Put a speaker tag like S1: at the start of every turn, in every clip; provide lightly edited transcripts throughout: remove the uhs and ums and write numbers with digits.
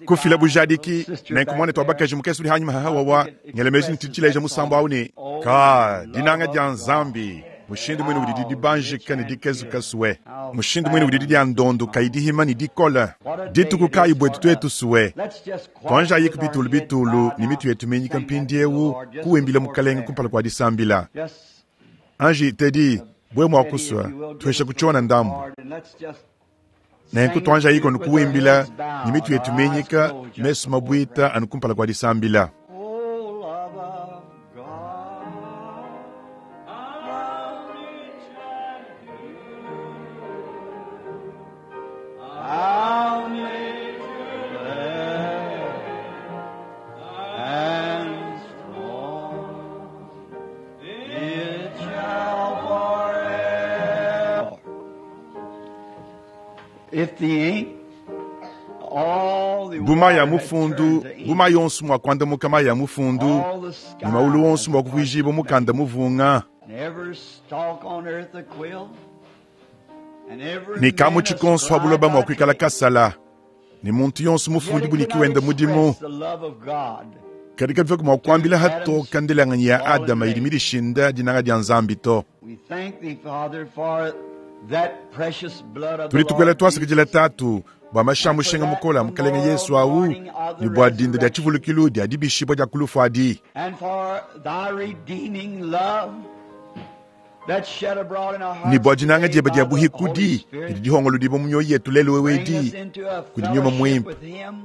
S1: Kufila bujadiki nenku muanetu wa bakaji mukese udi hanyima ha wawa ngela meji ne tshileja musambu au ne ka dinanga dia Nzambi mushindu mwine udi dibanjika ne dikezuka sue mushindu mwine udi dia ndondo kayi dihima ne dikola dituku kayi buetu tuetu sue tuanjayiku bitulu bitulu ne mitu yetu minyika mpindieu kuwimbila mukalenge kumpala kua disambila. Anji Teddy bwe mua kusua tuesha kutshiona ndambu. Nenku tuanjayiku anu kuwimbila ne mitu yetu minyika mesu mabuita anu kumpala kua disambila.
S2: Oh, love of God, how rich and pure, how measureless and strong, it shall forever. If the ink, all the
S1: Buma ya
S2: water had
S1: mufundu
S2: turned to ink,
S1: buma yonso mua kuandamuka mayi ya mufundu
S2: all the
S1: ne
S2: sky
S1: maulu wonso mua
S2: had
S1: kuvuijibwa mukanda muvunga
S2: And every stalk on earth a quill, and every
S1: ne kamu
S2: man a
S1: tshikonso ha buloba
S2: scribe
S1: mua
S2: by
S1: kuikala
S2: trade.
S1: kasala ne muntu yonso
S2: Yet
S1: mufundi
S2: it could
S1: buniki
S2: not
S1: wenda mudimu
S2: express the love of God
S1: kadi kabivua mua kuambila
S2: to
S1: hatoka
S2: Adam's
S1: ndelanganyi ya
S2: fallen
S1: Adama idi
S2: race.
S1: midishinda dinanga dia Nzambi to.
S2: We thank thee, Father, for that precious blood of the
S1: Tudi tukwela
S2: Lord
S1: twasakidila
S2: Jesus,
S1: tatu bua mashi a
S2: and for
S1: mushinga
S2: that
S1: mukola mukalenge
S2: memorial
S1: Yesu awu
S2: morning of
S1: ne
S2: the
S1: bua dinda dia
S2: resurrection,
S1: tshivulukilu dia dibishibua dia kulufu adi
S2: and for thy redeeming love that shed abroad in our
S1: ne
S2: hearts
S1: bua dinanga
S2: today
S1: diebe dia
S2: by the Holy
S1: buhikudi
S2: Spirit.
S1: didi dihongolodibua mu mioyo yetu lelu
S2: Bring us
S1: wewedi
S2: into a
S1: kudi nyuma
S2: fellowship
S1: muimpe
S2: with him,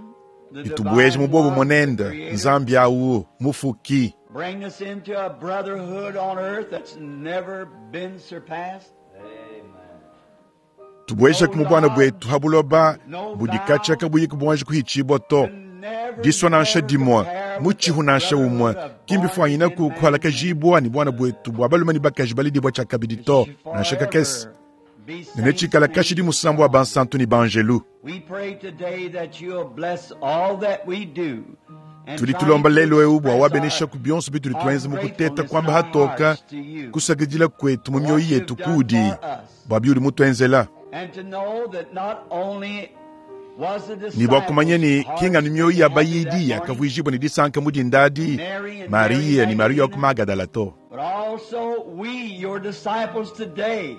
S2: the
S1: ditubueje
S2: divine
S1: mu bobo
S2: one, the
S1: monende
S2: Creator.
S1: Nzambi awu mufuki.
S2: Bring us into a brotherhood on earth that's never been surpassed.
S1: Tubueje
S2: No
S1: ku mubwana
S2: love,
S1: bwetu ha buloba
S2: no
S1: budi katsha
S2: vow
S1: kabuyi kubwanji kuhitshibua to.
S2: can never,
S1: Disua nansha
S2: never
S1: dimue
S2: compare with the
S1: mutshihu nansha umue
S2: brotherhood of born
S1: kimbifuanyina
S2: again
S1: ku
S2: man and woman.
S1: kuhalakajibua ne bwana bwetu bua balume ne bakaji balidibua tshiakabidi
S2: It
S1: to
S2: should
S1: nansha kakese
S2: forever be
S1: ne
S2: saints and
S1: netshikala kashidi
S2: angels
S1: musambu wa
S2: song.
S1: bansantu ne banjelu.
S2: We pray today that you'll bless all that we do and
S1: Tudi
S2: trying
S1: tulomba
S2: to
S1: lelu eu bua
S2: express
S1: wabenesha
S2: our,
S1: ku bionso bitudi
S2: our
S1: tuenza mu kuteta
S2: gratefulness in
S1: kuamba
S2: our
S1: hatoka
S2: hearts to you
S1: kusakidila kwetu mu
S2: for
S1: mioyo
S2: what you've
S1: yetu
S2: done
S1: kudi
S2: for us.
S1: bua biudi mutuenzela
S2: And to know that not only was the
S1: ne bua kumanya
S2: disciples'
S1: ne kinganu
S2: hearts
S1: mioyo
S2: made
S1: ya
S2: happy that
S1: bayidi
S2: morning,
S1: yakavuijibua ne disanka mu dindadi
S2: Mary and Mary
S1: Mariya ne Mariya wa ku
S2: Magdalene,
S1: Magadala to.
S2: but also we, your disciples today,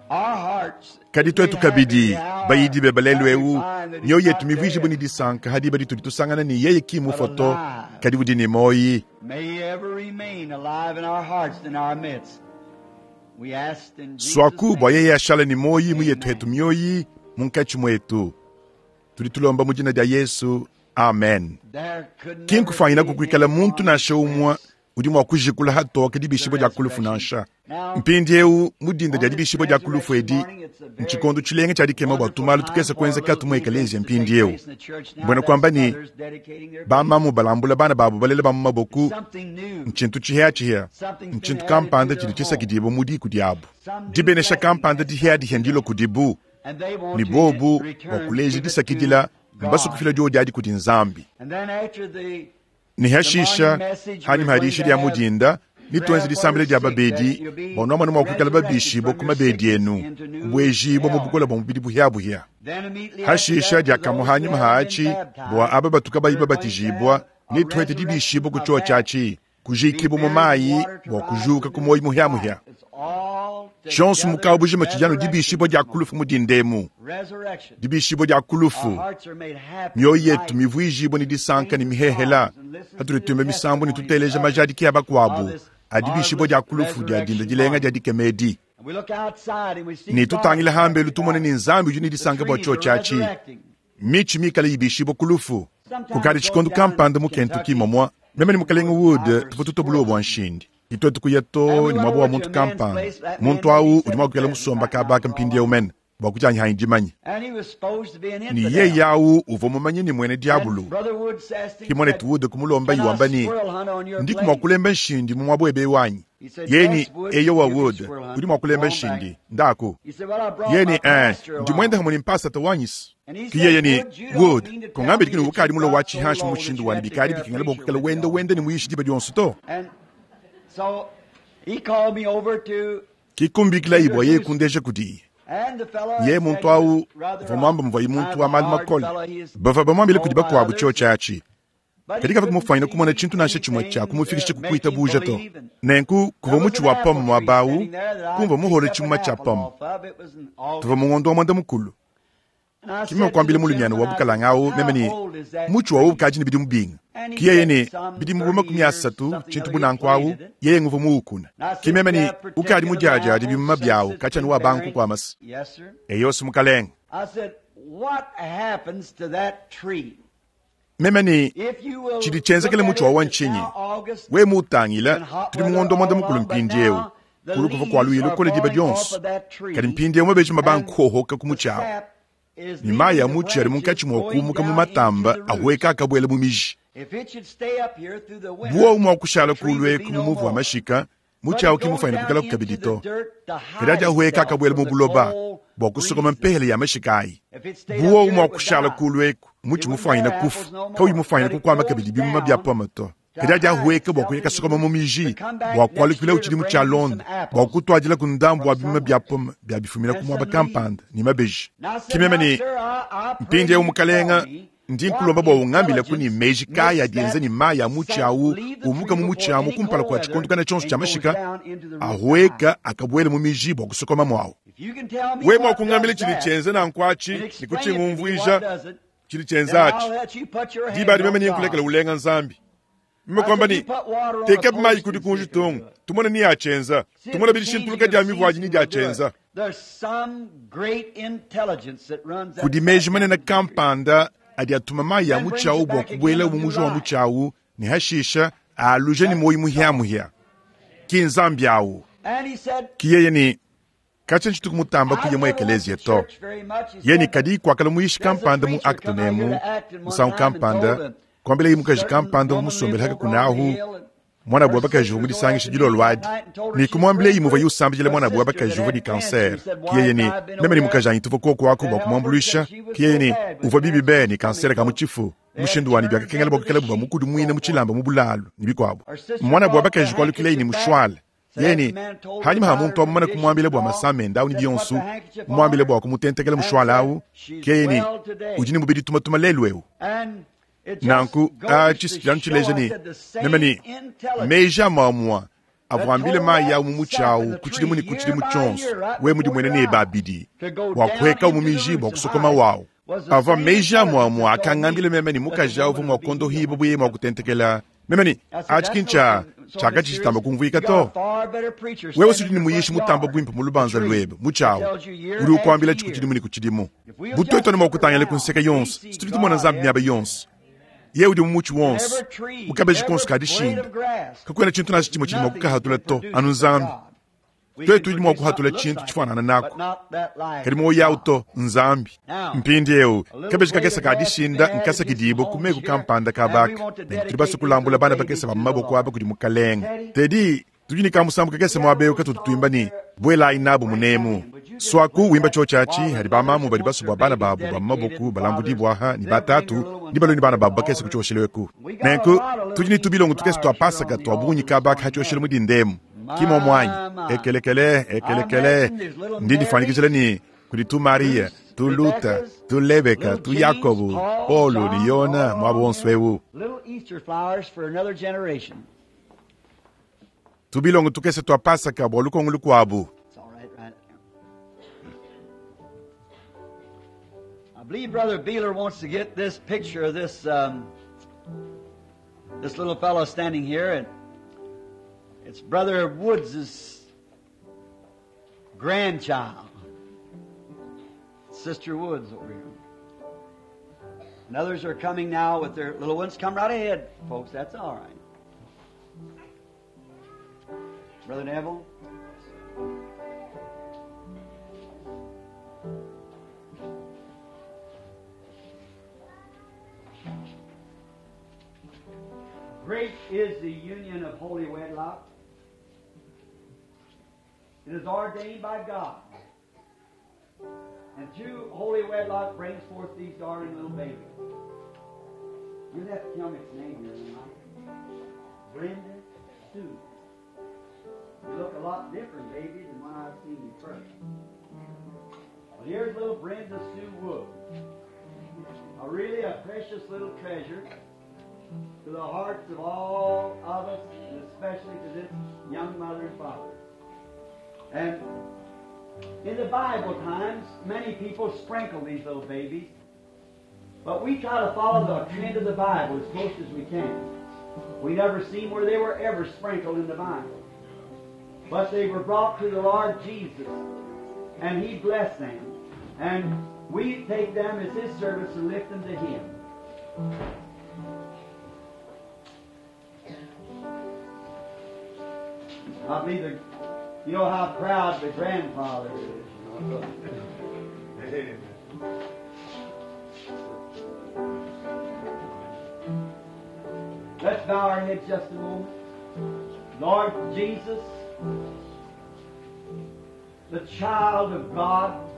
S2: our hearts
S1: Kadi
S2: is made
S1: tuetu
S2: happy
S1: kabidi
S2: the hour
S1: bayidi beba lelu
S2: that we
S1: eu
S2: find that he's
S1: mioyo yetu
S2: not
S1: mivuijibua ne
S2: dead,
S1: disanka hadiba ditudi tusangana ne yeye ki
S2: but
S1: mufua to
S2: alive.
S1: kadi udi ne moyi.
S2: May he ever remain alive in our hearts and our midst. We ask in Jesus'
S1: Swaku bua
S2: name.
S1: yeye ashala ne moyi mu yetu hetu
S2: Amen.
S1: mioyi munkatshi muetu. Tudi tulomba mu dina dia Yesu. Amen.
S2: There could never
S1: Kinkufuanyina
S2: be
S1: kukuikala muntu
S2: anyone
S1: nansha umue
S2: express
S1: udi mua kujikula hatoka
S2: the
S1: dibishibua dia kulufu
S2: resurrection.
S1: nansha.
S2: Now,
S1: Mpindieu mu dinda dia
S2: on this
S1: dibishibua dia kulufu
S2: resurrection
S1: edi
S2: morning, it's a very
S1: ntshikondu tshilenga tshia dikema bua
S2: wonderful
S1: tumalu
S2: time
S1: tukese
S2: for
S1: kuenza
S2: little
S1: katu mu
S2: events
S1: ekeleziya
S2: to take
S1: mpindieu.
S2: place in the church now.
S1: Mbwena
S2: That's
S1: kuamba ne
S2: mothers dedicating their babies.
S1: bamamu balambula bana babu balela ba mu
S2: It's
S1: maboku
S2: something new.
S1: ntshintu tshiheatshihea
S2: Something's been
S1: ntshintu
S2: added to
S1: kampanda
S2: their
S1: tshidi
S2: home.
S1: tshisakidibua mu diku diabu.
S2: Some new
S1: Dibenesha
S2: blessing
S1: kampanda
S2: has come to
S1: diheadihea ndilo
S2: them.
S1: kudibu
S2: And they
S1: ne
S2: want to
S1: bobu
S2: in
S1: bua
S2: return
S1: kuleja
S2: give it to
S1: disakidila mbasukufila
S2: God.
S1: diodi adi kudi Nzambi.
S2: And then after the
S1: Ne
S2: the morning
S1: hashisha
S2: message,
S1: hanyuma
S2: we're going
S1: hadisha
S2: to
S1: dia mu
S2: have
S1: dinda nituenze
S2: prayer for
S1: disambila
S2: the
S1: dia
S2: sick that
S1: babedi
S2: you'll be
S1: bua nuamona mua kuikala
S2: resurrected
S1: babishibua
S2: from
S1: ku
S2: your
S1: mabedi
S2: sickness
S1: enu
S2: into new
S1: kubuejibua mu
S2: health.
S1: bukola bua mubidi buhiabuhia.
S2: Then immediately after
S1: Hashisha
S2: that, for
S1: diakamue
S2: those who
S1: hanyuma
S2: haven't been
S1: haatshi bua
S2: baptized,
S1: aba batuka bayi
S2: we're going to
S1: babatijibua
S2: have a
S1: nituete
S2: resurrection
S1: dibishibua ku
S2: of
S1: chio
S2: that.
S1: tshiatshi
S2: Be
S1: kujikibua mu
S2: buried in
S1: mayi
S2: water to
S1: bua
S2: rise
S1: kujuka
S2: to
S1: ku
S2: new
S1: moyi muhiamuhia.
S2: life. It's all
S1: Tshionso
S2: together
S1: mukawu bujima tshijanu
S2: resurrection
S1: dibishibua
S2: this
S1: dia
S2: morning.
S1: kulufu mu dindemu.
S2: Resurrection.
S1: Dibishibua dia
S2: Our
S1: kulufu
S2: hearts are made happy
S1: mioyo
S2: and
S1: yetu
S2: light.
S1: mivuijibua ne disanka ne
S2: Sing
S1: mihehela
S2: songs and listen to
S1: hatuli
S2: the
S1: tuimba misambu ne
S2: testimonies
S1: tuteleja
S2: of
S1: majadiki ya
S2: of
S1: bakuabu
S2: this
S1: adibishibua
S2: marvelous
S1: dia kulufu dia dinda
S2: resurrection
S1: dilenga dia
S2: morning.
S1: dikemedi.
S2: And we look outside and we see
S1: Ne
S2: God
S1: tutangila
S2: is
S1: hambelu
S2: happy
S1: tumone
S2: about
S1: ne
S2: it.
S1: Nzambi udi ne
S2: The
S1: disanka bua
S2: trees
S1: chio
S2: are
S1: tshiatshi.
S2: resurrecting.
S1: Michi mikale ibishibua kulufu.
S2: Sometimes
S1: Kukadi
S2: go
S1: tshikondo
S2: down in
S1: kampanda mu Kentucky
S2: Kentucky
S1: momwa meme ne mukalenge
S2: wood
S1: Wood
S2: either
S1: tuvua tutobuluwa
S2: squirrel
S1: bua
S2: hunting.
S1: nshindi. Itwetu kuya
S2: And
S1: to
S2: we
S1: ne
S2: went
S1: mwabo wa
S2: over to
S1: muntu
S2: a man's
S1: kampanda.
S2: place. That man
S1: Muntu
S2: may
S1: awu
S2: be
S1: udi mua
S2: 70
S1: kuikala musomba
S2: right now
S1: kabaka
S2: for all
S1: mpindieu
S2: I know.
S1: mene bua kujanyi dimanya.
S2: And he was supposed to be an
S1: Ne
S2: infidel.
S1: yeye awu uvua mumanye ne mwene
S2: And
S1: diabulu.
S2: Brother Woods asked him,
S1: Ki mwanetu
S2: said,
S1: Wood kumulomba
S2: Can I
S1: iwamba ne
S2: squirrel hunt on your
S1: ndiku mua
S2: place?
S1: kulemba nshindi mu mwabo ebe wanyi.
S2: He said,
S1: Yeni
S2: Yes, Wood,
S1: eyo wa
S2: you can
S1: Wood
S2: squirrel hunt.
S1: udi mua
S2: Go
S1: kulemba
S2: on back.
S1: nshindi ndaku.
S2: He said, Well, I brought
S1: Yeni
S2: my pastor
S1: ndi mwenda
S2: along.
S1: hamwe ne mpasata wanyisi.
S2: And he
S1: Ki yeye
S2: said,
S1: ne
S2: Wood, you don't
S1: Wood
S2: mean to tell
S1: kongambe
S2: me
S1: dikini
S2: that
S1: bukadi
S2: you've
S1: mulo
S2: got
S1: wa
S2: so
S1: chihanshi
S2: low that
S1: mushindu
S2: you
S1: wani
S2: have to
S1: bikadi
S2: carry a
S1: bikingala bua
S2: preacher
S1: kukala
S2: with you
S1: wenda
S2: all the
S1: wenda ne
S2: time.
S1: muyishi diba dionso to.
S2: And so he called me over to
S1: Kikumbikila ibwa yeye
S2: introduce
S1: kundeja kudi. Yeye muntu awu uvua muambe muvuaye muntu wa malu makole. Bavua bamuambile kudi bakuabu tshiotshi atshi. Kadi kavua mufwanyine kumona tshintu nansha tshimue tshia kumufikisha ku kuitabuja to. Nenku kuvua mutshi wa pomme muaba awu, kumvua muhole tshimuma tshia pomme. Tuvua mu ngondo wa muanda-mukulu. Ke meme kuambila mulumiana wa bukalanga awu meme ne, Mutshi wawu ukadi ne bidimu binga? Ke yeye ne, Bidimu bu 30, tshintu bu nanku awu, yeye nguvua muwukuna. Ke meme ne, Ukadi mudiadiade bimuma biawu katshia anu wabanga kukuamasa. Eyo's, mukalenge. Meme ne, Tshidi tshienzekele mutshi wawa ntshinyi? Wewe muwutangila, tudi mu ngondo wa muanda-mukulu mpindieu. Kulu kuvua kua luya lukole diba dionso, kadi mpindieu mabeji mabanga kuhohoka ku mutshi awu, ne mayi a mutshi adi munkatshi mua kuumuka mu matamba ahueka akabuela mu miji. Buowu mua kushala kulu eku mu muvu wa mashika, mutshi awu ki mufuanyine kuikalaku kabidi to. Kadi adi ahueka akabuela mu buloba bua kusokoma mpehele ya mashika ayi. Buowu mua kushala kulu eku, mutshi mufuanyine kufua, kauyi mufuanyine kukuama kabidi bimuma bia pome to. Kadi adi ahueka bua kuya kasokoma mu miji, bua kualukilawu tshidimu tshialonda, bua kutuadilaku ndambu wa bimuma bia pome bia bifumina ku muaba kampanda ne mabeji. Ke meme ne, Mpindieu, Mukalenga, ndi nkulomba bua ungambileku ne meji kayi adi enza ne mayi a mutshi awu umuka mu mutshi amu kumpala kua tshikondo kana tshionso tshia mashika ahueka akabuela mu miji bua kusokoma muawu. Wewe mua kungambila tshidi tshienza nanku atshi ne kutshingumvuija tshidi tshienza atshi, diba adi meme nenkulekele ulenga Nzambi. Meme kuamba ne, Tekabi mayi ku dikunji tongo, tumone ni atshienza, tumone bidishintuluka dia mivu adi ni diatshienza. Kudi meji manene kampanda adi atuma mayi a mutshi awu bua kubuela mu muji wa mutshi awu ne hashisha aaluja ne muoyo muhia-muhia. Ki Nzambi awu. Ki yeye ne, Katshia ntshituku mutamba kuya mu ekeleziya to. Yeye ne, Kadi kuakala muyishi kampanda mu Acton emu, musangu kampanda, kuambilaye mukaji kampanda uvua musombele haka kunahu, muanabu wa bakaji uvua mudisangishe dilolo adi, ne kumuambilaye muvuaye usambidila muanabu wa bakaji uvua ne kansere. Ke yeye ne, Meme ne mukajanyi tuvua kuoku aku bua kumuambuluisha. Ke yeye ne, Uvua bibi be ne kansere ka mu tshifu. Mushindu wanyi biakakengela bua kuikalabu bamukudimuine mu tshilamba mu bulalu, ne bikuabu. Muanabu wa bakaji kualukilaye ne mushuale. Yeye ne, hanyima ha muntu awu mumane kumuambila bua masama ende awu ne bionso, mumuambile bua kumutentekela mushuale awu, ke yeye ne, udi ne mubidi tumatuma lelu eu. Nanku, atshi si tshidi tshileja ne, meme ne, meji amue-amue avua ambile mayi awu mu mutshi awu ku tshidimu ne ku tshidimu tshionso, wewe mudimuene nebe abidi, bua kuhuekawu mu miji bua kusokomawu awu. Avua meji amue-amue akangambila meme ne mukaji awu uvua mua kuondohibua bu yeye mua kutentekela. Meme ne, atshi ki ntshia tshiakadi tshitamba kumvuika to. Wewe si udi ne muyishi mutamba buimpe mu lubanza luebe, mutshi awu udi ukuambilatshi ku tshidimu ne ku tshidimu. Bu tuetu anu mua kutangila ku nseke yonso, si tudi tumona Nzambi miaba yonso. Yeye udi mu mutshi wonso, mu kabeji konso ka dishinda. Kakuena tshintu nansha tshimue tshidi mua kukahatula to, anu Nzambi. Tuetu tudi mua kuhatula tshintu tshifuanangana naku, kadi muoyo awu to, Nzambi. Mpindieu, kabeji kakese ka dishinda nkasakidibue ku meku kampanda ka baka, nenku tudi basue kulambula bana bakese ba mu maboko aba kudi Mukalenge. Teddy, tudi ne kamusambu kakese muaba eu katutu tuimba ne, Buelayi nabu munemu. Suaku wimba tshiotshi atshi hadi bamamu badi basue bua bana babu ba mu maboko balambudibue aha ne batatu ne balue ne bana babu bakese ku tshioshelu eku. Nenku tudi ne tubilongo tukese tua Pasaka tua bungi kaba aka ha tshioshelu mu dinda emu. Ki muomu anyi? Ekelekele, ekelekele. Ndi ndifuanyikijila ne kudi tu Mariya, tu Luta, tu Lebeka, tu Yakobo, Paulo ne Yona muaba wonso eu. Tubilongo tukese tua Pasaka bua lukongo lukuabu.
S2: I believe Brother Beeler wants to get this picture of this this little fellow standing here, and it's Brother Woods' grandchild, Sister Woods over here. And others are coming now with their little ones. Come right ahead, folks. That's all right. Brother Neville. Great is the union of holy wedlock. It is ordained by God. And through holy wedlock brings forth these darling little babies. You'll have to tell me its name here tonight. Brenda Sue. You look a lot different, baby, than when I've seen you first. Well, here's little Brenda Sue Wood. A really a precious little treasure to the hearts of all of us, and especially to this young mother and father. And in the Bible times, many people sprinkle these little babies, but we try to follow the trend of the Bible as close as we can. We never seen where they were ever sprinkled in the Bible. But they were brought to the Lord Jesus, and He blessed them. And we take them as His servants and lift them to Him. I believe the, you know how proud the grandfather is. You know.
S1: Amen.
S2: Let's bow our heads just a moment. Lord Jesus, the child of God,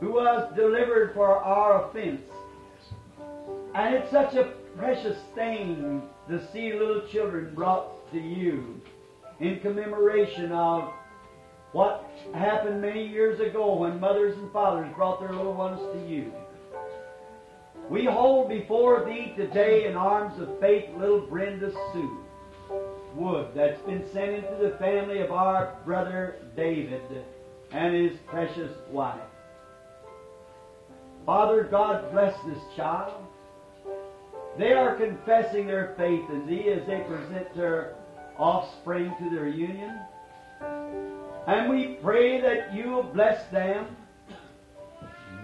S2: who was delivered for our offense. And it's such a precious thing to see little children brought to you in commemoration of what happened many years ago when mothers and fathers brought their little ones to you. We hold before thee today in arms of faith little Brenda Sue Wood that's been sent into the family of our brother David and his precious wife. Father God, bless this child. They are confessing their faith in thee as they present their offspring to their union. And we pray that you will bless them.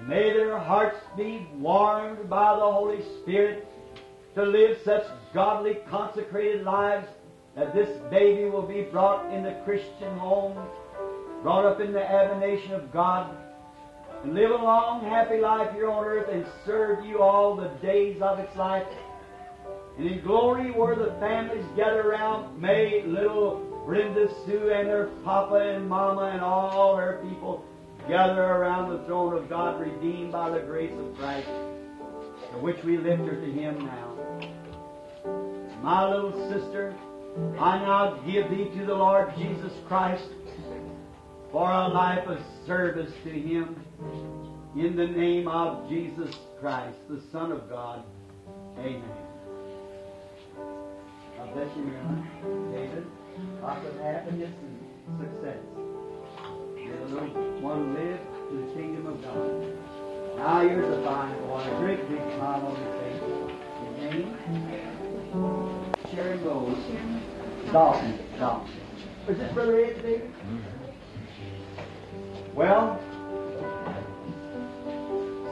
S2: May their hearts be warmed by the Holy Spirit to live such godly, consecrated lives that this baby will be brought in the Christian home, brought up in the admonition of God, and live a long, happy life here on earth and serve you all the days of its life. And in glory where the families gather around, may little Brenda Sue and her papa and mama and all her people gather around the throne of God, redeemed by the grace of Christ, for which we lift her to Him now. My little sister, I now give thee to the Lord Jesus Christ for a life of service to Him, in the name of Jesus Christ, the Son of God. Amen. God bless you, Marilyn, David. Lots of happiness and success. May the little one live to the kingdom of God. Now here's a fine boy, a great big smile on his face. His name? Sharon Rose. Dalton. Dalton. Is this Brother Ed, David? Well,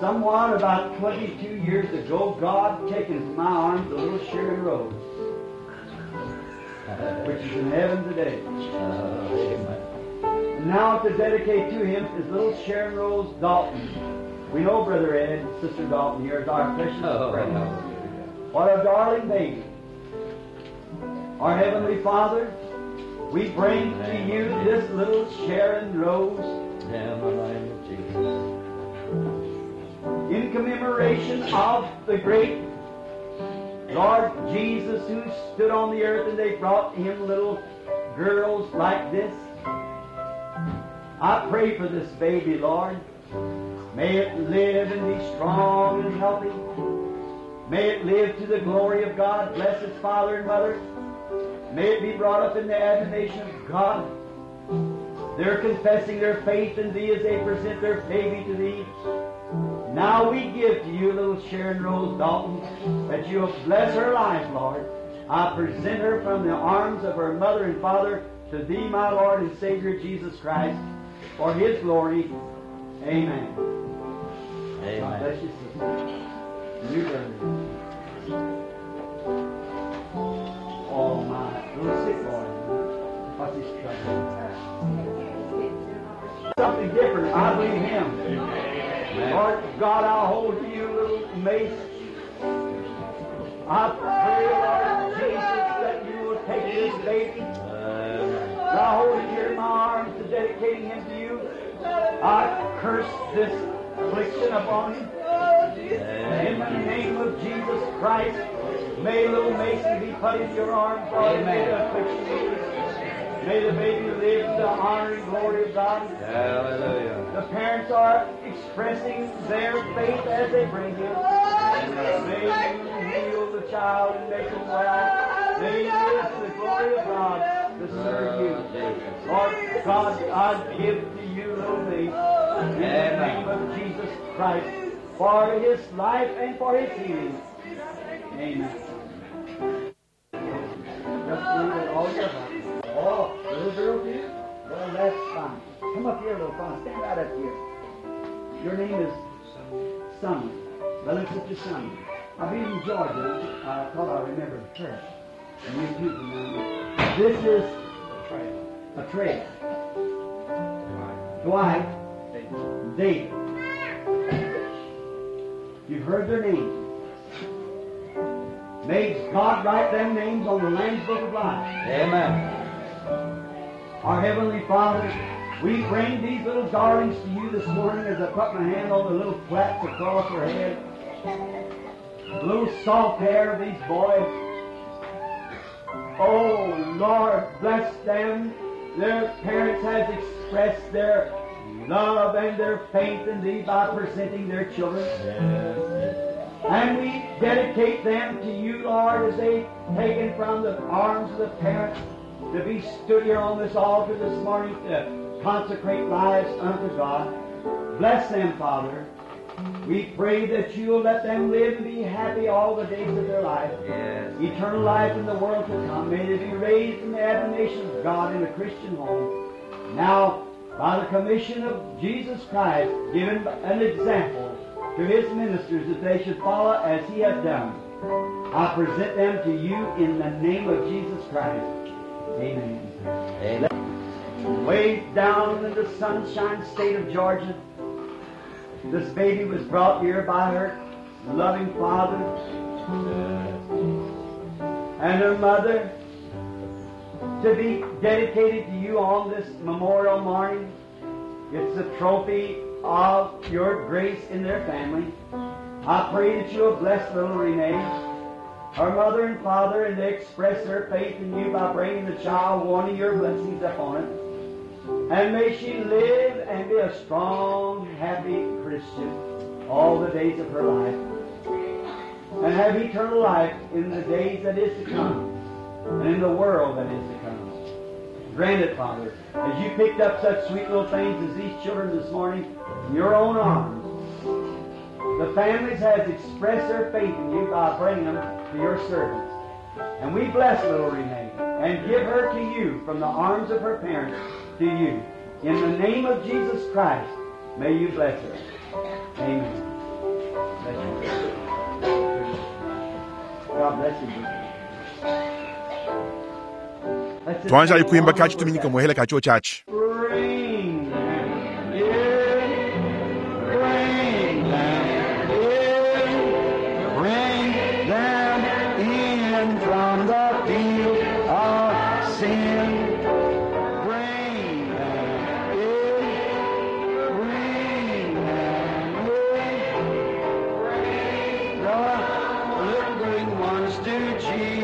S2: somewhat about 22 years ago, God taken from my arms a little Sharon Rose, which is in heaven today. And now to dedicate to him is little Sharon Rose Dalton. We know Brother Ed and Sister Dalton here is our precious friend. What a darling baby. Our Heavenly Father, we bring to you this little Sharon Rose
S3: In the name of Jesus.
S2: in commemoration of the great Lord Jesus who stood on the earth and they brought him little girls like this. I pray for this baby, Lord. May it live and be strong and healthy. May it live to the glory of God. Bless its father and mother. May it be brought up in the admonition of God. They're confessing their faith in Thee as they present their baby to Thee. Now we give to you, little Sharon Rose Dalton, that you will bless her life, Lord. I present her from the arms of her mother and father to Thee, my Lord and Savior, Jesus Christ, for His glory. Amen. God
S3: Amen.
S2: bless you, sister. And you, brother. Oh, my little sick boy. What's his trouble? Something different. I believe him. Lord God, I hold to you, little Mace. I pray, Lord Jesus, that you will take this baby. I hold it here in my arms to dedicating him to you. I curse this affliction upon him. In the name of Jesus Christ, may little Mason be put in your arms, Lord. May the affliction be. May the baby live to the honor and glory of God.
S3: Hallelujah.
S2: The parents are expressing their faith as they bring him. May you heal the child and make him well. May he live to the glory of God to serve you. Lord God, I give to you little me in the name of Jesus Christ for his life and for his healing. Amen. Just believe it all your heart. Oh, little girl too? Well, that's fine. Come up here, little fella. Stand right up here. Your name is Sonny. Little sister Sonny. I've been in Georgia. I thought I remembered her. And you too remember. This is a trail. Dwight David. You've heard their names. May God write them names on the Lamb's Book of Life.
S3: Amen.
S2: Our Heavenly Father, we bring these little darlings to you this morning as I put my hand on the little plaits across their head, the little soft hair of these boys. Oh, Lord, bless them. Their parents has expressed their love and their faith in Thee by presenting their children. And we dedicate them to you, Lord, as they taken from the arms of the parents to be stood here on this altar this morning to consecrate lives unto God. Bless them, Father. We pray that you'll let them live and be happy all the days of their life.
S3: Yes.
S2: Eternal life in the world to come. May they be raised in the admonition of God in a Christian home. Now, by the commission of Jesus Christ, given an example to his ministers that they should follow as he had done, I present them to you in the name of Jesus Christ. Amen.
S3: Amen.
S2: Way down in the sunshine state of Georgia, this baby was brought here by her loving father and her mother to be dedicated to you on this memorial morning. It's a trophy of your grace in their family. I pray that you'll bless little Renee, her mother and father, and they express their faith in you by bringing the child, wanting your blessings upon it. And may she live and be a strong, happy Christian all the days of her life. And have eternal life in the days that is to come and in the world that is to come. Grant it, Father, as you picked up such sweet little things as these children this morning in your own arms. The families has expressed their faith in you by bringing them to your service. And we bless little Renee and give her to you from the arms of her parents to you. In the name of Jesus Christ, may you bless her. Amen. Bless you. God bless you. brother. Let's just
S1: Twanja
S2: sing
S1: ikuimba
S2: one
S1: kachi
S2: more
S1: tuminyika
S2: time.
S1: muhela kacho chachi.
S2: Bring them in, bring them in, bring them in from the field of sin. Bring them in, bring them in, bring the little green ones to Jesus.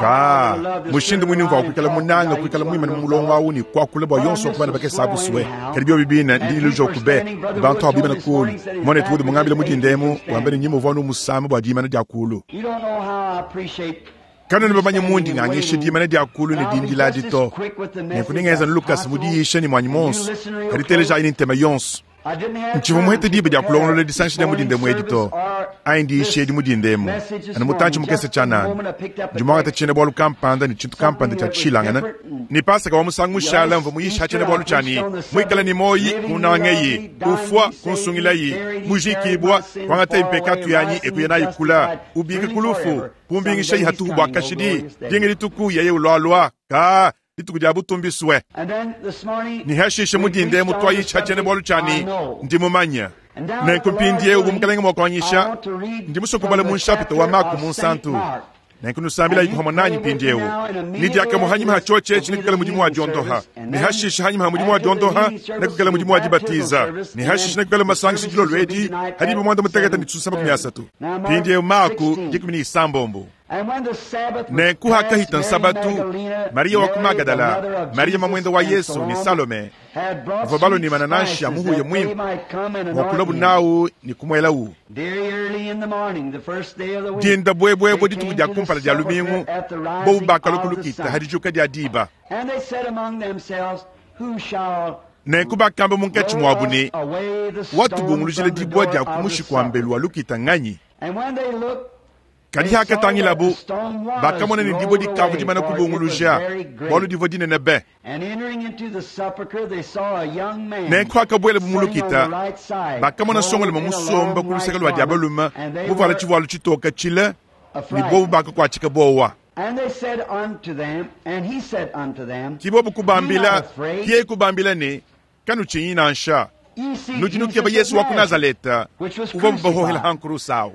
S1: Ka mushindu mwini mva kuikala munanga kuikala mwimana mulongo awu ni kwakula bwa yonso kubana bakesa busuwe kadi byo bibina ndi ilujo kube bantu abimana kulu mone tudu mungambile mudindemu wambene nyimo vonu musama bwa dimana dia kulu
S2: You don't know how I appreciate
S1: kano ni bamanye mundi nganyishe dimana dia kulu ni dindila dito nekuningeza Lucas mudiyishe ni mwanyi monso kadi teleja ini ntema yonso
S2: I didn't have
S1: nchivo muhete
S2: time
S1: dibe
S2: to
S1: dia
S2: prepare
S1: kulongolola disanshi dia
S2: this
S1: mudinde
S2: morning
S1: mwedi to
S2: service or
S1: aindi
S2: this
S1: di mudindemu
S2: message this
S1: ani mutanchi
S2: morning.
S1: mukese
S2: Just the
S1: chanani
S2: moment I picked up a
S1: jumwanga
S2: text,
S1: tachene bwalu kampanda ni chintu kampanda cha chilangana ni pasaka wa musangu mushala mva muyisha chene bwalu chani mwikala ni moyi kunangeyi kufwa kunsungilayi mujikibwa kwangata impekatu yanyi ekuya nayi kula ubike kulufu kumbingisha ihatuhu bwa kashidi dingi lituku yeye ulwalwa ka lituku dia butumbiswe
S2: And then this morning,
S1: ni hashishe
S2: we
S1: mudinde
S2: preached on
S1: mutwayi
S2: the
S1: chachene
S2: subject,
S1: bwalu
S2: I
S1: chani
S2: know.
S1: ndimumanya
S2: And now
S1: nenkumpindie
S2: the Lord
S1: ubu mukalenge
S2: willing, I
S1: mwakwanyisha
S2: want to read
S1: ndimusokubala
S2: from
S1: mu
S2: the
S1: nshapita wa
S2: chapter
S1: Marko
S2: of
S1: mu nsantu
S2: Saint Mark.
S1: nenkunusambila
S2: And you
S1: ikuhama nanyi
S2: pray with me
S1: mpindiewu
S2: now, and immediately
S1: nidiakamuhanyima
S2: after
S1: hachoche
S2: this will be
S1: chinikukala
S2: the
S1: mudimu wa
S2: healing
S1: diondoha
S2: service, and then
S1: nihashishe hanyima ha mudimu wa
S2: after the
S1: diondoha
S2: healing service
S1: nekukala
S2: will
S1: mudimu wa
S2: be baptismal
S1: dibatiza
S2: service, and
S1: nihashishe
S2: then
S1: nekukala
S2: the
S1: masangishi
S2: services will be
S1: jilolwedi
S2: tonight
S1: hadibu
S2: at
S1: mwanda muteketa ni tsusa makumi
S2: 7:30.
S1: asatu
S2: Now, Mark
S1: pindiewu Marko
S2: 16.
S1: dikumi ni isambombo Nenku hakahita nsabatu, Mariya wa ku Magadala, Mariya mamwende wa Yesu ne Salome bavua balua ne manananshi a muhuya muimpe bua kulabu nawu ne kumuelawu. Dinda buebuebue dituku dia kumpala dia lumingu, bobu bakalua ku lukita ha dijuka dia diba. Nenku bakamba munkatshi muabu ne, Watubungulujila dibua dia ku mushiku wa mbelu wa lukita nganyi? Kadi hakatangilabu, bakamona ne dibue dikavua dimana kubunguluja, bualu divua dinene be. Nenku hakabuelabu mu lukita, bakamona nsongalume musomba ku luseke lua dia balume, muvuale tshivualu tshitoke tshile, ne bobu bakakuatshika buowa. Ke bobu kubambila, ke yeye kubambila ne, Kanutshinyi nansha. Nudi nukeba Yesu wa ku Nazaleta uvuabu bahohela ha nkurusa awu.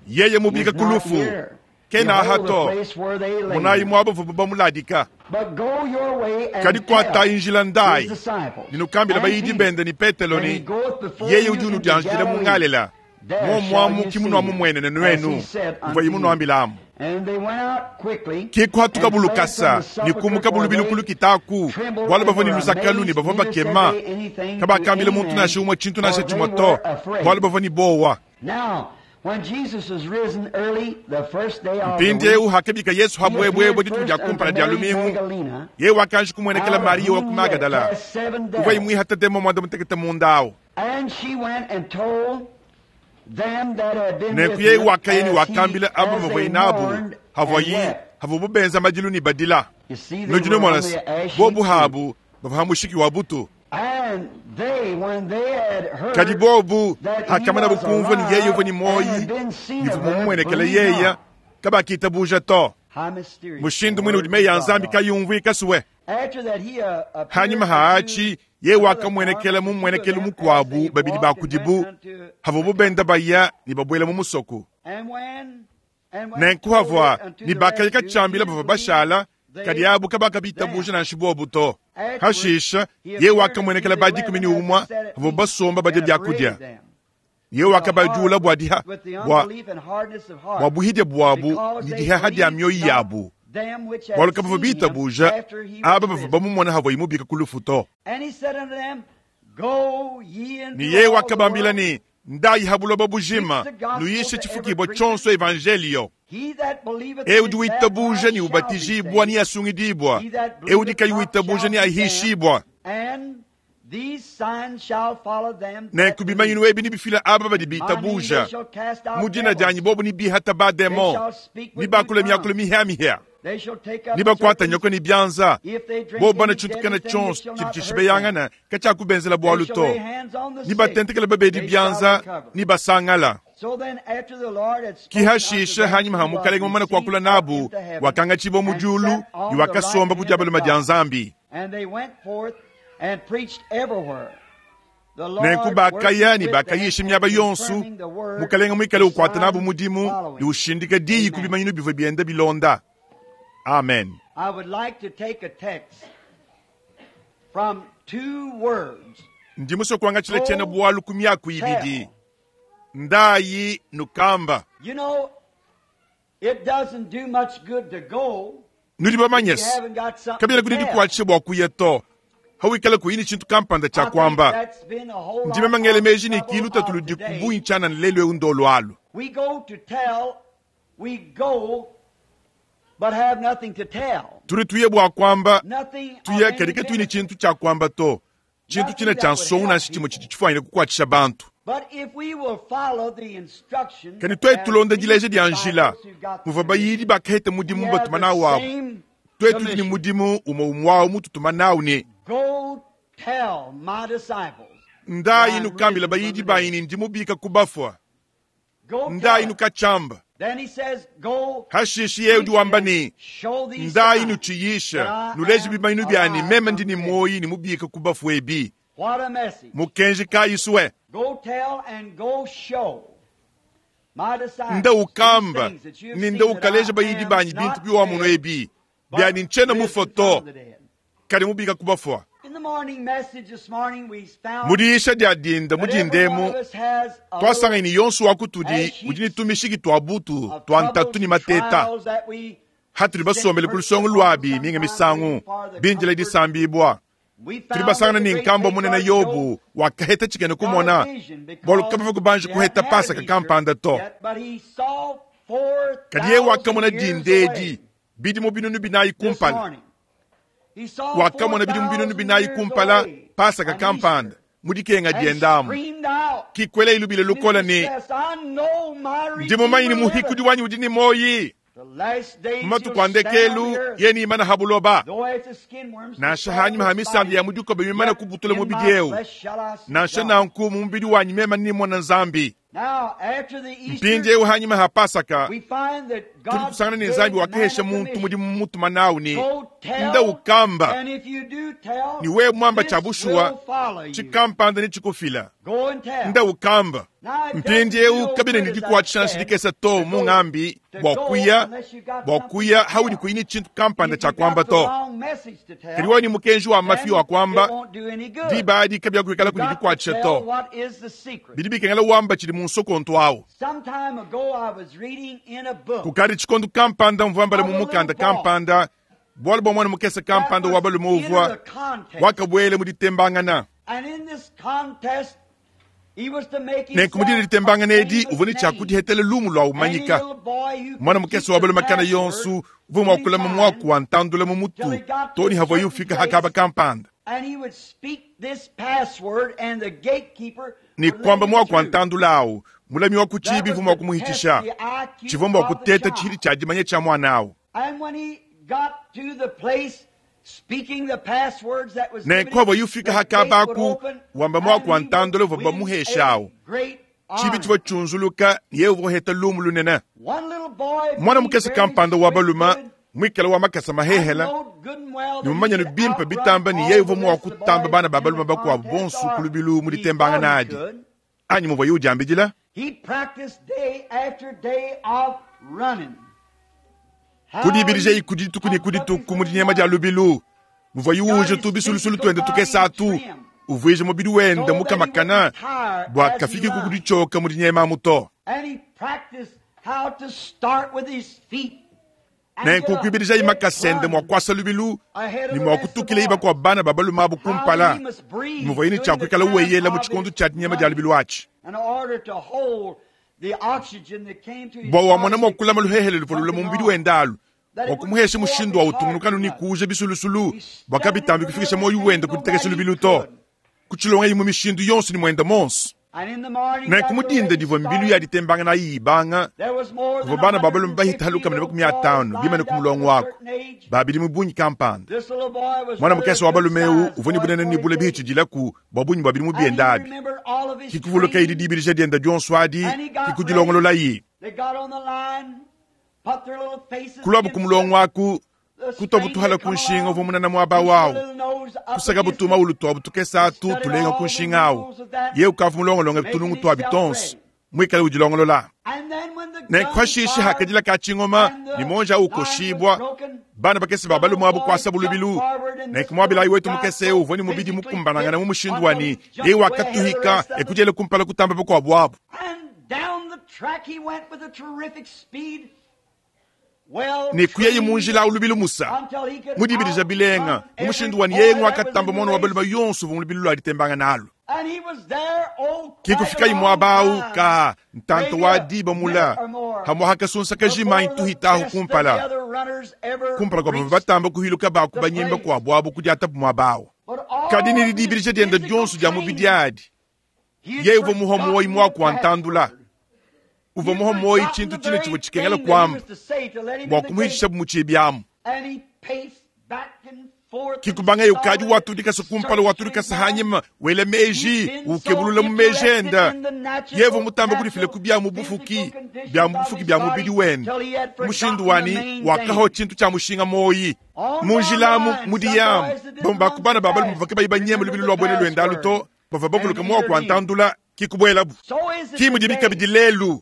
S1: Yeye mubika ku lufu, kena aha to. Monayi muaba uvuabu bamuladika. Kadi kuatayi njila ndayi, ne nukambile bayidi bende ne Petelo ne, Yeye udi unudianjidila mu Ngalela. Muomuamu ki munuamumuenene nuenu, muvuaye munuambilamu. Ke kuhatukabu lukasa ne kumukabu lubilu ku lukita aku, bualu bavua ne luzakalu ne bavua bakema. Kabakambila muntu nansha umue tshintu nansha tshimue to, bualu bavua ne buowa. Mpindieu hakabika Yesu ha buebuebue dituku dia kumpala dia lumingu, yeye wakanji kumuenekela Mariya wa ku Magadala, uvuaye muihate demon muanda mutekete munda au. Nenku yeye wakaya ne wakambila aba bavuaye nabu havuaye havuabu benza madilu ne badila. Nudi numona se, bobu habu bavua ha mushiki wa butu. Kadi bobu hakamanabu kumvua ne yeye uvua ne muoyi ne uvua mumuenekele yeye, kabakitabuja to. Mushindu muine udi meyi a Nzambi kayi umvuika sue. Hanyima ha atshi yeye wakamuenekela mu mmuenekelu mukuabu babidi ba kudibu havuabu benda baya ne babuela mu musoko. Nenku havua ne bakaya katshiambila bavua bashala, kadi abu kabakabitabuja nansha buobu to. Hashisha yeye wakamuenekela ba 11 havuabu basomba badia biakudia. Yeye wakabajula bua diha bua bua buhidia buabu ne diheha dia mioyo yabu, bualu kabavua bitabuja aba bavua bamumona havuaye mubika ku lufu to. Ne yeye wakabambila ne, Ndayi ha buloba bujima, nuyishe tshifukibua tshionso evanjelio. Eu udi witabuja ne ubatijibua neasungidibua, eu udi kayi witabuja neahishibua. Nenku bimanyinu ebi nebifile aba badi bitabuja mu dina dianyi, bobu nebihata bademon, nebakule miakulu mihia-mihia, nebakuate nyoka ne bianza, bobu bana tshintu kena tshionso tshidi tshishibeyangana katshiakubenzela bualu to, nebatentekele babedi bianza, nebasangala. Ki hashisha hanyima ha Mukalenge mumane kuakula nabu, wakangatshibua mu diulu ne wakasomba ku dia balume dia Nzambi. Nenku bakaya ne bakayisha miaba yonso, Mukalenge muikale ukuata nabu mudimu ne ushindika diyi ku bimanyinu bivua bienda bilonda. Amen. Ndi musue kuangatshila tshiena-bualu ku miaku ibidi, Ndayi nukamba. Nudi bamanye se, kabiena kudi dikuatshisha bua kuya to, hawikala kuyi ne tshintu kampanda tshia kuamba. Ndi meme ngela meji ne ki lutatu ludi ku bungi tshianana lelu eu ndolu alu. Tudi tuya bua kuamba, tuya kadi katuyi ne tshintu tshia kuamba to. Tshintu tshine tshia nsongo nansha tshimue tshidi tshifuanyine kukuatshisha bantu. Kadi tuetu tulonda dileja dia njila muvua bayidi bakaheta mudimu batuma nawu abu, tuetu tudi ne mudimu umue umue awu mututuma nawu ne, Ndayi nukambila bayidi banyi ne ndi mubika ku bafua. Ndayi nukatshiamba. Hashishe yeye udi wamba ne, Ndayi nutshiyisha, nuleje bimanyinu bia ne meme ndi ne muoyi ne mubika ku bafue ebi. Mukenji kayi sue? Nda ukamba ne nda ukaleja bayidi banyi bintu biwamono ebi, bia ne ntshiena mufue to, kadi mubika ku bafua. Mu diyisha dia dinda mu dinda emu, twasanganyi ne yonso wa kutudi udi ne tumishiki twa butu twa ntatu ne mateta. Hatudi basombele ku lusongo lwabi minga misangu bindila disambibwa. Tudi basangana ne nkambua munene Yobu wakaheta tshikena kumona, bualu kabavua kubanji kuheta Pasaka kampanda to. Kadi yeye wakamona dinda edi bidimu 4000 kumpala. Wakamona bidimu 4000 kumpala Pasaka kampanda mu dikenga dienda amu. Kikwela ilubile lukola ne, Ndi mumanye ne muhikudi wanyi udi ne muoyi. Mu matuku a ndekelu yeye neimane ha buloba. Nansha hanyima ha misambi ya mu dikoba mimane kubutula mubidi eu, nansha nanku mu mubidi wanyi meme nemone Nzambi. Mpindieu hanyima ha Pasaka, tudi tusangana ne Nzambi wakahesha muntu mudimu mutuma nawu ne, Nda ukamba, ne wewe muamba tshia bushuwa, tshikampanda netshikufila. Nda ukamba. Mpindieu kabena ne dikuatshisha nansha dikese to mu ngambi bua kuya, bua kuya haudi kuyi ne tshintu kampanda tshia kuamba to. Kadi wewe ne mukenji wa mafi wa kuamba, diba adi kabiakuikala kudi dikuatshisha to. Bidi bikengela wamba tshidi mu nsokonto awu. Kukadi tshikondo kampanda mvua mbala mu mukanda kampanda bualu bua muana mukese kampanda wa balume uvua wakabuela mu ditembangana. Nenku mu dine ditembangana edi uvua ne tshia kudihetela lumu lua umanyika. Muana mukese wa balume kana yonsu uvua mua kulama muaku wa ntandula mu mutu too ne havuaye ufika ha kaba kampanda. Ne kuamba muaku wa ntandula awu, mulami wa ku tshiibi uvua mua kumuhitshisha. Tshivua mbua kuteta tshihidi tshia dimanya tshia muana awu. Nenku havuaye ufika ha kaba aku, wamba muaku wa ntandula uvua bamuhesha awu, tshiibi tshivua tshiunzuluka ne yeye uvua uheta lumu lunene. Muana mukese kampanda wa balume muikale wa makasa mahehela ne mumanye ne bimpe bitamba ne yeye uvua mua kutamba bana ba balume bakuabu bonso ku lubilu mu ditembangana adi, anyi muvuaye udiambidila. Kudibidija ku dituku ne ku dituku mu dinyema dia lubilu, muvuaye uuja tu bisulusulu tuende tukese atu, uvuija mubidi wende mukamakana bua kafiki ku kuditshioka mu dinyema amu to. Nenku kuibidijayi makasa ende mua kuasa lubilu ne mua kutukilayi bakuabu bana ba balume abu kumpala, muvuaye ne tshia kuikala weyela mu tshikondo tshia dinyema dia lubilu atshi. Bua wamona mua kulama luhehele luvua lula mu mubidi wende alu, bua kumuhesha mushindu wa utungunuka ne kuuja bisulusulu bua kabitambi kufikisha muoyo wende ku ditekesha lubilu to. Kutshilongayi mu mishindu yonso ne muende monso. Nenku mu dinda divua mbilu ya ditembangana ayi ibanga, kuvua bana ba balume bahita lukama ne makumi atanu bimane ku mulongo waku, ba bidimu bungi kampanda. Muana mukese wa balume eu uvua ne bunene ne bule bihitshidilaku bua bungi bua bidimu biende abi. Kikuvulukayi didibidija diende dionso adi, kikudilongololayi. Kuluabu ku mulongo aku, kutuabu tuhala ku nshinga uvua munene muaba wawu, kusakabu tumaulu tuabu tukese atu tulenga ku nshinga awu. Yeye ukavua mulongolonge tunungu tuabi tonso, muikale udilongolola. Nenku hashishe hakadila ka tshingoma ne muonji awu ukoshibua, bana bakese ba balume abu kuasabu lubilu. Nenku muabilayi wetu mukese eu uvua ne mubidi mukumbanangane mu mushindu wa ne yeye wakatuhika e kudiela kumpala kutamba bakuabu abu. Ne kuyaye mu njila awu lubilu musa, mu dibidija bilenga, mu mushindu wa ne yeye nguakatamba muana wa balume yonso uvua mu lubilu lua ditembangana alu. Ke kufikayi muaba awu ka ntanta wa diba mula, hamua hakasunsakaji manyi tuhita ahu kumpala, kumpala kua bavua batamba kuhiluka ba ku banyemba kuabu abu kudiatabu muaba awu. Kadi ne didibidija diende dionso dia mubidi adi, yeye uvua muhua muoyi muaku wa ntandula. Uvua muhua muoyi tshintu tshine tshivua tshikengela kuamba bua kumuhitishabu mu tshibi amu. Kikubangaye ukadi watudikasa kumpala, watudikasa hanyima, wela meji, ukebulula mu meji enda. Yeye uvua mutamba kudifila ku bia mu bufuki, bia mu bufuki bia mubidi wende. Mushindu wani wakaho tshintu tshia mushinga muoyi. Mu njila amu, mu diyamu, bamue ba ku bana ba balume bavua kabayi banyema lubilu lua buena luende alu to, bavua bavuluka muaku wa ntandula, kikubuelabu. Ki mudibi kabidi lelu.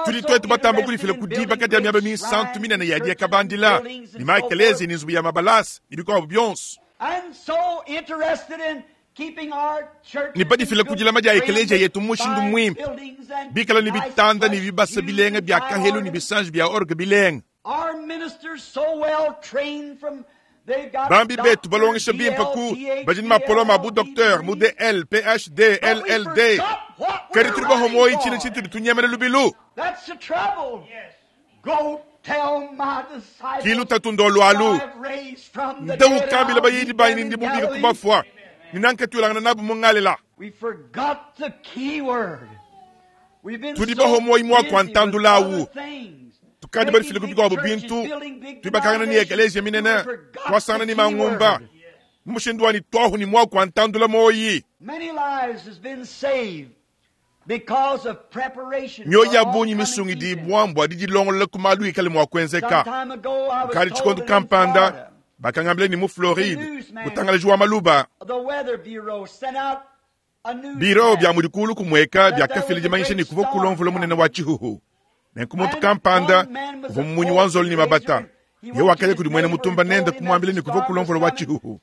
S1: Tudi tuetu batamba kudifila ku dibaka dia miaba minsantu minene ya diakabandila, ne maekeleziya ne nzubu ya mabalasa ne bikuabu bionso. Ne badifila ku dilama dia ekeleziya yetu mu mushindu muimpe, bikale ne bitanda ne bibasa bilenga bia kahelu ne bisanji bia orgue bilenga. Bambi betu balongesha bimpe ku badi ne mapoloma a bu-docteur mu DL, PhD, LLD. Kadi tudi bahomoyi tshine tshitudi tunyemena lubilu. Ki lutatu ndolu alu. Nda ukambila bayidi banyi ne ndi mubika ku bafua, ne nankatuilangana nabu mu Ngalela. Tudi bahomoyi muaku wa ntandula awu. Tukadi badifile ku bikuabu bintu, tuibakangana ne ekeleziya minene, tuasangana ne mangumba. Mu mushindu wa ne tuahu ne muaku wa ntandula moyi. Mioyo ya bungi misungidibua mbua didilongolola ku malu ikale mua kuenzeka. Kukadi tshikondo kampanda, bakangambila ne mu Floride, mutangalaji wa maluba, biro bia mudi kuulu kumueka biakafila dimanyisha ne kuvua kulua mvula munene wa tshihuhu. Nenku muntu kampanda uvua mumunyi wa nzolo ne mabata, ye wakaya kudi muena mutumba nende kumuambila ne kuvua kulua mvula wa tshihuhu.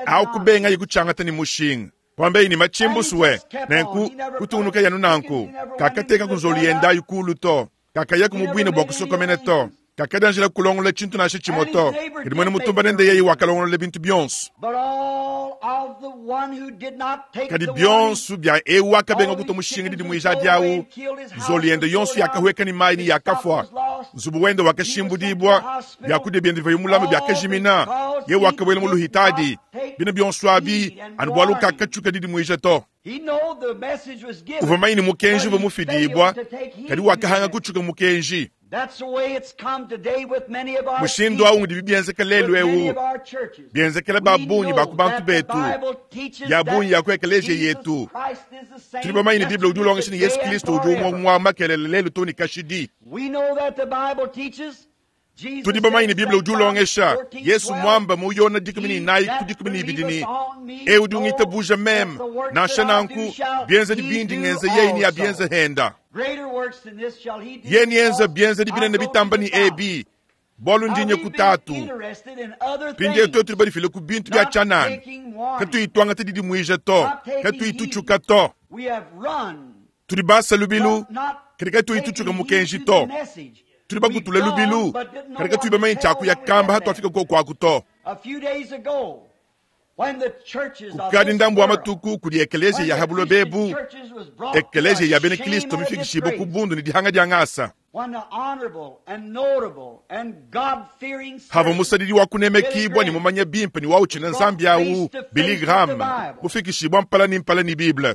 S1: Au kubengaye kutshiangata ne mushinga. Kuambaye ne matshimbusu we. Nenku kutungunukaye anu nanku. Kakateka ku nzolu yende ayi kuulu to. Kakayaku mu buina bua kusokomena to. Kakadianjila kulongolola tshintu nansha tshimue to. Kadi muena mutumba nende yeye wakalongolola bintu bionso. Kadi bionso bia eu wakabenga kutua mushinga didimuija adi au, nzolu yende yonso yakahueka ne mayi ne yakafua. Nzubu wende wakashimbudibua, biakudia biende bivuaye mulame biakajimina, yeye wakabuela mu luhitadi. Bina bionso abi anu bualu kakatshuka didimuija to. Uvua manye ne mukenji uvua mufidibua, kadi wakahanga kutshuka mukenji. Mushindu au ngudibi bienzeka lelu eu, bienzekela ba bungi ba ku bantu betu, ya bungi ya ku ekeleziya yetu. Tudi bamanye ne Bible udi ulongesha ne Yesu Kristo udi umue umue wa makelela lelu too ne kashidi. Tudi bamanye ne Bible udi ulongesha, Yesu muamba mu Yona 14 ku 12 ne, Eu udi ungitabuja meme, nansha nanku, bienzedi bindi ngenza yeye neabienze henda. Yeye neenze bienzedi binene bitamba ne ebi, bualu ndi nye ku Tatu. Mpindieu tuetu tudi badifile ku bintu bia tshianana, katuyi tuangata didimuija to, katuyi tutshuka to. Tudi basa lubilu, kadi katuyi tutshuka mukenji to. Tudi bakutule lubilu, kadi katuyi bamanye tshia kuya kamba hatuafika koku aku to. Kukadi ndambu wa matuku kudi ekeleziya ya ha buloba ebu, ekeleziya ya bena Kristo mifikishibue ku bundu ne dihanga dia ngasa. Havua musadidi wa kunemekibua ne mumanye bimpe ne wa utshina Nzambi au, Billy Graham, mufikishibua mpala ne mpala ne Bible.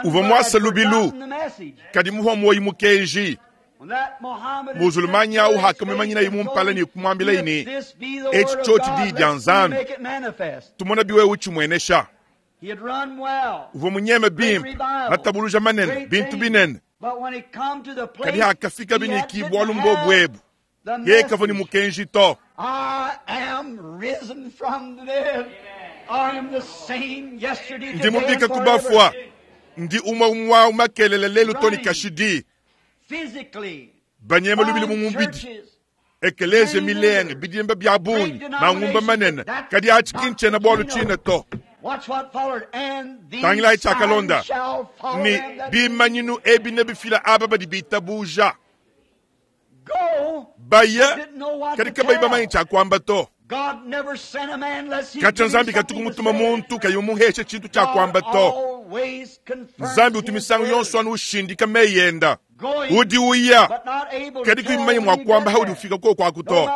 S1: Uvua muasa lubilu, kadi muhua muoyo mukenji. Muzulumanyi au hakamumanyinaye mu mpala ne kumuambilaye ne, Etshi tshiotshi diyi dia Nzambi, tumona biwewe utshimuenesha. Uvua munyeme bimpe, matabuluja manene, bintu binene. Kadi hakafikabi ne ki bualu mbobu ebu, yeye kavua ne mukenji to. Ndi mubika ku bafua, ndi umue umue wa makelela lelu to ne kashidi. Banyema lubilu mu mubidi, ekeleziya milenge, bidimba bia bungi, mangumba manene, kadi atshi ki ntshiena-bualu tshine to. Tangilayi tshiakalonda ne, bimanyinu ebi nebifila aba badi bitabuja. Baya, kadi kabayi bamanye tshia kuamba to. Katshia Nzambi katuku mutuma muntu kayi mumuheshe tshintu tshia kuamba to. Nzambi utu misangu yonso anu ushindika meyi enda. Udi uya, kadi kuyi mumanye mua kuamba haudi ufika koku aku to.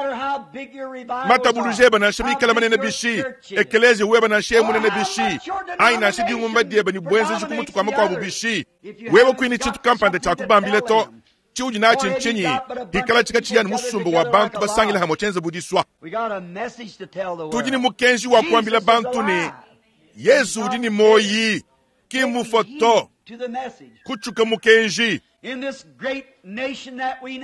S1: Matabuluja ebe nansha mikale manene bishi, ekeleziya webe nansha yeye munene bishi, anyi nansha dingumba diebe ne buenzeji ku mutu kua makuabu bishi, wewe kuyi ne tshintu kampanda tshia kubambila to. Tshiudi natshi ntshinyi? Pikala tshikatshiya ne musumba wa bantu basangile hamue tshienze bu disua. Tudi ne mukenji wa kuambila bantu ne, Yezu udi ne muoyi, ki mmufue to. Kutshuka mukenji.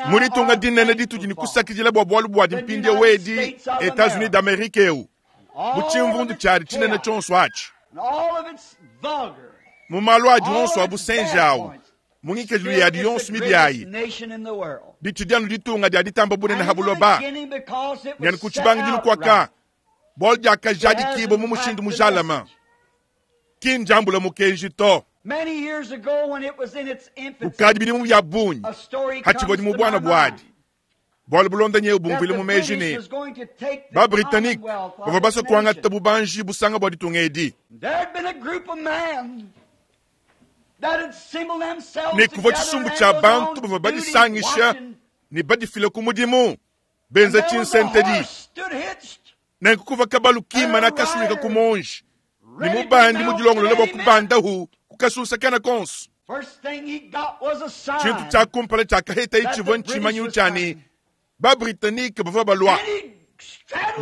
S1: Mu ditunga dinene ditudi ne kusakidila bua bualu buadi mpindieu edi, Etats-Unis d'Amerique eu, mu tshimvundu tshiadi tshinene tshionso atshi, mu malu adi onso a busenji au, mu ngikadilu yadi yonso mibi ayi, ditshidi anu ditunga dia ditamba bunene ha buloba, ne anu ku tshibangidilu kuaka. Bualu diakajadikibua mu mushindu mujalame, ki ndiambula mukenji to. Kukadi bidimu bia bungi, hatshivua mu buana buadi, bualu bulonda nyewu bumvuile mu meji ne, ba-Britanike bavua basue kuangata bubanji busanga bua ditunga edi. Ne kuvua tshisumbu tshia bantu bavua badisangisha ne badifile ku mudimu, benza tshinsentedi. Nenku kuvua kabalu kimana kasuika ku muonji, ne mubandi mudilongolole bua kubandahu ku kasunsa kena konso. Tshintu tshia kumpala tshiakahetaye tshivua ntshimanyinu tshia ne, ba-Britanike bavua balua.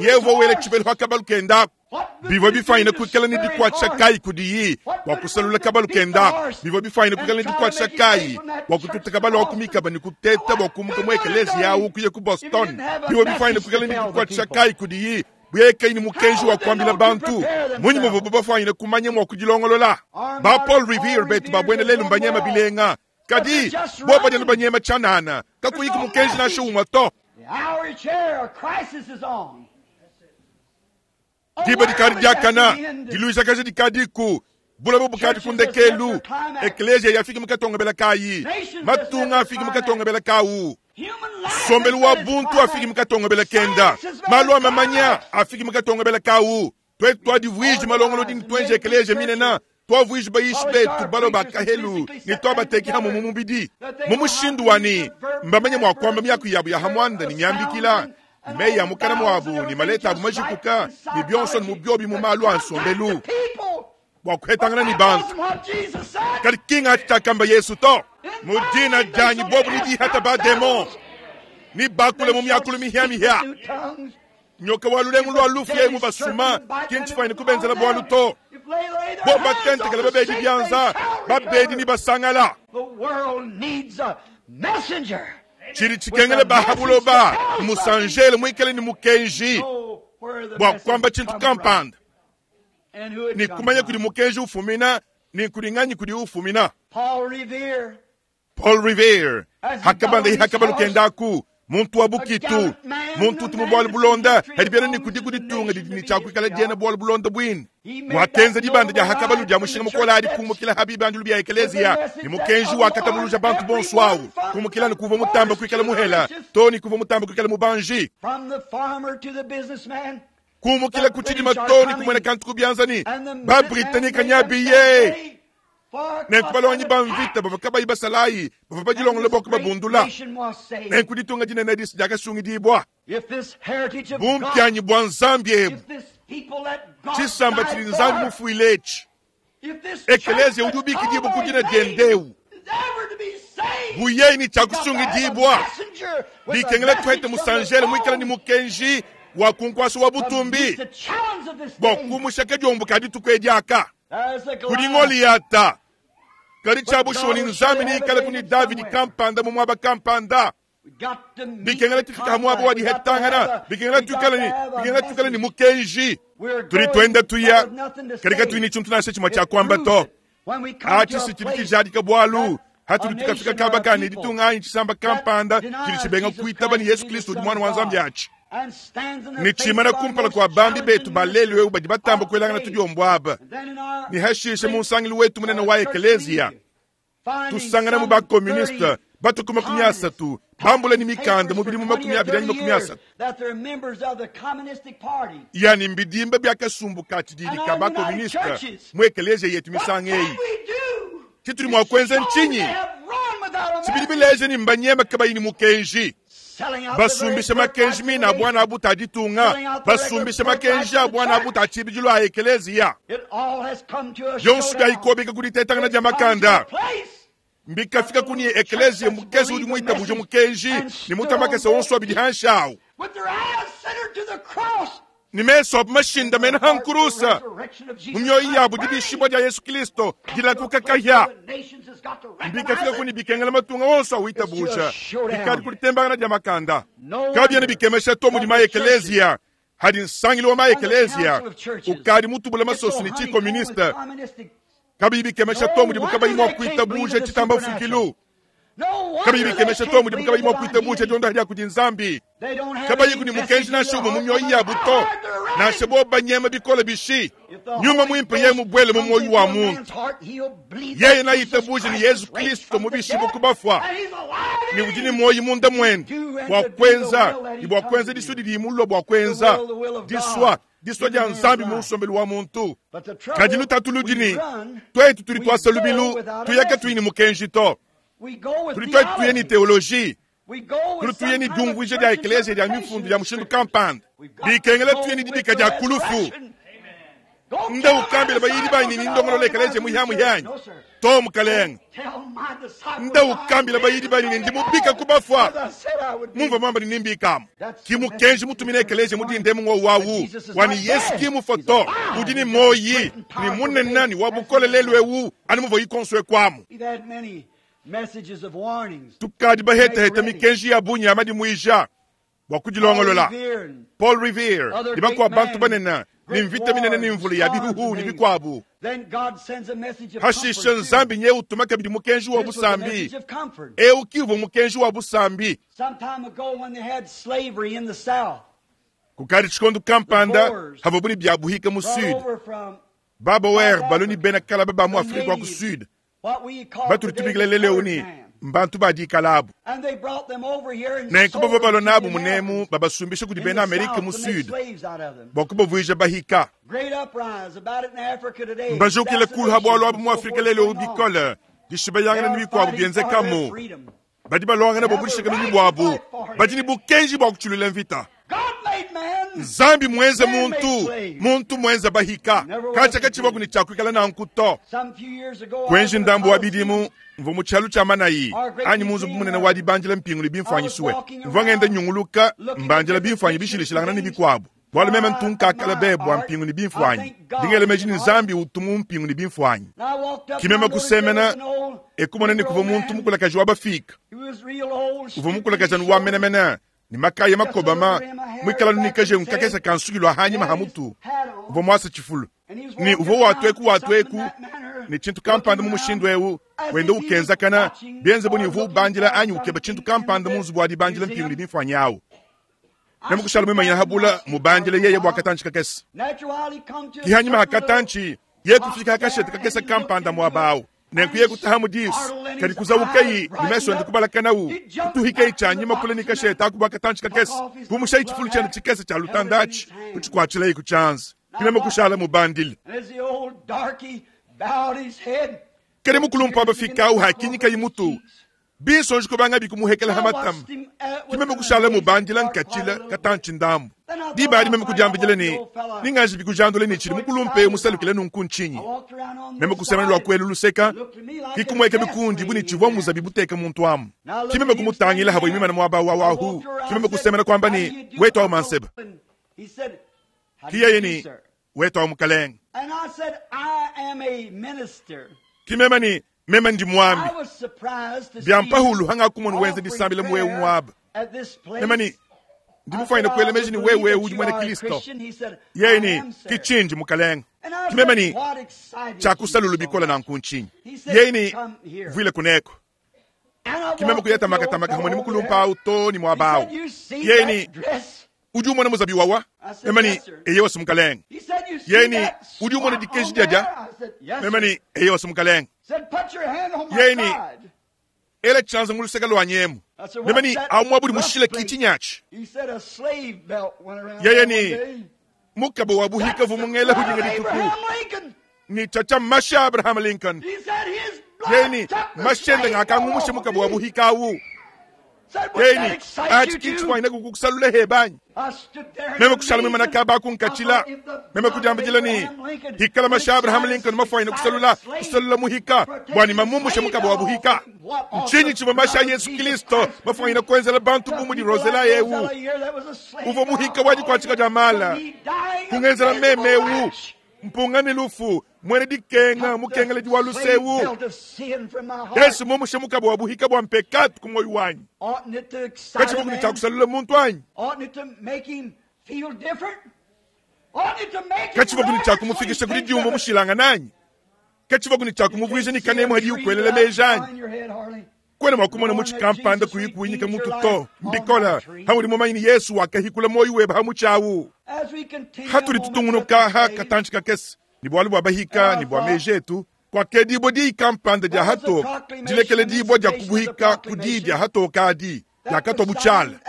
S1: Yeye uvua wela tshibelu pa kabalu kenda aku. Bivua bifanyine kuikala ne dikuatshisha kayi kudiyi bua kusalula kabalu kenda aku? Bivua bifanyine kuikala ne dikuatshisha kayi bua kututa kabalu aku mikaba ne kuteta bua kumuka mu ekeleziya au kuya ku Boston? Bivua bifanyine kuikala ne dikuatshisha kayi kudiyi bu yeye kayi ne mukenji wa kuambila bantu? Mmunyi muvuabu bafanyine kumanya mua kudilongolola? Ba Paul Revere betu ba buena lelu mbanyema bilenga, kadi bobu badi anu banyema tshianana, kakuyi ku mukenji nansha umue to. Diba dikadi diakana, diluijakaja dikadiku, bulaba bukadi ku ndekelu, ekleziya yafiki mu katongobela kayi, matunga afiki mu katongobela kawu, nsombelu wa buntu afiki mu katongobela kenda, malu a mamanya afiki mu katongobela kawu. Tuetu tuadivuiji malongolodi ne tuenje ekleziya minene, tuavuiji bayishi betu balua ba kahelu ne tuabateki hamue mu mubidi, mu mushindu wa ne mbamanye mua kuamba miaku yabu ya ha muanda ne miambikila, ne meyi a mukana muabu ne maleta abu majikuka, ne bionso ne mu biobi mu malu a nsombelu bua kuhetangana ne bantu. Kadi ki ngatshi tshiakamba Yesu to. Mu dina dianyi bobu ne dihata ba demon, ne bakule mu miakulu mihia-mihia. Nyoka wa lulengu lua lufu yeye mubasuma, ki ntshifuanyine kubenzela bualu to. Bobu batentekela babedi bianza, babedi ne basangala. Tshidi tshikengela ba ha buloba mmusanjele muikale ne mukenji bua kuamba tshintu kampanda ne kumanya kudi mukenji ufumina ne kudi nganyi kudi ufumina. Paul Revere hakabanda hakabalu kenda aku muntu wa bukitu, muntu utu mu bualu bulonda hadi biena ne kudi ku ditunga didi ne tshia kuikala diena bualu bulonda buine. Wakenza dibanda dia hakabalu dia mushinga mukole adi kumukila ha bibandilu bia ekeleziya ne mukenji wakatabuluja bantu bonso awu kumukila ne kuvua mutamba kuikala muhela to ne kuvua mutamba kuikala mubanji, kumukila ku tshidima to ne kumuena kantu ku bianza ne ba Britanike nyabiye. Nenku balongi ba mvita bavua kabayi basalayi bavua badilongolola bua kubabundula. Nenku ditunga dinene edi diakasungidibua. Bumpianyi bua Nzambi ebu, tshisamba tshidi Nzambi mufuile etshi, ekeleziya udi ubikidibua ku dina diende eu, bu yeye ne tshia kusungidibua, bikengela tuhete musanjele muikale ne mukenji wa ku nkuasa wa butumbi bua kumusha kadiombo ka dituku edi aka. Kudi Ngoliyata, kadi tshia bushuwa ne Nzambi neikaleku ne Davidi kampanda mu muaba kampanda. Bikengela tufika ha muaba wa dihetangana, bikengela tuikale ne, bikengela tuikale ne mukenji. Tudi tuenda tuya, kadi katuyi ne tshintu nansha tshimue tshia kuamba to. Atshi si tshidi tshijadika bualu hatudi tukafika kaba ka ne ditunga anyi tshisamba kampanda tshidi tshibenga kuitaba ne Yesu Kristo udi Muana wa Nzambi atshi ne tshimana kumpala kua bambi betu ba lelu eu badi batamba kuelangana tudiombo aba, ne hashishe mu nsangilu wetu munene wa ekeleziya tusangana mu ba-communiste batu ku 30 bambula ne mikanda mu bidimu 20 anyi 30 yani mbidimba bia kasumbu ka tshididi ka ba-communiste mu ekeleziya yetu misanga eyi. Tshitudi mua kuenza ntshinyi? Tshibidi bileja ne mbanyema kabayi ne mukenji, basumbisha makenji mine a buana abuta a ditunga, basumbisha makenji a buana abuta a tshibidilu a ekeleziya. Bionso biayikobeka ku ditetangana dia makanda mbikafika ku ne ekeleziya mukese udi muitabuja mukenji ne mutamakese onso abidi hanshi awu ne mesu abu mashindamene ha nkurusa, mu mioyo yabu dibishibua dia Yesu Kristo dilakuka kahia. Mbikafika ku ne bikengela matunga onso awitabuja bikadi ku ditembangana dia makanda. Kabiena bikemesha to mudi maekeleziya hadi nsangilu wa maekeleziya ukadi mutubula masoso ne tshikomuniste. Kabiyi bikemesha to mudibu kabayi mua kuitabuja tshitamba mfukilu. Kabiyi bikemesha to mudibu kabayi mua kuitabuja diondaha dia kudi Nzambi. Kabayiku ne mukenji nansha umue mu mioyo yabu to, nansha bobu banyema bikole bishi. Nyuma Muimpe yeye mubuele mu muoyo wa muntu, yeye neaitabuje ne Yezu Kristo mubishibue ku bafua, ne udi ne muoyo munda muende bua kuenza ne bua kuenza disua didiye mulue bua kuenza, disua disua dia Nzambi mu nsombelu wa muntu. Kadi lutatu ludi ne, tuetu tudi tuasa lubilu tuya katuyi ne mukenji to. Tudi tuetu tuya ne teoloji, tudi tuya ne diumvuija dia ekleziya dia mifundu dia mushindu kampanda. Bikengela tuye ne dibika dia ku lufu. Nda ukambila bayidi banyi ne ndongolola ekleziya muhiamuhianyi. To, Mukalenge. Nda ukambila bayidi banyi ne ndi mubika ku bafua. Mumvua muamba ne nembikamu. Ki mukenji mutumina ekeleziya mu dinda emu ng'wowu awu, wa ne Yesu ki mufua to, udi ne muoyi, ne munene ne wa bukole lelu ewu, anu muvuayi konso eku amu. Tukadi bahetaheta mikenji ya bungi ya madimuija bua kudilongolola. Paul Revere ne bakuabu bantu banene ne mvita minene ne mvula ya bihuhu ne bikuabu. Hashishe Nzambi nyeye utuma kabidi mukenji wa busambi. Eu ki uvua mukenji wa busambi. Kukadi tshikondo kampanda havuabu ne bia buhika mu Sud, ba Boer balue ne bena kalaba ba mu Afrike wa ku Sud batudi tubikila lelu eu ne, mbantu ba dikala abu. Nenku bavua balua nabu munemu babasumbisha kudi bena Amerike mu Sud bua kubavuija bahika. Mbajukile kulu ha bualu abu mu Afrike lelu eu bikole, dishibayangana ne bikuabu bienzekamu. Badi baluangana bua budishikaminyi buabu, badi ne bukenji bua kutshilula mvita. Nzambi muenze muntu, muntu muenze bahika. Katshia katshivuaku ne tshia kuikala nanku to. Kuenji ndambu wa bidimu, mvua mu tshialu tshia manayi anyi mu nzubu munene wa dibandila mpingu ne bimfuanyi sue. Mvua ngenda nyunguluka mbandila bimfuanyi bishilashilangana ne bikuabu. Bualu meme ntu nkakala be bua mpingu ne bimfuanyi, ndi ngela meji ne Nzambi utu mu mpingu ne bimfuanyi. Ki meme kusemena e kumona ne kuvua muntu mukulakaji wa bafiika. Uvua mukulakaji anu wa menemene, ne makaya makobama, muikala anu ne kajengu kakese ka nsuki lua hanyima ha mutu. Uvua muasa tshifulu, ne uvua watu eku watu eku ne tshintu kampanda mu mushindu eu, wenda ukenzakana, bienze bu ne uvua ubandila anyi ukeba tshintu kampanda mu nzubu wa dibandila mpingu ne bimfuanyi au. Meme kushala muimanyina ha bula mubandile yeye bua katantshi kakese. Ki hanyima ha katantshi, yeye kufika ha kashete kakese kampanda muaba au. Nenku yeye kutahamu disu, kadi kuzawukayi ne mesu ende kubalakanawu, kutuhikayi tshianyima kule ne kashete aku bua katantshi kakese, kumushayi tshifulu tshiende tshikese tshia lutanda atshi, kutshikuatshilayi ku tshianza. Ki meme kushala mubandile. Kadi mukulumpe wa bafika au hakinyikayi mutu, Binsonji kubangabi kumuhekela ha matama. Ki meme kushala mubandila nkatshila katantshi ndambu. Diba adi meme kudiambidila ne, Ninganji bikujandula ne tshidi mukulumpe eu musalukile nunku ntshinyi? Meme kusemena lua kuelu luseka, ki kumueka bikundi bu ne tshivua muzabi buteka muntu amu. Ki meme kumutangila havua imimana muaba wa wahu. Ki meme kusemena kuamba ne, Wetu au manseba. Ki yeye ne, Wetu au mukalenge. Ki meme ne, Meme ndi muambi. Bia mpahulu hangakumona wenza disambila mu eu muaba. Meme ne, Ndi mufuanyine kuela meji ne wewe eu udi muena Kristo. Yeye ne, Ki tshindi, Mukalenge. Ki meme ne, Tshiakusalulu bikole nanku ntshinyi? Yeye ne, Vuila kuneko. Ki meme kuya tamakatamaka hamue ne mukulumpa au too ne muaba au. Yeye ne, Udi umona muzabi wawa? Meme ne, Eyowa, Mukalenge. Yeye ne, Udi umona dikeji diadia? Meme ne, Eyowa, Mukalenge. Yeye ne, Ela tshianza mu luseke luanyi emu. Meme ne, Awu muaba udi mushile ki tshinyatshi. Yeye ne, Mukaba wa buhika vu mungela hudinga dituku ne tshiatshia mashi a Abraham Lincoln. Yeye ne, Mashi ende ngakangumusha mukaba wa buhika awu. Yeye ne, Atshi ki ntshifwanyine kukusalula hebe anyi? Meme kushala muimana kaba aku nkatshila. Meme kudiambidila ne, Hikala mashi a Abraham Lincoln mafwanyine kusalula, kusalula muhika, bua ne mamumushe mukaba wa buhika. Ntshinyi tshivua mashi a Yezu Kristo mafwanyine kuenzela bantu bu mudi Rosella eu, uvua muhika wa dikuatshika dia mala, kungenzela meme eu, mpunga ne lufu, muena dikenga, mukengeledi wa luse eu? Yesu mumushe mukaba wa buhika bua mpekatu ku muoyo wanyi. Katshivua ne tshia kusalula muntu anyi? Katshivua ne tshia kumufikisha ku didiumvua mushilangane anyi? Katshivua ne tshia kumuvuija ne kanemu hadiye ukuelela meji anyi? Kuena mua kumona mutshi kampanda kuyi kuwinyika mutu to. Mbikole haudi mumanye ne, Yesu wakahikula muoyo webe ha mutshi awu. Hatudi tutungunuka ha katantshi kakese ne bualu bua bahika ne bua meji etu, kuakedibua diyi kampanda dia hatoka, dilekeledibua dia kubuhika ku diyi dia hatoka adi diakatua bu tshiala.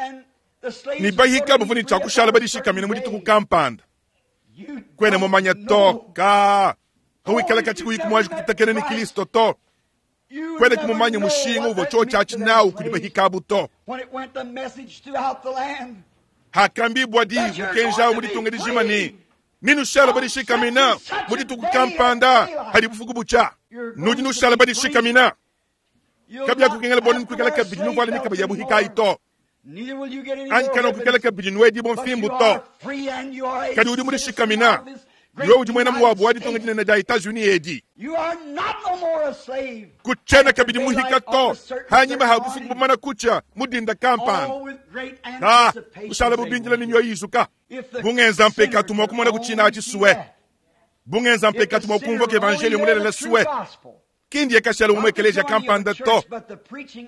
S1: Ne bahika bavua ne tshia kushala badishikamina mu dituku kampanda. Kuena mumanya to ka hawikala katshi kuyi kumuanji kupitakena ne Kristo to. Kuena kumumanya mushinga uvua tshiotshi atshi nawu kudi bahikabu to. Hakambibua diyi mukenji awu mu ditunga dijima ne, Nenushala badishikamina mu dituku kampanda hadi bufuku butshia. Nudi nushala badishikamina. Kabiakukengela bua nukuikala kabidi nuvuala mikaba ya buhikayi to, anyi kanuakuikala kabidi nuedibua mfimbu to. Kadi udi mudishikamina, wewe udi muena muabu wa ditunga dinene dia Etats-Unis edi. Kutshiena kabidi muhika to, hanyima ha bufuku bumana kutshia mu dinda kampanda. Ah, kushala bubindila ne mioyo izuka. Bungenza mpekatu mua kumona kutshina atshi sue. Bungenza mpekatu mua kumvua ke evangelio mulelela sue. Ki ndiye kashala mu ekeleziya kampanda to,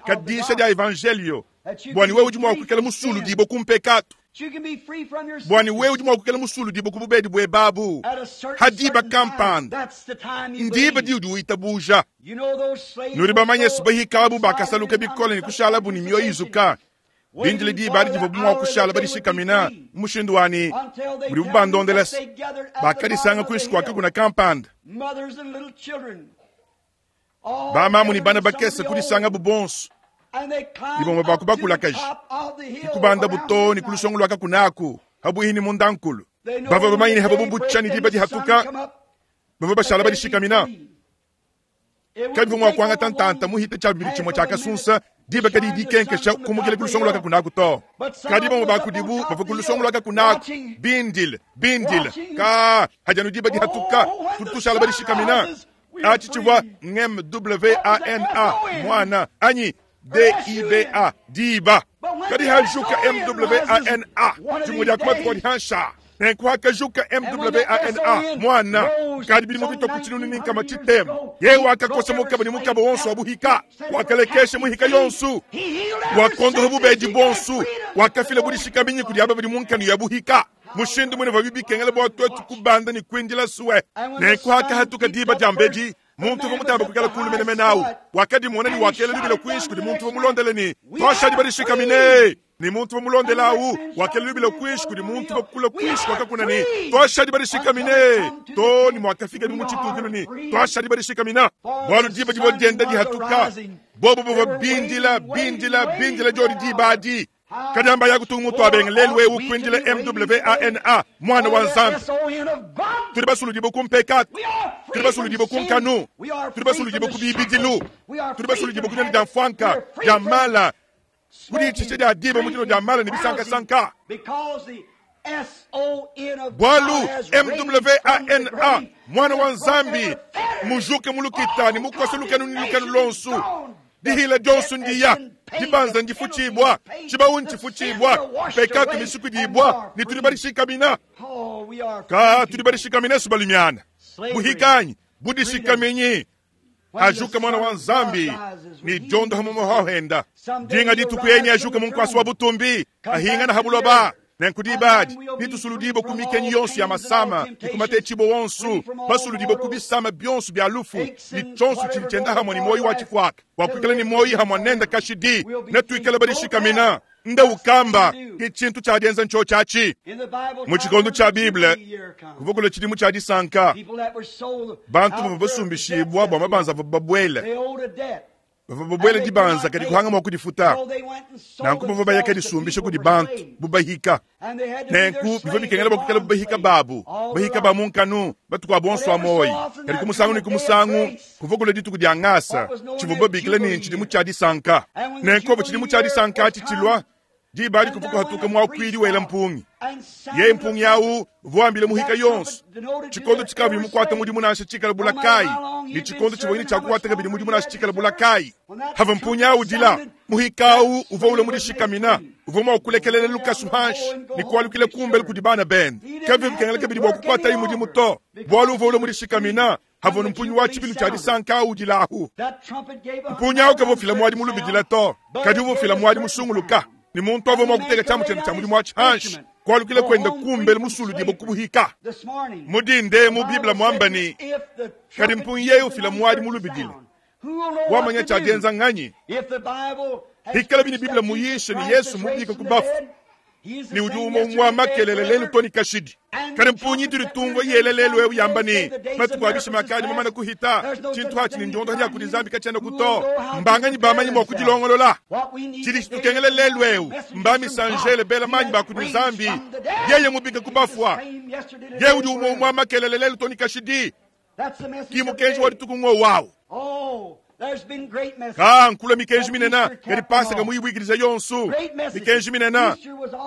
S1: kadisha dia evangelio bua ne wewe udi mua kuikala musuludibue ku mpekatu, bua ne wewe udi mua kuikala musuludibue ku bubedi buebabu ha diba kampanda, ndiba diudi uitabuja. Nudi bamanye bahikabu bakasaluka bikole ne kushalabu ne mioyo izuka, bindile diba adi divuabu mua kushala badishikamina mu mushindu wa ne budibu bandondela bakadisanga kuinshi kua kakuna kampanda. Bamamu ne bana bakese kudisangabu bonso, ne bamue ba ku bakulakaji, ne kubandabu too ne ku lusongo lua kakuna aku pabuihi ne mundankulu. Bavua bamanye ne hababu butshia ne diba dihatuka, bavua bashala badishikamina. Kabivua mua kuangata ntanta muhite tshia bibidi tshimue tshia kasunsa diba kadiyi dikenkesha kumukila ku lusongo lua kakuna aku to. Kadi bamue ba kudibu bavua ku lusongo lua kakuna aku bindile, bindile, ka hadi anu diba dihatuka, tudi tushala badishikamina. Atshi tshivua MWANA, mwana, anyi DIBA, diba. Kadi hajuka MWANA, dimue dia ku matuku adi hansha. Nenku hakajuka MWANA, mwana, kadi bidimu bitua ku tshinunu ne nkama tshitema. Yeye wakakosa mukaba ne mukaba wonso wa buhika, wakalekesha muhika yonso, wakondoha bubedi buonso, wakafila budishikaminyi kudi aba badi mu nkanu ya buhika. Mushindu munene bua bibikengela bua tuetu kubanda ne kuindila sue. Nenku hakahatuka diba dia mbedi, muntu uvua mutamba kuikala kulu menemene awu wakadimona ne wakela lubila kuinshi kudi muntu uvua mulondele ne, Tuashadi badishikamine. Ne muntu uvua mulondele awu wakela lubila kuinshi kudi muntu uvua kula kuinshi kua kakuna ne, Tuashadi badishikamine. To ne muakafika mu tshitudilu ne, Tuashadi badishikamina. Bualu diba divua dienda dihatuka, bobo bavua bindila, bindila, bindila diodi diba adi. Kadi amba ya kutunga mutu abenga lelu wewe kuindila MWANA, mwana wa Nzambi. Tudi basuludibue ku mpekatu, tudi basuludibue ku nkanu, tudi basuludibue ku bibidilu, tudi basuludibue ku dinua dia mfuanka, dia mala, ku ditshisha dia diba mu dinua dia mala ne bisankasanka. Bualu MWANA, mwana wa Nzambi, mujuke mu lukita ne mukose lukanu ne lukanu luonso. Dihila dionso ndiya, dibanza ndifutshibua, tshibawu ntshifutshibua, mpekatu misukudibua, ne tudi badishikamina. Ka tudi badishikamina su balumiana. Buhikanyi, budishikaminyi. Ajuka mwana wa Nzambi, ne diondo ha mumoho henda. Dinga dituku yenyi ajuka mu nkuasa wa butumbi, ahingana ha buloba. Nenku diba adi, nitusuludibue ku mikenyi yonso ya masama, ne ku matetshibue wonso, basuludibue ku bisama bionso bia lufu, ne tshionso tshidi tshienda hamue ne muoyo wa tshifuaka, bua kuikala ne muoyo hamue nende kashidi, netuikale badishikamina. Nda ukamba, ke tshintu tshia dienza ntshiotshi atshi. Mu tshikondo tshia Bible, kuvua kulua tshidimu tshia disanka. Bantu bavua basumbishibua bua mabanza avua babuele. Bavua babuele dibanza kadi kuhanga mua kudifuta. Nanku bavua baya kadisumbisha kudi bantu bu bahika. Nenku bivua bikengela bua kuikala bu bahika babu, bahika ba mu nkanu matuku abu onso a muoyo. Kadi ku musangu ne ku musangu kuvua kulua dituku dia ngasa, tshivua babikila ne ntshidimu tshia disanka. Nenku pavua tshidimu tshia disanka atshi tshilua, diba adi kuvua kuhatuka muakuidi wela mpungi. Yeye mpungi awu uvua wambila muhika yonso tshikondo tshikavua mukuate mudimu nansha tshikala bula kayi, ne tshikondo tshivua ne tshia kukuata kabidi mudimu nansha tshikala bula kayi. Havua mpungi awu udila, muhika awu uvua ula mudishikamina, uvua mua kulekelela lukasu hanshi ne kualukila kumbelu kudi bana bende. Kabivua bikengela kabidi bua kukuataye mudimu to, bualu uvua ula mudishikamina. Havua mpunyi wa tshibilu tshia disanka awu udilahu. Mpunyi awu kavua ufila muadi mulubidila to, kadi uvua ufila muadi musunguluka, ne muntu avua mua kuteka tshiamu tshiende tshia mudimu atshi hanshi, kualukila kuenda kumbelu musuludibue ku buhika. Mu dinda emu Bible muamba ne, Kadi mpunyi yeye ufila muadi mulubidila, wamanya tshia dienza nganyi? Hikala bine Bible muyishe ne Yesu mubika ku bafu, ne udi umue umua makelela lelu to ne kashidi. Kadi mpunyi itudi tumvua yela lelu eu yamba ne, matuku a bishima akadi mamane kuhita, tshintu atshi ne ndiondoha dia kudi Nzambi katshiena to. Mbanganyi bamanyi mua kudilongolola? Tshidi tshitukengela lelu eu mba misanjele bela manyi ba kudi Nzambi, yeye mubike ku bafua, yeye udi umue umua makelela lelu to ne kashidi. Ki mukenji wa dituku ngowawu. Ka nkula mikenji minena kadi Pasaka muyibuikidija yonsu. Mikenji minena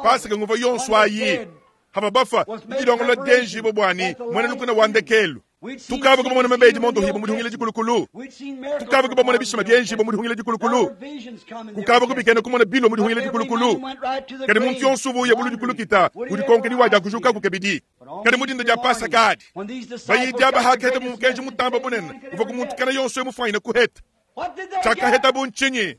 S1: Pasaka nguva yonsu ayi. Hava bafa didilongolola dienjibua buani muena lukuna wa ndekelu. Tukavua kubamona mabedi mondohibua mu dihungila dikulukulu. Tukavua kubamona bishima bienjibua mu dihungila dikulukulu. Kukavua kubikena kumona bilo mu dihungila dikulukulu. Kadi muntu yonsu uvua uya buludi kulukita udikonka ni wadia kujukaku kabidi. Kadi mu dinda dia Pasaka adi, bayidi aba hakaheta mu mukenji mutamba bunene uvua ku muntu kana yonso emufuanyine kuheta. Tshiakaheta bu ntshinyi?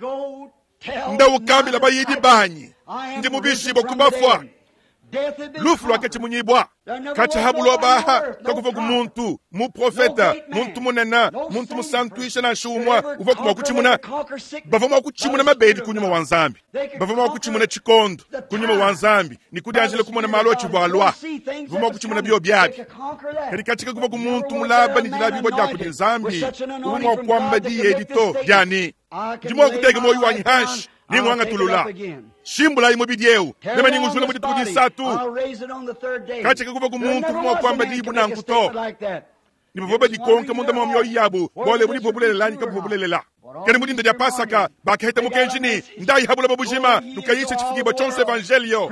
S1: Nda ukambila bayidi banyi, ndi mubishibue ku bafua. Lufu luakatshimunyibua. Katshia ha buloba aha kakuvua ku muntu, muprofeta, muntu munene, muntu musantuisha nansha umue uvua mua kutshimuna. Bavua mua kutshimuna mabedi ku nyuma wa Nzambi. Bavua mua kutshimuna tshikondo ku nyuma wa Nzambi ne kudianjila kumona malu atshivua alua. Bavua mua kutshimuna bio biabi. Kadi katshia kakuvua ku muntu mulaba ne dilabibua dia kudi Nzambi uvua mua kuamba diyi edi to dia ne, Ndi mua kuteka muoyo wanyi hanshi ne nguangatulula. Shimbulayi mubidi eu, meme ningujula mu dituku disatu. Katshia kakuvua ku muntu uvua mua kuamba diyi bu nanku to. Ne bavua badikonka munda mua mioyo yabu bualu ebu buvua bulelela anyi kabuvua bulelela. Kadi mu dinda dia Pasaka bakaheta mukenji ne, Ndayi ha buloba bujima, nukayishe tshifukibua tshionso evanjelio.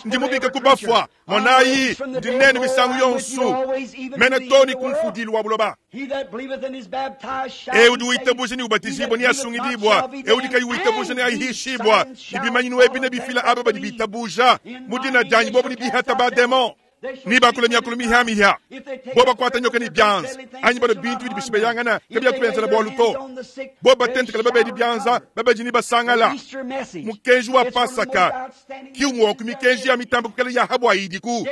S1: Ndi mubike ku bafua, monayi, ndi nenu misangu yonso, mene too ne ku mfudilu wa buloba. Eu udi witabuja ne ubatijibua neasungidibua, eu udi kayi witabuja neahishibua. Ne bimanyinu ebi nebifila aba badi bitabuja mu dina dianyi, bobu nebihata bademon, nebakule miakulu mihiamihia, bo bakuata nyoka ne bianza, anyi banua bintu bidi bishibeyangana kabiakubenzela bualu to, bo batentekela babedi bianza, babedi nebasangala. Mukenji wa Pasaka ki umue wa ku mikenji ya mitambe kukala ya ha idiku.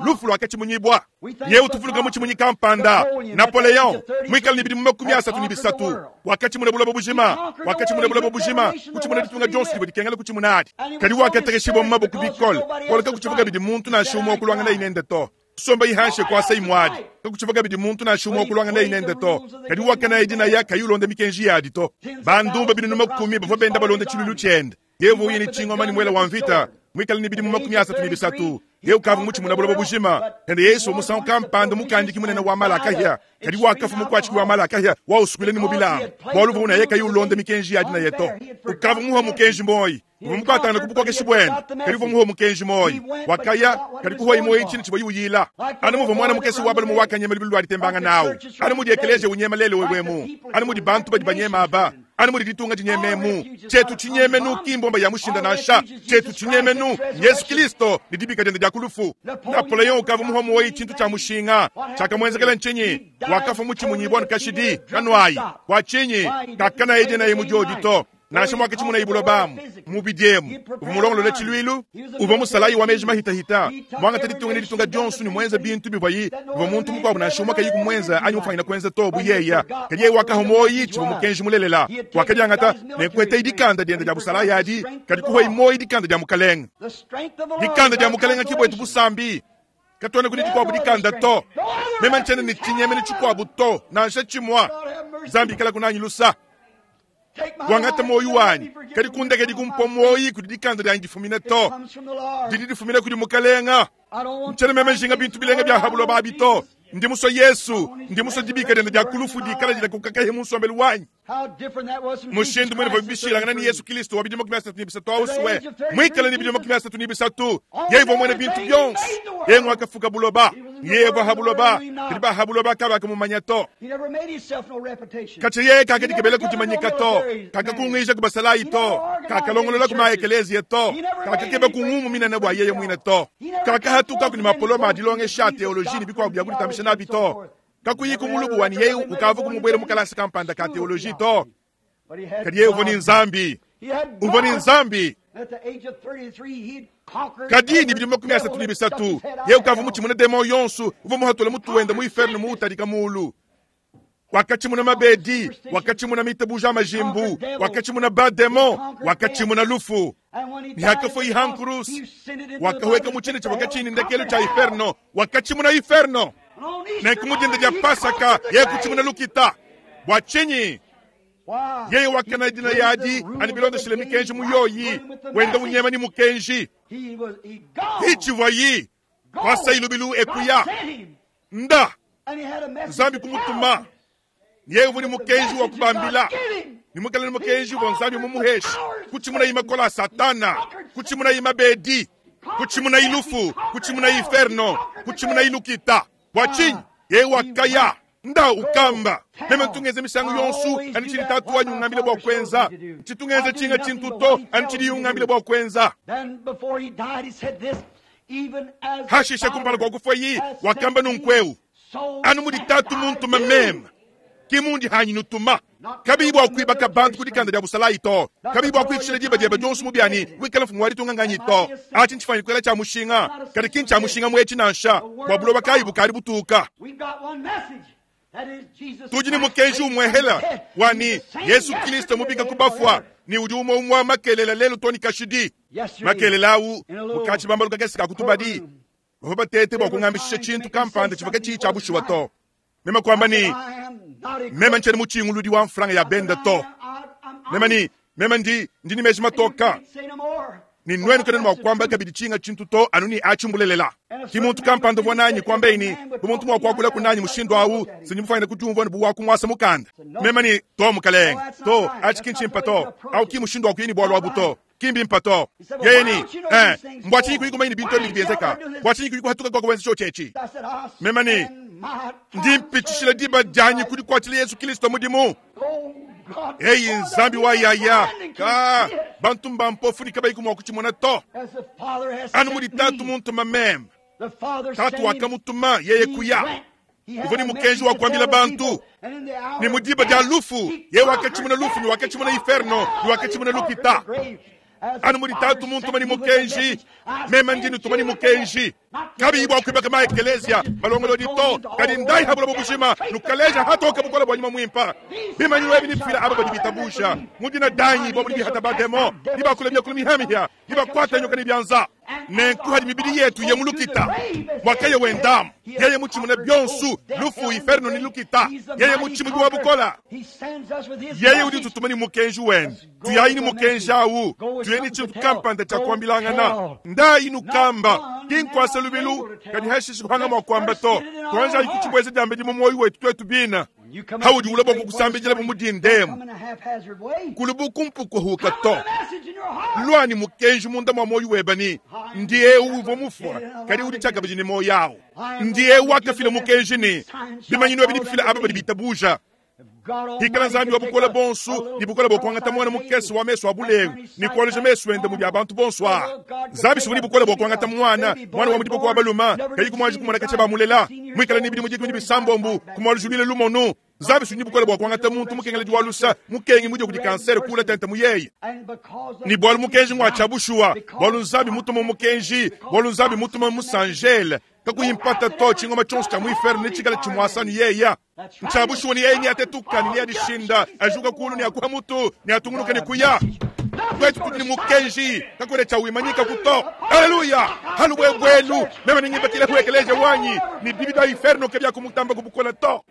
S1: Lufu luakatshimunyibua. Yehu tuvuluka mutshimunyi kampanda, Napoleon, muikale ne bidimu 33, wakatshimuna buloba bujima, wakatshimuna buloba bujima, kutshimuna ditunga dionso divua dikengela kutshimuna adi. Kadi wakatekeshibua mu maboko bikole, bualu kakutshivua kabidi muntu nansha umue wa kuluangana nende to. Kusomba ihanshe kuasa imuadi, kakutshivua kabidi muntu nansha umue wa kuluangana nende to. Kadi wakanaya dinaya kayi ulonda mikenji yadi to. Bandumba binunu 10 bavua benda balonda tshiluilu tshiende. Yeye uvua uya ne tshingoma ne muele wa mvita, muikale ne bidimu 33. Yeye ukavua mutshimuna buloba bujima. Kadi Yesu musangu kampanda mukandiki munene wa malakahia, kadi wakafa mukuatshiki wa malakahia wa usukuila ne mu bilamba, bualu uvua unaye kayi ulonda mikenji ya dinaye to. Ukavua muha mukenji moyi, uvua mukuatangana ku bukokeshi buende, kadi uvua muha mukenji moyi. Wakaya, kadi kuhuayi moyi tshina tshivua uyila. Anu muvua mwana mukese wa balume wakanyema lubilu lua ditembanga nawu, anu mudi ekeleziya unyema lelu wewemu, anu mudi bantu badi banyema aba, anu mudi ditunga dinyememu. Tshietu tshinyemenu ki mbomba ya mushinda nansha. Tshietu tshinyemenu Yesu Kristo ne dibika diende dia ku lufu. Napoleon ukavua muha muoyi tshintu tshia mushinga. Tshiakamuenzekela ntshinyi? Wakafua mutshimunyibua ne kashidi kanuayi. Bua tshinyi? Kakanaye dinaye mu diodi to. Nansha muakatshimunaye buloba amu mubidi emu, uvua mulongolole tshiluilu, uvua musalayi wa meji mahitahita, muangate ditunga ne ditunga dionso ne muenze bintu bivuayi bivua muntu mukuabu nansha umue kayi kumuenza anyi mufuanyine kuenza to bu yeya. Kadi yeye wakaha muoyi tshivua mukenji mulelela. Wakadiangata ne kuetayi dikanda diende dia busalayi adi, kadi kuhuayi muoyi dikanda dia mukalenge. Dikanda dia mukalenge ki buetu busambi. Katuena kudi dikuabu dikanda to. Meme ntshiena ne tshinyemenu tshikuabu to, nansha tshimua. Nzambi ikala kunanyi lusa. Wangata muoyo wanyi, kadi kundekedi kumpua muoyi kudi dikanda dianyi difumine to. Didi difumine kudi Mukalenga. Ntshiena meme njinga bintu bilenga bia ha buloba abi to. Ndi musue Yesu, ndi musue dibika diende dia ku lufu dikala dilakuka mu nsombelu wanyi. Mushindu muine uvua bishilangana ne Yesu Kristo wa bidimu 33 ausue, muikale ne bidimu 33, yeye uvua muena bintu bionso. Yeye nguakafuka buloba, yeye uvua ha buloba, kadi ba ha buloba kabakamumanya to. Katshia yeye kakadikebela kudimanyika to, kakakungija ku basalayi to, kakalongolola ku maekeleziya to, kakakeba ku ngumu minene bua yeye muine to, kakahatuka ku ne mapoloma a dilongesha a teoloji ne bikuabu bia kuditambisha nabi to. Kakuyiku mulubu wa ne yeye ukavwaku mubwele mu kalasa kampanda ka teoloji to, kadi yeye uvwa ne Nzambi. Uvwa ne Nzambi. Kadi ne bidimu 33, yeye ukavwa mutshimune demon yonso uvwa muhatule mutu wende mu inferno muwutadika muulu. Wakatshimuna mabedi, wakatshimuna mitabuja a majimbu, wakatshimuna ba-demon, wakatshimuna lufu. Ne hakafua ha nkuruse, wakahueka mu tshina tshivua katshiyi ne ndekelu tshia inferno, wakatshimuna inferno. Nenku mu dinda dia Pasaka, yeye kutshimuna lukita. Bua tshinyi? Yeye wakana dinaya adi anu bilondeshile mikenji mu yoyi, wenda unyema ne mukenji. Itshivuayi kuasayi lubilu e kuya. Nda! Nzambi kumutuma. Yeye uvua ne mukenji wa kubambila, ne muikale ne mukenji uvua Nzambi mumuheshe, kutshimunayi makole a Satana, kutshimunayi mabedi, kutshimunayi lufu, kutshimunayi inferno, kutshimunayi lukita. Bua tshinyi? Yeye wakaya nda ukamba, meme ntu ngenza misangu yonso anu tshidi Tatu wanyi ungambila bua kuenza, ntshitu ngenza tshinga tshintu to anu tshidiye ungambila bua kuenza. Hashishe kumpala kua kufuaye, wakamba nunku'eu, Anu mudi Tatu muntuma meme, ke mundi hanyi nutuma. Kabiyi bua kuibaka bantu ku dikanda dia busalayi to, kabiyi bua kuikishila diba diebe dionso mu bia ne wikala mfumu wa ditunga nganyi to. Atshi ntshifuanyine kuikala tshia mushinga, kadi ki ntshia mushinga mu etshi nansha, bua buloba kayi bukadi butuka. Tudi ne mukenji umuehela wa ne, Yezu Kristo mubika ku bafua ne udi umue umue makelela lelu to ne kashidi. Makelela au mu katshibambalu kakese ka ku tubadi, bavua batete bua kungambishisha tshintu kampanda tshivua katshiyi tshia bushuwa to. Meme kuamba ne, Meme ntshiena mutshinguludi wa mfranga ya bende to. Meme ne, Meme ndi, ndi ne meji matoka. Ne nuenu kanuena mua kuamba kabidi tshinga tshintu to anu ne atshi mbulelela. Ki muntu kampanda uvua nanyi kuambaye ne, bu muntu mua kuakulaku nanyi mushindu awu, se ndi mufuanyine kudiumvua ne bu wa kumuasa mukanda. Meme ne, To, mukalenge. To, atshi ki ntshimpe to. Awu ki mushindu wa kuya ne bualu abu to. Ki mbimpe to. Yeye ne, Eh, mbua tshinyi kuyi kumanya ne bintu ebi bidi bienzeka? Bua tshinyi kuyi kuhatuka kua kuenza tshiotshi etshi? Meme ne, Ndi mpitshishila diba dianyi ku dikuatshila Yezu Kristo mudimu. Eyi Nzambi wa yaya, ka bantu mbampofu ne kabayiku mua kutshimona to. Anu mudi Tatu muntuma meme, Tatu wakamutuma yeye kuya. Uvua ne mukenji wa kuambila bantu ne mu diba dia lufu yeye wakatshimuna lufu ne wakatshimuna inferno ne wakatshimuna lukita. Anu mudi Tatu muntuma ne mukenji, meme ndi nutuma ne mukenji. Kabiyi bua kuibaka ma-ekeleziya malongolodi to, kadi ndayi ha buloba bujima, nukaleja hatoke bukole bua Nyuma Muimpe. Bimanyinu ebi nebifile aba badi bitabusha mu dina dianyi, bobo nebihata bademon, nebakule miakulu mihia-mihia, nebakuate nyoka ne bianza. Nenku hadi mibidi yetu ye mu lukita, muakaya wendamu, yeye mutshimune bionso, lufu, inferno ne lukita, yeye mutshimunyi wa bukole. Yeye udi ututuma ne mukenji wende. Tuyayi ne mukenji au, tuye ne tshintu kampanda tshia kuambilangana. Ndayi nukamba, ki nkuasa lubilu, kadi hashishe kuhanga mua kuamba to. Tuanjayi kutshibueja diambedi mu muoyo wetu tuetu bine. Haudi ulua bua kukusambidila bu mudindemu, kulu bu kumpukuhuka to. Lua ne mukenji munda mua muoyo webe ne, Ndi eu uvua mufua, kadi udi tshiakabidi ne muoyo au. Ndi eu wakafila mukenji ne, bimanyinu ebi nebifile aba badi bitabuja. Hikala Nzambi wa bukole buonso ne bukole bua kuangata muana mukese wa mesu a bulengu ne kualuja mesu ende mudi a bantu bonso aa. Nzambi si udi ne bukole bua kuangata muana, muana wa mu diboko wa balume, kayi kumuanji kumona katshia bamulela, muikale ne bidimu dikumi ne bisambombo, kumualujuluila lumonu. Nzambi si udi ne bukole bua kuangata muntu mukengeledi wa lusa, mukengi mudie kudi kansere kuula tente mu yeye. Ne bualu mukenji ngua tshia bushuwa, bualu Nzambi mutuma mukenji, bualu Nzambi mutuma musanjele, kakuyi mpata to, tshingoma tshionso tshia mu inferno netshikale tshimuasa ne yeya. Ntshia bushuwa ne yeye neatetuka ne neadishinda, ajuka kulu ne akuha mutu, neatungunuka ne kuya. Tuetu tudi ne mukenji, kakuena tshia wimanyikaku to. Aleluya! Halubuebuelu, meme nengibakile ekeleziya wanyi, ne bibi bia inferno kabiakumutamba ku bukole to.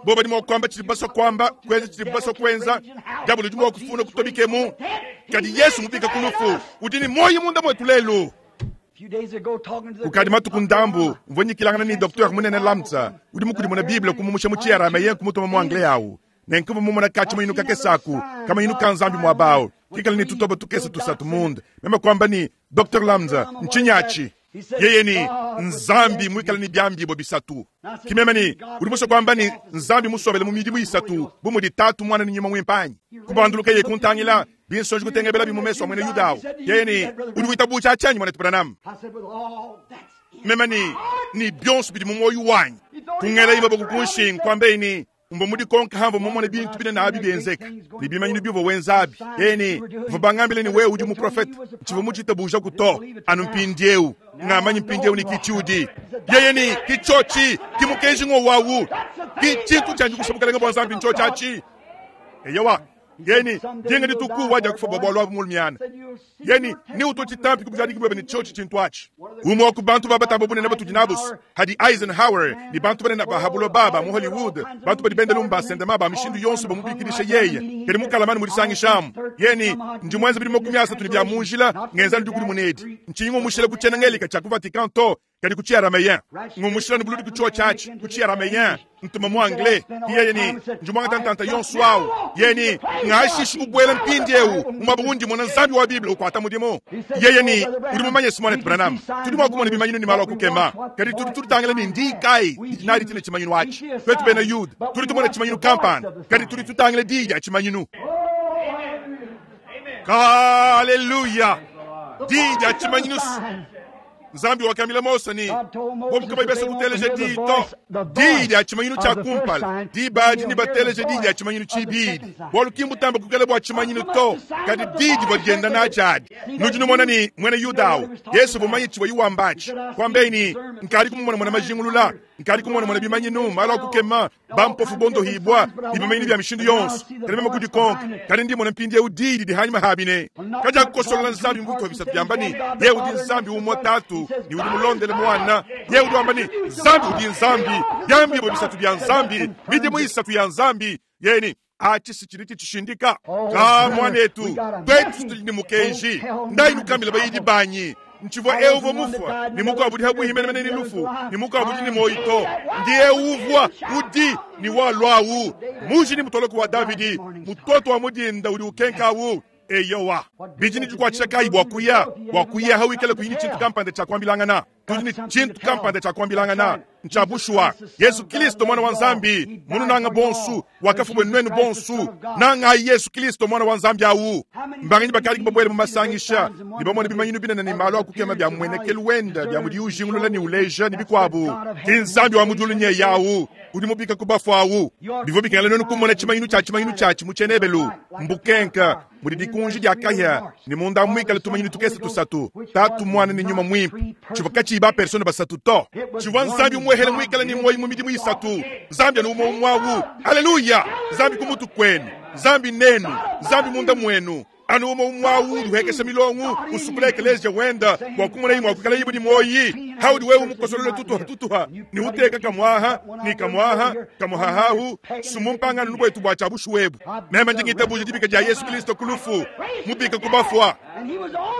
S1: Bo badi mua kuamba tshidibu basua kuamba, kuenza tshidibu basua kuenza. Diabolo udi mua kufuna kutobikemu, kadi Yesu mubika ku lufu udi ne muoyo munda muetu lelu. Kukadi matuku ndambu, mvua nyikilangana ne Docteur munene Lamsa, udi mukudimune Bible kumumusha mu Tshiarameyen kumutuma mu Anglais awu. Nenku mvua mumona katshimanyinu kakese aku, kamanyinu ka Nzambi muaba awu, kikale ne tutoba tukese tusatu munda. Meme kuamba ne, Docteur Lamsa, ntshinyi atshi? Yeye ne, Nzambi muikale ne biambibua bisatu. Ki meme ne, Udi musue kuamba ne, Nzambi musombele mu midimu isatu, bu mudi Tatu, Muana ne Nyuma Muimpe anyi? Kubandulukaye kuntangila, binsonji kutengebelabi mu mesu a muena Yuda au. Yeye ne, Udi witabuja tshianyi, muanetu Branham? Meme ne, Ne bionso bidi mu muoyo wanyi. Kungelaye maboko ku nshingu, kuambaye ne, Mvua mudikonke hamvua mumone bintu binene abi bienzeka, ne bimanyinu biuvua wenza abi. Yeye ne, Bavua bangambile ne wewe udi muprofete. Ntshivua mutshitabujaku to, anu mpindieu. Ngamanyi mpindieu ne ki tshiudi. Yeye ne, Ki tshiotshi, ki mukenji ng'wowu awu. Ki tshintu tshianji kusha Bukalenge bua Nzambi ntshiotshi atshi. Eyowa. Yeye ne, Dinga dituku wadiakufua bua bualu abu mulumiana. Yeye ne, Neutue tshitampi ku bujadiki buebe ne tshiotshi tshintu atshi. Umue wa ku bantu ba batamba bunene batudi nabu hadi Eisenhower ne bantu banene ba ha buloba ba mu Hollywood, bantu badi benda lumu ba sendema ba mishindu yonso bamubikidisha yeye, kadi mukalamani mu disangishamu. Yeye ne, Ndi muenze bidimu 30 ne bia mu njila ngenza dikudimuna edi. Ntshinyi ngumushila ku tshiena Ngelika tshia ku Vatican to, kadi ku Tshiarameyen. Ngumushila ne buludi ku tshiotshi atshi ku Tshiarameyen, ntuma mu Anglais. Yeye ne, Ndi muangata ntanta yonso awu. Yeye ne, Ngashishi kubuela mpindieu mu muaba undi mmona Nzambi wa Bible ukuata mudimu. Yeye ne, Udi mumanye, Simonet Branham, tudi mua kumona bimanyinu ne malu a kukema, kadi tudi tutangila ne ndiyi kayi didi nadi tshine tshimanyinu atshi. Tuetu bena Yuda tudi tumona tshimanyinu kampanda, kadi tudi tutangila diyi dia tshimanyinu. Aleluya! Diyi dia tshimanyinu. Nzambi wakambila Mose ne, bobu kabayi basue kuteleja diyi to, diyi dia tshimanyinu tshia kumpala, diba adi nebateleje diyi dia tshimanyinu tshibidi, bualu ki mbutambe kuikala bua tshimanyinu to, kadi diyi divua dienda natshi adi. Nudi numona ne, muena Yuda au, Yesu uvua mumanye tshivuaye wamba atshi, kuambaye ne, Nkadi kumumonamona majingulula, nkadi kumonamona bimanyinu, malu a kukema, bampofu bondohibua, ne bimanyinu bia mishindu yonso, kadi meme kudikonka, kadi ndi mmona mpindieu diyi didi hanyima habi ne, Kadiakukosolola Nzambi mu bitupa bisatu biamba ne, Yeye udi Nzambi umue Tatu, ne udi mulondele Muana. Yeye udi wamba ne, Nzambi udi Nzambi, biambibua bisatu bia Nzambi, midimu isatu ya Nzambi. Yeye ne, Atshi si tshidi tshitshishindika. Ka muanetu, tuetu tudi ne mukenji, Ndayi nukambile bayidi banyi Ntshivua eu uvua mufua, ne mukuabu udi pabuipi menemene ne lufu, ne mukuabu udi ne muoyo to. Ndi eu uvua, udi, ne walua-wu, muji ne mutoloku wa Davidi, mutoto wa mu dinda udi ukenka-wu. Eyowa, bidi ne dikuatshisha kayi bua kuya bua kuya hawikale kuyi ne tshintu kampanda tshia kuambilangana? Tudi ne tshintu kampanda tshia kuambilangana, ntshia bushuwa. Yezu Kilisto, Muana wa Nzambi, mununanga bonsu, wakafua buenu nuenu bonsu. Nangayi Yezu Kilisto, Muana wa Nzambi awu. Mbanganyi bakadi babuele mu masangisha ne bamone bimanyinu binene ne malu a kukema bia mmuenekelu wende, bia mudiye ujingulula ne uleja, ne bikuabu? Ki Nzambi wa mu diulu nyeye awu udi mubika ku bafue awu. Bivua bikengela nuenu kumona tshimanyinu tshia tshimanyinu tshiatshi mu tshiena-Ebelu, mbukenka mudi dikunji dia kahia ne munda muikale tumanyinu tukese tusatu, Tatu, Muana ne Nyuma Muimpe. Tshivua katshiyi ba persone basatu to. Tshivua Nzambi umuehele muikale ne muoyo mu midimu isatu. Nzambi anu umue umue awu. Haleluya! Nzambi ku mutu kuenu, Nzambi nenu, Nzambi munda muenu. Anu umue umue awu udi uhekesha milongo, usukula ekeleziya wenda bua kumonayi mua kuikalayi ne muoyi. Haudi wewe mukosolole tutuha tutuha ne uteka kamuaha ne kamuaha kamuhahahu sumumpangano nubuetu bua tshia bushuwa ebu. Meme ndi ngitabuja dibika dia Yesu Kristo ku lufu, mubika ku bafua.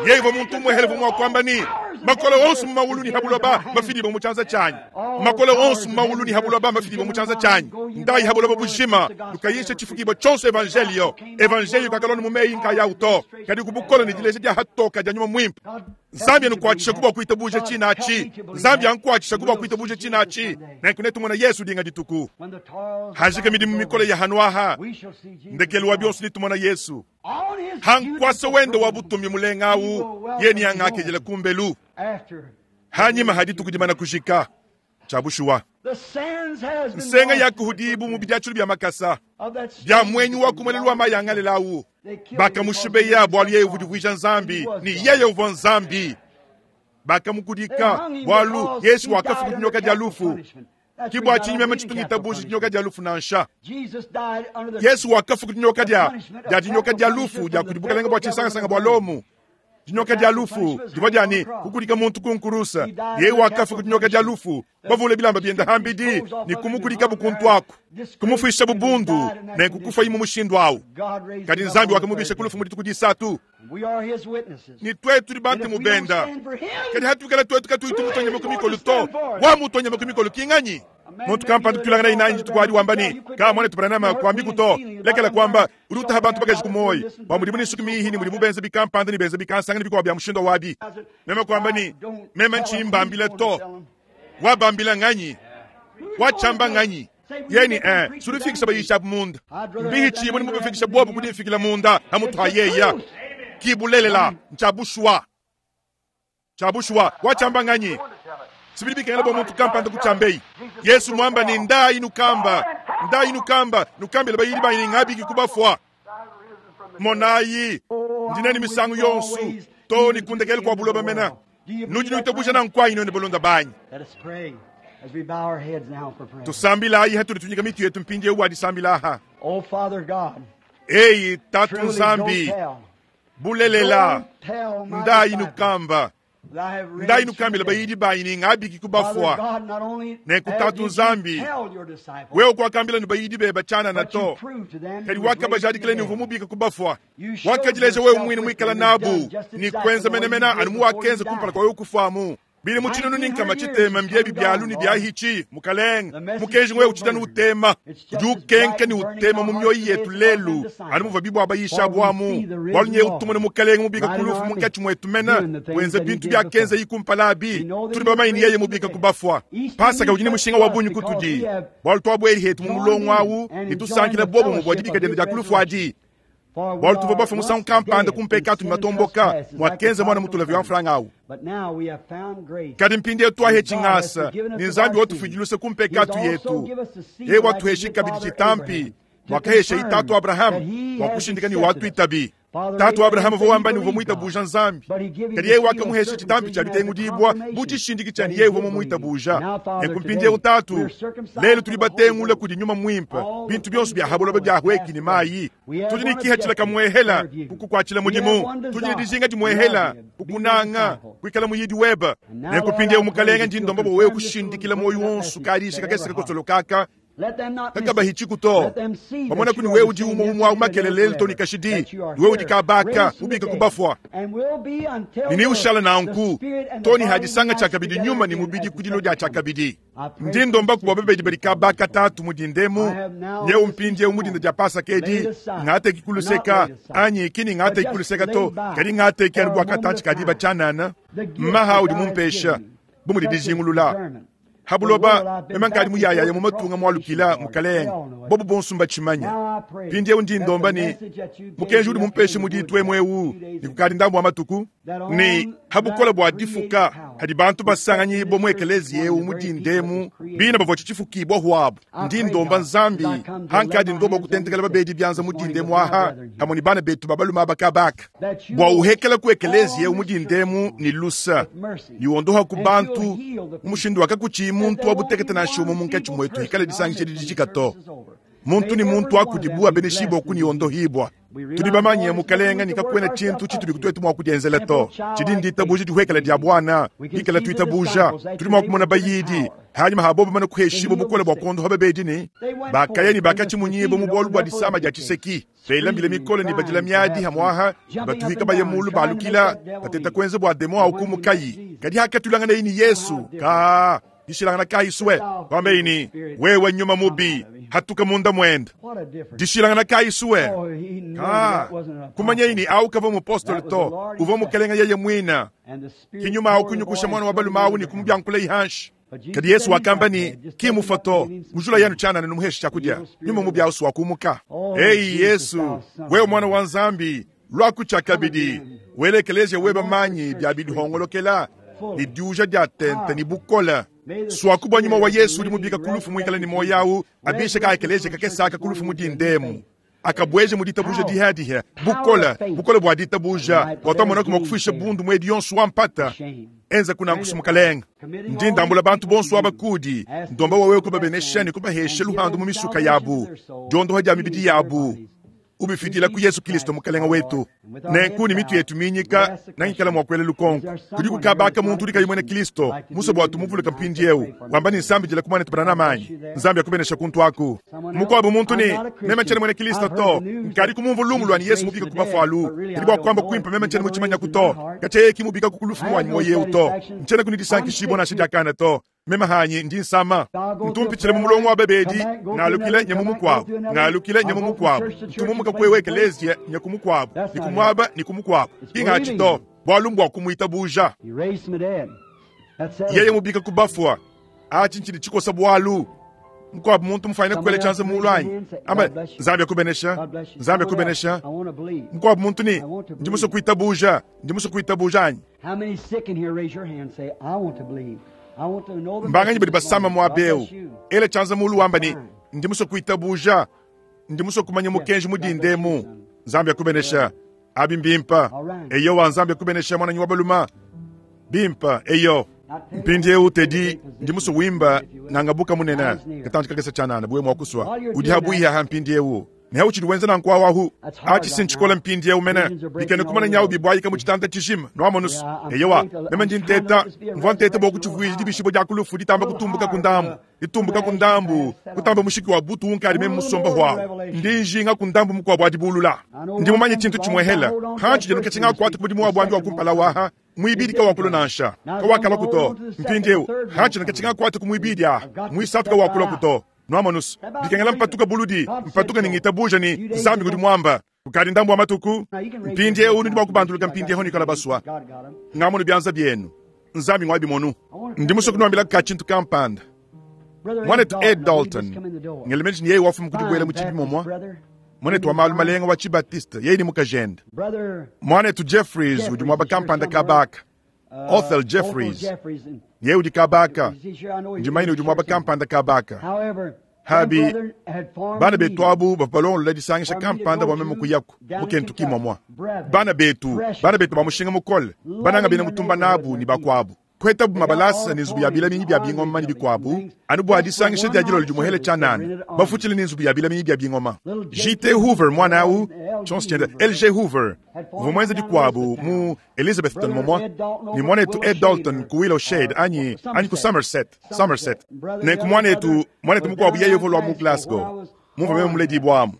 S1: Yeye uvua muntu umuehele uvua mua kuamba ne, Makole onso mu mawulu ne ha buloba mafidibue mu tshianza tshianyi. Makole onso mu mawulu ne ha buloba mafidibue mu tshianza tshianyi. Ndayi ha buloba bujima, nukayishe tshifukibua tshionso evanjelio. Evanjelio kakalua mu meyi nkayawu to, kadi ku bukole ne dileja dia hatoka dia Nyuma Muimpe. Nzambi anukuatshishaku bua kuitabuja tshina atshi. Nzambi ankuatshishaku bua kuitabuja tshina atshi. Nenku netumona Yesu dinga dituku. Hajika midimu mikole ya hanu aha, ndekelu wa bionso netumona Yesu. Ha nkuasa wende wa butumbi mulenga awu, yeye neangakidile kumbelu. Hanyima ha dituku dimana kujika, tshia bushuwa, nsenga yakuhudibu mu bidiatshilu bia makasa bia muenyi wa ku muelelu wa mayi a Ngalela awu. Bakamushibeya bualu yeye uvua udivuija Nzambi, ne yeye uvua Nzambi. Bakamukudika bualu Yesu wakafua ku dinyoka dia lufu. Ke bua tshinyi meme tshitu ngitabuja dinyoka dia lufu nansha. Yesu wakafua ku dinyoka dia dia dinyoka dia lufu dia kudi bukalenge bua tshinsangasanga bua Lomo. Dinyoka dia lufu divua dia ne kukudika muntu ku nkurusa. Yeye wakafua ku dinyoka dia lufu, bavule bilamba biende hambidi ne kumukudikabu kuntu aku, kumufuishabu bundu, nenku kufuaye mu mushindu au. Kadi Nzambi wakamubisha ku lufu mu dituku disatu. Ne tuetu tudi bantemu benda. Kadi hatuikala tuetu katuyi tumutua nyama ku mikolo to, wamutua nyama ku mikolo ki nganyi? Muntu kampanda tuilangana nanyi dituku adi wamba ne, Ka muanetu Branham, kuambiku to. Lekela kuamba, udi utaha bantu bakaji ku muoyo bua mudibu ne nsuki mihi ne mudibu benza bikampanda ne benza bikansanga ne bikuabu bia mushindu wabi. Meme kuamba ne, Meme ntshiyi mbambila to. Wabambila nganyi? Watshiamba nganyi? Yeye ne, Eh, sudifikisha bayisha abu munda. Mbihitshibue ne mubafikisha bobu ku difikila munda hamutu ha yeya. Ki bulelela, ntshia bushuwa. Tshia bushuwa, watshiamba nganyi? Sibidi bikengela bua muntu kampanda kutshiambeyi. Yesu muamba ne, Ndayi nukamba, ndayi nukamba, nukambile bayidi banyi ne ngabiki ku bafua. Monayi, ndi nenu misangu yonso, too ne ku ndekelu kua buloba mena. Nudi nuitabuja nanku anyi nuenu balunda banyi? Tusambilayi hatudi tunyika mitu yetu mpindieu bua disambila aha. Eyi Tatu Nzambi, bulelela, ndayi nukamba, ndayi nukambila bayidi banyi ne ngabiki ku bafua. Nenku Tatu Nzambi, wewe kuakambila ne bayidi beba tshianana to, kadi wakabajadikila ne uvua mubika ku bafua. Wakadileja wewe muine muikala nabu ne kuenza menemene anu muwakenza kumpala kua wewe kufuamu. Bili mu 600 mbiebi bialu ne biahitshi, Mukalenge, mukenji wewe utshidi anu utema, udi ukenka ne utema mu mioyo yetu lelu, anu muvua bibua bayisha amu, bualu nyewe utumone Mukalenge mubika ku lufu munkatshi muetu mena, wenza bintu biakenza yi kumpala abi, tudi bamanye ne yeye mubika ku bafua. Pasaka udi ne mushinga wa bungi kutudi, bualu tuabueli hetu mu mulongo awu ne tusankila bobo bua dibika diende dia ku lufu adi. Bualu tuvua bafue musangu kampanda ku mpekatu ne matomboka, muakenza muana mutulavi wa mfranga awu. Kadi mpindieu tuahetshi ngasa, ne Nzambi watufuidi luse ku mpekatu yetu. Yeye watuheshi kabidi tshitampi, muakahesha tatu Abrahama, bua kushindika ne watuitabi. Tatu Abrahama uvua wamba ne uvua muitabuja Nzambi, kadi yeye wakamuhesha tshitampi tshia ditengudibua bu tshishindiki tshia ne yeye uvua mumuitabuja. Nenku mpindieu Tatu, lelu tudi batengula kudi Nyuma Muimpe, bintu bionso bia ha buloba biahueki ne mayi. Tudi ne kihatshila kamuehela kukukuatshila mudimu, tudi ne dijinga dimuehela kukunanga, kuikala muyidi webe. Nenku mpindieu Mukalenge, ndi ndomba bua wewe kushindikila muoyo wonso kadisha kakese kakosolokaka kakabahitshiku to, pamona kuni wewe udi umue umue au makelele lelu to ne kashidi, wewe udi kabaka ubika ku bafua ne neushala nanku to ne hadisanga tshiakabidi nyuma ne mubidi ku dilo dia tshiakabidi. Ndi ndomba bua babedi badi kabaka tatu mu dindemu nyeu mpindieu mu dinda dia Pasaka edi, ngateki ku luseka anyi kini ngateki ku luseka to, kadi ngateki anu bua katantshi ka diba tshianana maha udi mumpesha bu mudi dijingulula ha buloba meme nkadi muyayaya mu matunga mualukila Mukalenge, bobu bonso mbatshimanya. Mpindieu ndi ndomba ne mukenji udi mumpeshe mu ditu emu eu ne kukadi ndambu wa matuku ne ha bukole bua difuka hadi bantu basanganyibua mu ekeleziya eu mu dindemu bina bavua tshifukibua huabu. Ndi ndomba Nzambi hankadi ndomba kutentekela babedi bianza mu dindemu aha hamwe ne bana betu ba balume aba kabaka bua uhekela ku ekeleziya eu mu dindemu ne lusa ne wondoha ku bantu mu mushindu wakakutshiyi muntu wa butekete nansha umue munkatshi muetu ikale disangisha didijika to. Muntu ne muntu akudibu abeneshibua ku ne ondohibua. Tudi bamanye Mukalenge ne kakuena tshintu tshitudi tuetu mua kudienzela to, tshidi nditabuja dihuekela dia buana bikala tuitabuja. Tudi mua kumona bayidi hanyima ha bobo bamane kuheshibua bukole bua kuondoha babedi ne bakaya ne bakatshimunyibua mu bualu bua disama dia tshiseki, bela mbila mikole ne badila miadi hamuaha, batuhika baye mulu balukila bateta kuenza bua demo au kumukayi. Kadi hakatulanganayi ne Yesu ka dishilangana kayi sue wambeyi ne, wewe nyuma mubi hatuka munda muende. Dishilangana kayi sue ka kumanyayi ne au kavua mupostolo to, uvua Mukalenge yeye muina. Kinyuma au kunyukusha mwana wa balume au ne kumubiankula ihanshi. Kadi Yesu wakamba ne, ki mufa to, mujula yanu tshianana numuheshe tshiakudia. Nyuma mubi au wakumuka. Eyi Yesu, wewe mwana wa Nzambi, lwaku tshiakabidi wele ekeleziya weba manyi bia bidihongolokela ne diuja dia tente ne bukole. Swaku bua nyuma wa Yesu udi mubika ku lufu muikale ne muoyo au, abishe ka ekeleziya kakese aka ku lufu mu dindemu, akabueje mu ditabuja dihadiha, bukole, bukole bua ditabuja, bua twamona kuma kufuisha bundu muedi yonso wa mpata. Enza kunankusu Mukalenge. Ndi ndambula bantu bonso aba kudi, ndomba wawe kubabenesha ne kubahesha luhandu mu misuka yabu, diondoha dia mibidi yabu, ubifidila ku Yesu Kristo Mukalenge wetu. Nenku ne mitu yetu minyika nangikala mua kuela lukonko kudi kukabaka muntu udi kayi muena Kristo musa bua tumuvuluka mpindieu wamba ne nsambidila ku muanetu Branham anyi Nzambi akubenesha kuntu aku. Mukuabu muntu ne meme ntshiena muena Kristo to, nkadi kumumvua lumu lua ne Yesu mubika ku bafua alu, kadi bua kuamba kuimpe meme ntshiena mutshimanyaku to, katshia yeye ki mubika ku lufu muanyi muoyo eu to, ntshiena ku ne disankishibua nansha diakana to. Meme hanyi ndi nsama, ntumpitshile mu mulongo wa babedi, ngalukile nye mu mukuabu, ngalukile nye mu mukuabu, ntumumuka kwewe ekeleziya nye ku mukuabu, ni ku muaba ni ku mukuabu. Kingatshi to, bualu mbua kumuitabuja. Yeye mubika ku bafua, atshi ntshidi tshikosa bualu. Mukuabu muntu mufanyine kukwela tshianza mulu anyi? Amba, Nzambi akubenesha, Nzambi akubenesha. Mukuabu muntu ne, ndi musue kuitabuja, ndi musue kuitabuja anyi?
S2: How many sick in here raise your hand and say, I want to believe.
S1: Mbanganyi badi basama muaba eu? Ela tshianza mulu wamba ne, Ndi musue kuitabuja. Ndi musue kumanya mukenji mu dinda emu. Nzambi akubenesha. Abi mbimpe. Eyowa, Nzambi akubenesha, muananyi wa balume. Bimpe, eyo. Mpindieu, Teddy, ndi musue wimba Ngangabuka Munene, katantshi kakese tshianana, buwe mua kusua. Udi habuihi aha mpindieu. Ne hautshidi wenza nanku awu ahu. Atshi si ntshikola mpindieu mene. Bikena kumana nyawu bibuayika mu tshitanda tshijima. Nwamonus? Eyowa, meme ndi nteta, mvua nteta bua kutshivuija dibishibua dia ku lufu ditamba kutumbuka ku ndambu, ditumbuka ku ndambu, kutamba mushiki wa butu unkadi meme musomba huawu. Ndi njinga ku ndambu mukuabu wa dibulula. Ndi mumanye tshintu tshimuehela. Hantshidi anu katshia ngakuata ku mudimu wa buambi wa kumpala waha. Muibidi kawakulua nansha, kawakaluaku to. Mpindieu, hantshidi anu katshia ngakuata ku muibidi aha, muisatu kawakuluaku to. Nwamonus, bikengela mpatuka buludi, mpatuka ne ngitabuja ne Nzambi ngudi muamba. Kukadi ndambu wa matuku, mpindiewu nudi mua kubanduluka mpindiewu nuikala basua. Ngamonu bianza bienu. Nzambi ngua bimonu. Ndi musue kunuambila ka tshintu kampanda. Muanetu Ed Dalton, ngela meji ne yeye wafuma ku dibuela mu tshibi momua. Muanetu wa malu malenga wa Tshibatiste, yeye ne mukajende. Muanetu Jeffries udi muaba kampanda kabaka. Othel Jeffries, yeye udi kabaka, ndi manyine udi muaba kampanda kabaka. Habi, bana betu abu bavua balongolola disangisha kampanda bua meme kuyaku mu Kentucky muamua. Bana betu, bana betu ba mushinga mukole, bananga bena mutumba nabu ne bakuabu, kuhetabu mabalasa ne nzubu ya bilaminyi bia bingoma ne bikuabu, anu bua disangisha dia dilolo dimuehele tshianana, bafutshile ne nzubu ya bilaminyi bia bingoma. JT Hoover muana au, tshionso tshiende LG Hoover, uvua muenze dikuabu mu Elizabethton momua ne muanetu Ed Dalton ku Willow Shade anyi, anyi ku Somerset, Somerset. Nenku muanetu, muanetu mukuabu yeye uvua lua mu Glasgow, mumvua meme muledibua amu.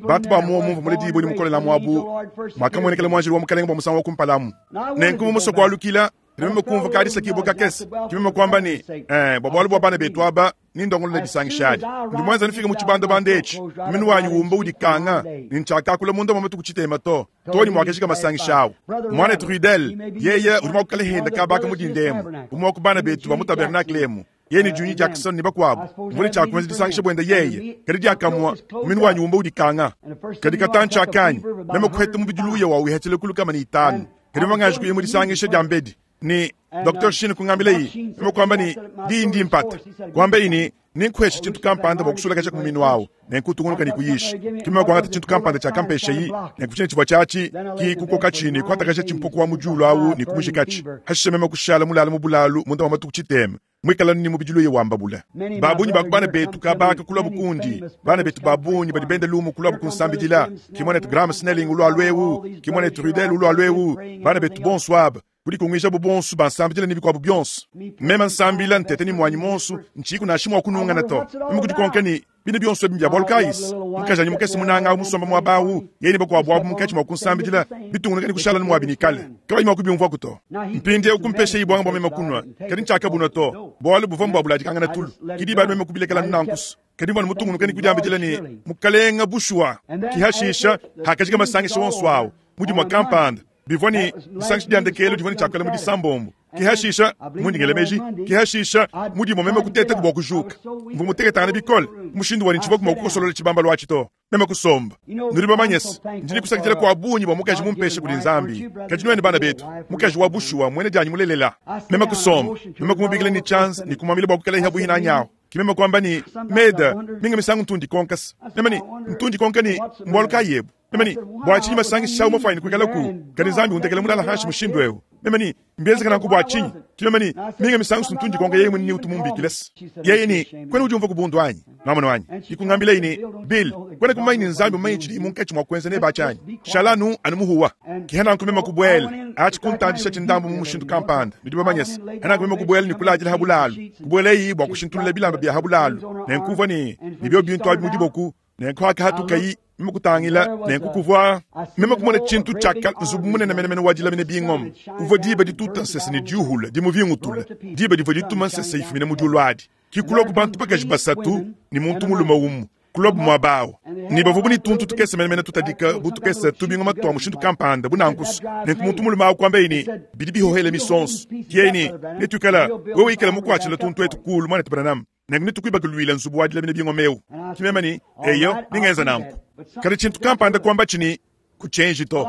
S1: Bantu ba muomu mumvua muledibue ne mukolela amu abu, muakamuenekela muanjelu wa Mukalenge bua musangu wa kumpala amu. Nenku mu musoko kualukila, ne meme kumvua kadisakibua kakese, ke meme kuamba ne, Eh, bua bualu bua bana betu aba, nindongolole disangisha adi. Ndi muenza nufike mu tshibandabanda etshi, munu wanyi wumba udikanga, ne ntshiakakula munda mua matuku tshitema to, too ne muakajika masangisha awu. Muanetu Ruddell, yeye udi mua kukala henda kabaka mu dinda emu, umue wa ku bana betu ba mu tabernakle emu, yeye ne Junie Jackson ne bakuabu, mvua ne tshia kuenza disangisha buende yeye, kadi diakamue munu wanyi wumba udikanga. Kadi katantshi akanyi, meme kuheta mubidi luya wa wihatshile ku 500, kadi mvua nganji kuya mu disangisha dia mbedi. Ne Docteur Sheen kungambilayi, meme kuamba ne, Diyi ndi mpata. Kuambayi ne, Nenkuheshe tshintu kampanda bua kusulakaja ku muminu awu, nenku utungunuka ne kuyisha. Ke meme kuangata tshintu kampanda tshiakampeshayi, nenku tshine tshivua tshiatshi, ki kukokatshi ne kuatakaja tshimpoku wa mu diulu awu ne kumujikatshi. Hashishe meme kushala mulale mu bulalu munda mua matuku tshitema. Muikala ne mubidi luya wamba bule. Ba bungi ba ku bana betu kabaka kuluabu kundi, bana betu ba bungi badi benda lumu kuluabu kunsambidila, ki muanetu Graham Snelling ulualua eu, ki muanetu Ruddell ulualua eu, bana betu bonso aba, kudikunguijabu bonso bansambidila ne bikuabu bionso. Meme nsambila nteta ne muanyi muonso, ntshiyiku nansha mua kunungana to. Meme kudikonka ne, Bine bionso ebi mbia bualu kayi? Mukajanyi mukese munanga au musomba muaba au, yeye ne bakuabu abu munkatshi mua kunsambidila, bitungunuka ne kushala muabi ne kale, kabayi mua kubiumvuaku to. Mpindieu kumpeshayi buanga bua meme kunua, kadi ntshiakabunua to, bualu buvua mbuabuladikangana tulu. Ke diba adi meme kubilekela anu nanku. Kadi mvua mutungunuke ne kudiambidila ne, Mukalenga, bushuwa, ki hashisha, hakajika masangisha onso au, mu dimue kampanda, bivua ne disangisha dia ndekelu divua ne tshiakuela mu disambombo. Ke hashisha, mundi ngela meji, ke hashisha, mu dimue meme kutetaku bua kujuka. Mvua muteketangane bikole, mushindu wa ne tshivua mua kukosolola tshibambalu atshi to. Meme kusomba. Nudi bamanye se, ndi ne kusakidila kua bungi bua mukaji mumpesha kudi Nzambi. Kadi nuenu bana betu, mukaji wa bushuwa muena dianyi mulelela. Meme kusomba, meme kumubikila ne tshianza ne kumuambila bua kuikalaye pabuipi nanyi awu. Ke meme kuamba ne, Meda, minga misangu ntu ndikonka se, meme ne, ntu ndikonka ne, mbualu kayi ebu? Meme ne, bua tshinyi masangisha au mafuanyine kuikalaku, kadi Nzambi undekela mulala hanshi mushindu eu? Meme ne, mbienzeka nanku bua tshinyi? Ke meme ne, minga misangu ntu ndikonka yeye muine ni utu mumbikile se. Yeye ne, Kuena udiumvua ku bundu anyi? Nwamonu anyi? Ke kungambilaye ne, Bill, kuena kumanya ne Nzambi mmumanye tshidiye munkatshi mua kuenza nebe atshi anyi? Shala anu, anu muhuwa. Ke nanku meme kubuela, atshi kuntandishatshi ndambu mu mushindu kampanda, nudi bamanye se. Nanku meme kubuela ne kuladila ha bulalu, kubuelayi bua kushintulula bilamba bia ha bulalu, nenku uvua ne, ne biobi bintu abi mu diboku, nenku hakahatukayi, meme kutangila, nenku kuvua, meme kumona tshintu tshia kale, nzubu munene menemene wa dilamina bingoma, uvua diba dituta nsese ne diuhula dimuvingutula, diba divua dituma nsese ifumina mu diulu adi. Ke kuluaku bantu bakaji basatu ne muntu mulume umue, kuluabu muaba au, ne bavua bu ne tuntu tukese menemene tutadika bu tukese tubingoma tua mushindu kampanda bu nanku. Nenku muntu mulume au kuambaye ne, Bidi bihohela misonso. Yeye ne, Netuikala, wewe ikala mukuatshila tuntu etu kuulu, muanetu Branham, nenku netukuibakuluile nzubu wa dilamina bingoma eu. Ke meme ne, Eyo, nengenza nanku. Kadi tshintu kampanda kuambatshi ne. Kutshienji to.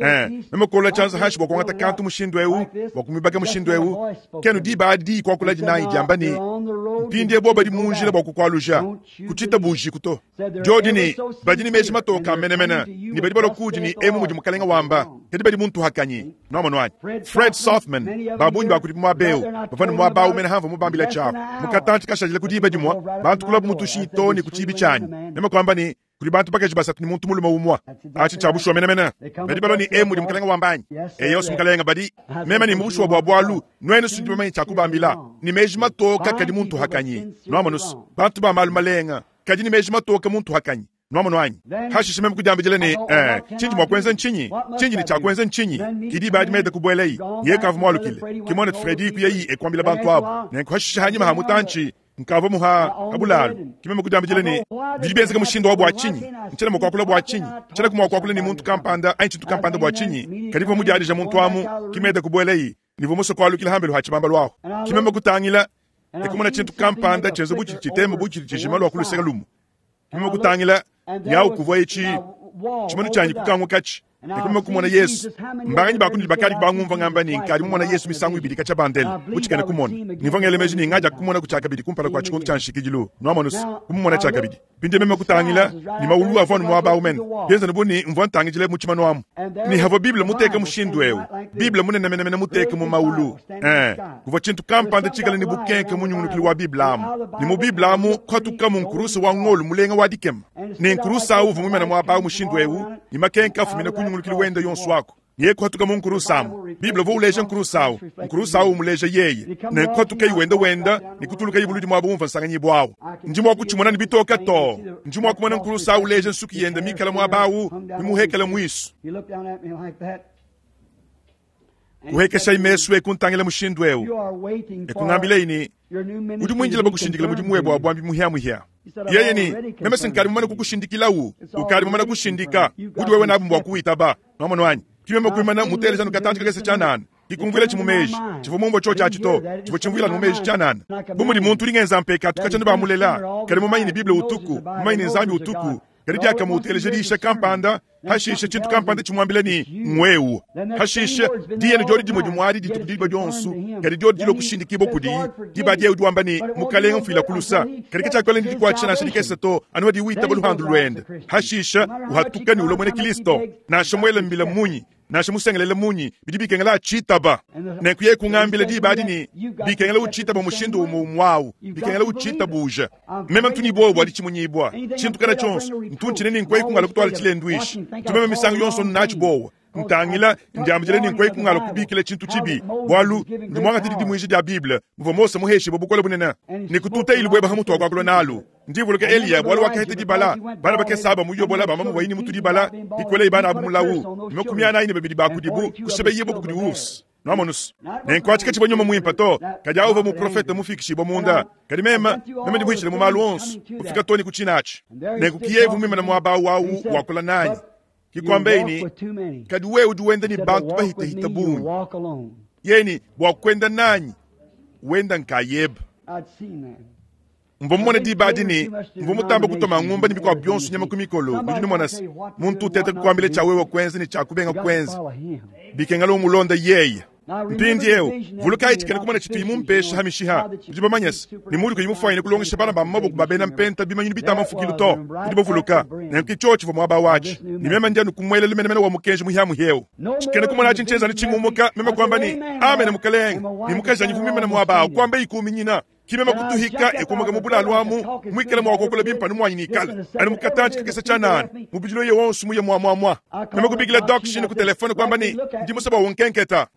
S1: Ee, meme kuolola tshianza hanshi bua kuangata kantu mushindu eu, bua kumuibaka mushindu eu, ke anu diba adi diyi kuakuladi nanyi diamba ne, Mpindieu bobu badi mu njila bua kukualuja, kutshitabujiku to. Diodi ne, Badi ne meji matoke a menemene, ne badi balua kuudi ne, Emu mudi Mukalenge wamba, kadi badi mu ntuhakanyi. Nuamonu anyi? Fred Sothmann, ba bungi ba kudibu muaba eu, bavua ne muaba au mene hamvua mubambila tshiapu. Mu katantshi kashadile ku diba dimue, bantu kulabu mu tushinyi too ne ku tshiibi tshianyi. Meme kuamba ne, Kudi bantu bakaji basatu ne muntu mulume umue. Atshi ntshia bushuwa menemene. Badi balua ne, Emu mudi Mukalenge wamba anyi? Eyo, Mukalenge, badi. Meme ne, Mu bushuwa bua bualu, nuenu si nudi bamanye tshia kubambila. Ne meji matoke kadi mu ntuhakanyi. Nuamonu's, bantu ba malu malenga, kadi ne meji matoke mu ntuhakanyi. Nuamonu anyi? Hashishe meme kudiambidila ne, Ee, tshindi mua kuenza ntshinyi? Tshindi ne tshia kuenza ntshinyi? Ke diba adi Meda kubuelayi. Yeye kavua mualukile. Ke muanetu Freddy kuyayi e kuambila bantu abu. Nenku hashishe hanyima ha mutantshi, nkavua muha ha bulalu. Ke meme kudiambidila ne, Bidi bienzeka mushindu wa bua tshinyi? Ntshiena mua kuakula bua tshinyi? Ntshiena mua kuakula ne muntu kampanda anyi tshintu kampanda bua tshinyi? Kadi mvua mudiadija muntu amu. Ke Meda kubuelayi. Ne mvua musue kualukila hambelu ha tshibambalu ahu. Ke meme kutangila, e kumona tshintu kampanda tshienza bu tshidi tshitema bu tshidi tshijima lua ku luseke lumue. Meme kutangila, ne awu kuvua etshi tshimanu tshianyi kukangukatshi, ne meme kumona Yesu. Mbanganyi ba kunudi bakadi bangumvua ngamba ne nkadi mumona Yesu misangu ibidi katshia bandele mu tshikena kumona, ne mvua ngela meji ne ngadia kumonaku tshiakabidi kumpala kua tshikondo tshia nshikidilu, nuamonu's, kumumona tshiakabidi. Mpindieu meme kutangila, ne mawulu avua anu muaba au mene, bienza bu ne mvua ntangidila mu tshimanu amu. Ne havua Bible muteka mushindu eu, Bible munene menemene muteka mu mawulu, ee, kuvua tshintu kampanda tshikale ne bukenke mu nyungunukilu wa Bible amu. Ne mu Bible amu kuhatukamu nkuruse wa ngolo mulenga wa dikema. Ne nkuruse au uvua muimane muaba au mushindu eu, ne makenke afumina ku nyungulukilu wende yonso aku. Yeye kuhatuka mu nkuruse amu. Bible uvua uleja nkuruse au, nkuruse au umuleja yeye. Nenku kuhatukaye wenda wenda ne kutulukaye buludi muaba umvua nsanganyibua au. Ndi mua kutshimona ne bitoke too. Ndi mua kumona nkuruse au uleja nsuki yende mikale muaba au, mimuhekele muisu. Kuhekeshayi mesu e kuntangila mushindu eu, e kungambilayi ne, Udi muindile bakushindikile mudimu webe wa buambi muhiamuhia. Yeye ne, Meme se nkadi mumane kukushindikilawu, ukadi mumane kushindika, budi wewe nabu mbua kuwitaba. Nuamonu anyi? Ki meme kuimana muteleja anu katantshi kakese tshianana, dikumvuila tshi mu meji. Tshivua mumvue tshiotshi atshi to, tshivua tshimvuila anu mu meji tshianana. Bu mudi muntu udi ngenza mpekatu katshia anu bamulela, kadi mumanye ne Bible utuku, mumanye ne Nzambi utuku, kadi diakamue uteleja diyisha kampanda, Hashishe tshintu kampanda tshimuambila ne, Ng'wewu. Hashishe, diyi anu diodi dimue dimue adi dituku diba dionso, kadi diodi dilua kushindikibua kudiyi, diba adi yeye udi wamba ne, Mukalenge, mfuila ku lusa. Kadi katshiakuikala ne dikuatshisha nansha dikese to, anu padiye witaba luhandu luende. Hashishe, uhatuka ne ulua muena Kilisto. Nansha muele mbila munyi, nansha musengelele munyi, bidi bikengela atshitaba. Nenku yeye kungambila diba adi ne, Bikengela utshitaba mushindu umue umue au, bikengela utshitabuja. Meme ntu ne buowa bua ditshimunyibua. Tshintu kana tshionso, ntu ntshina ne nkueyi kungala kutuala tshilenduishi. Ntu meme misangu yonso natshi buowa. Ntangila, ndiambidila ne nkueyi kungala kubikila tshintu tshibi, bualu ndi muangate didimuija dia Bible muvua Mose muheshibue bukole bunene ne kututa ilu bueba ha mutu wa kuakula nalu. Ndi mvuluka Eliya bualu wakaheta dibala. Bana bakese aba mu Yobola bamba muvuaye ne mutu dibala, dikolei bana abu mulawu, ne 42 ba kudibu kusebeyibua kudi ours. Nuamonus? Nenku atshi katshivua nyuma muimpe to, kadi awu uvua muprofete mufikishibua munda. Kadi meme, meme ndi muhitshile mu malu onso, kufika too ne ku tshina atshi. Nenku ki yeye uvua muimane muaba awu awu wakula nanyi. Ki kuambeyi ne, Kadi wewe udi wenda ne bantu bahitahita bungi. Yeye ne, Bua kuenda nanyi, wenda nkayebe. Mvua mumone diba adi ne, mvua mutambe kutua mangumba ne bikuabu bionso nyama ku mikolo. Nudi numona se, muntu uteta kukuambila tshia wewe kuenza ne tshia kubenga kuenza, bikengela umulonde yeye. Mpindieu, vulukayi tshikena kumona tshituyi mumpesha ha mishiha. Nudi bamanye se, ne muudi kuyi mufuanyine kulongesha bana ba mu maboko ba bena mpenta bimanyinu bitamba mfukilu to. Nudi bavuluka? Nenku ke tshiotshi tshivua muaba watshi, ne meme ndi anu ku muelelu menemene wa mukenji muhiamuhia eu. Tshikena kumona atshi ntshienza anu tshingumuka, meme kuamba ne, Amene, Mukalenge. Ne mukajanyi uvua muimane muaba au, kuambaye kuminyina. Ki meme kutuhika e kumuka mu bulalu amu, muikale mua kuakula bimpe anu muanyi nikale anu mu katantshi kakese tshianana, mubidi loye wonso muye muamuamua. Meme kubikila Doc Sheen ku telefone kuamba ne, Ndi musue bua unkenketa.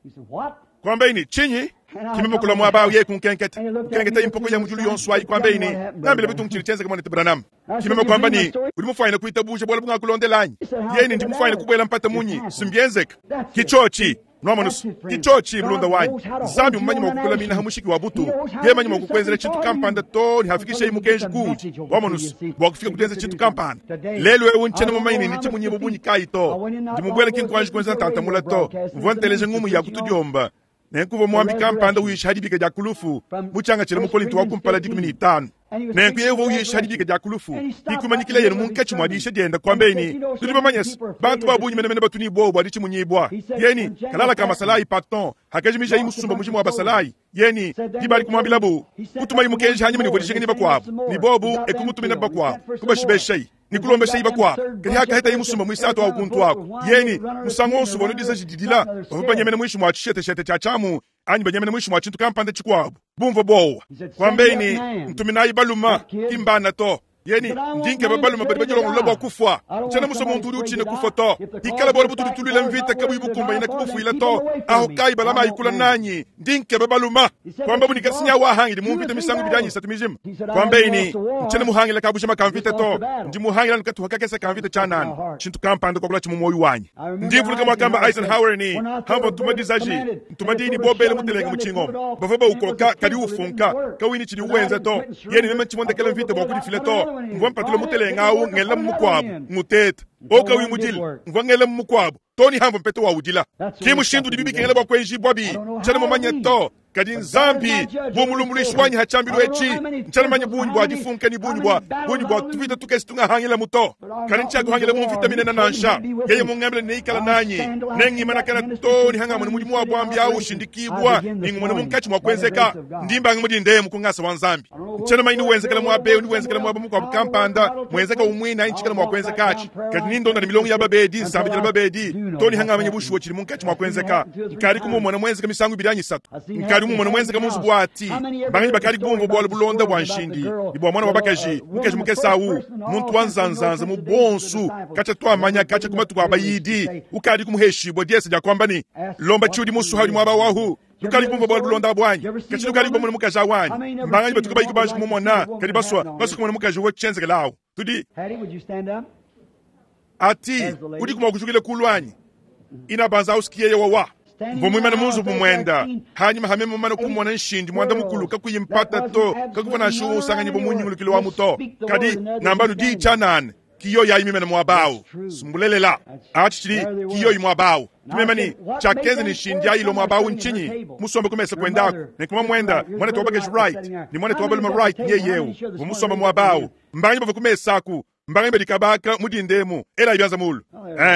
S1: Kuambaye ne, Tshinyi? Ki meme kulua muaba au yeye kunkenketa. Kukenketaye mpoko ya mu diulu yonso ayi kuambaye ne, Ngambila bitungu tshidi tshienzeke muanetu Branham. Ki meme kuamba ne, Udi mufuanyine kuitabuja bualu bungakulondela anyi? Yeye ne, Ndi mufuanyine kubuela mpata munyi? Si mbienzeka. Ki tshiotshi. Nuamonu's, ki tshiotshi, mulunda wanyi. Nzambi mmumanye mua kukulamina ha mushiki wa butu. Yeye manye mua kukuenzela tshintu kampanda too ne hafikishaye mukenji kuudi. Wamonu's, bua kufika ku dienza tshintu kampanda. Lelu eu ntshiena mumanye ne nditshimunyibue bungi kayi to. Ndi mubuele ki nkuanji kuenza ntanta mula to. Mvua nteleja ngumu ya ku tudiomba. Nenku uvua muambi kampanda uyisha ha dibika dia ku lufu mu tshiangatshile mu Kolinto wa kumpala 15. Nenku yeye uvua uyisha dibika dia ku lufu, ke kumanyikileye munkatshi mua diyisha diende, kuambeye ne, Tudi bamanye se, bantu ba bungi menemene batu ne buowa bua ditshimunyibua. Yeye ne, Kalala ka masalayi Patton hakajimijayi musumba mujima wa basalayi. Yeye ne, Diba adi kumuambilabu, kutumayi mukenji hanyima ne uvua dijinga ne bakuabu, ne bobu e kumutumina bakuabu, kubashibeshayi ne kulombeshayi bakuabu. Kadi hakahetaye musumba muisatu awu kuntu aku, yeye ne, musangu wonso uvua disaji didila, bavua banyemena muinshi mua tshisheteshete tshia tshiamu anyi banyemena muinshi mua tshintu kampanda tshikuabu, bumvua buowa. Kuambeyi ne, Ntuminayi baluma, ki mbana to. Yeye ne, Ndi nkeba baluma badi badilongolola bua kufua. Ntshiena musue muntu udi utshina kufua to. Ikala bualu butudi tuluila mvita kabuyi bukumbanyina kubufuila to. Aho kayi balama ayikula nanyi, ndi nkeba baluma. Kuambabu ne, Kasinya wahangidi mu mvita misangu ibidi anyi isatu mijima. Kuambeyi ne, Ntshiena muhangila kabujima ka mvita to, ndi muhangila anu katuha kakese ka mvita tshianana, tshintu kampanda kuakula tshi mu muoyo wanyi. Ndi mvuluka muakamba Eisenhower ne, Hamvua ntuma dizaji, ntuma diyi ne bobele mutelenge mu tshingoma. Bavua baukoka kadi ufunka, kawuyi ne tshidi uwenza to. Yeye ne meme ntshimondekela mvita bua kudifila to. Mvua mpatula mutelenge awu ngelamu mukuabu, nguteta. O kawuyi mudile, mvua ngelamu mukuabu, to ne hamvua mpeta waudila. Ki mushindu udibi bikengela bua kuenjibua bi, ntshiena mumanye to. Kadi Nzambi bu mulumbuluishi wanyi ha tshiambilu etshi, ntshiena mumanye bungi bua difunka ne bungi bua bungi bua tuvita tukese tungahangilamu to. Kadi ntshiakuhangila mu mvita minene nansha. Yeye mungambile ne ikala nanyi, nengimanakana to ne hangamona mudimu wa buambi awu ushindikibua, ne ngumona munkatshi mua kuenzeka. Ndi mbanga mudindemu ku ngasa wa Nzambi. Ntshiena mumanye ni wenzekela muaba eu, ni wenzekela muaba mukuabu kampanda, muenzeka umue anyi tshikala mua kuenzeka atshi. Kadi nindonda ne milongo ya babedi, nsambidila babedi, to ne hangamanya bushuwa tshidi munkatshi mua kuenzeka. Nkadi kumumona muenzeka misangu ibidi anyi isatu. Nkadi mumona muenzeka mu nzubu wa ati. Banganyi bakadi bumvua bualu bulonda bua nshindi ne bua muana wa bakaji, mukaji mukese awu, muntu wa nzanzanza mu bonsu, katshia tuamanya katshia ku matuku a bayidi, ukadi kumuheshibua diesa dia kuamba ne, Lomba tshiudi musue haudi muaba wahu. Lukadi kumvua bualu bulonda abu anyi? Katshi lukadi kumona mukaji awu anyi? Mbanganyi batuka bayi kubanji kumumona, kadi basua basua kumona mukaji uvua tshienzekela awu. Tudi
S2: Hattie, would you stand up?
S1: ati udi kumua kujukila kulu anyi? Ina banza ausikiye wawa. Mvua muimane mu nzubu muenda, hanyima hame mumane kumona nshindi muanda mukulu kakuyi mpata to, kakuvua nansha umue usanganyibua mu nyungulukilu wa muto. Kadi ngamba diyi tshianana, kiyo yayi mimene muaba awu. Sumbulelela atshi tshidi kiyo muaba awu. Tumema ne tshiakenza ne nshindi ayi ilo muaba awu ntshinyi? Musombe ku mesa kuendaku, ne kuma muenda muanetu wa bakaji Wright ne muanetu wa balume Wright nyeye eu uvua musombe muaba awu. Mbanganyi bavua ku mesa aku? Mbanganyi badi kabaka mu dindemu ela ibyanza mulu.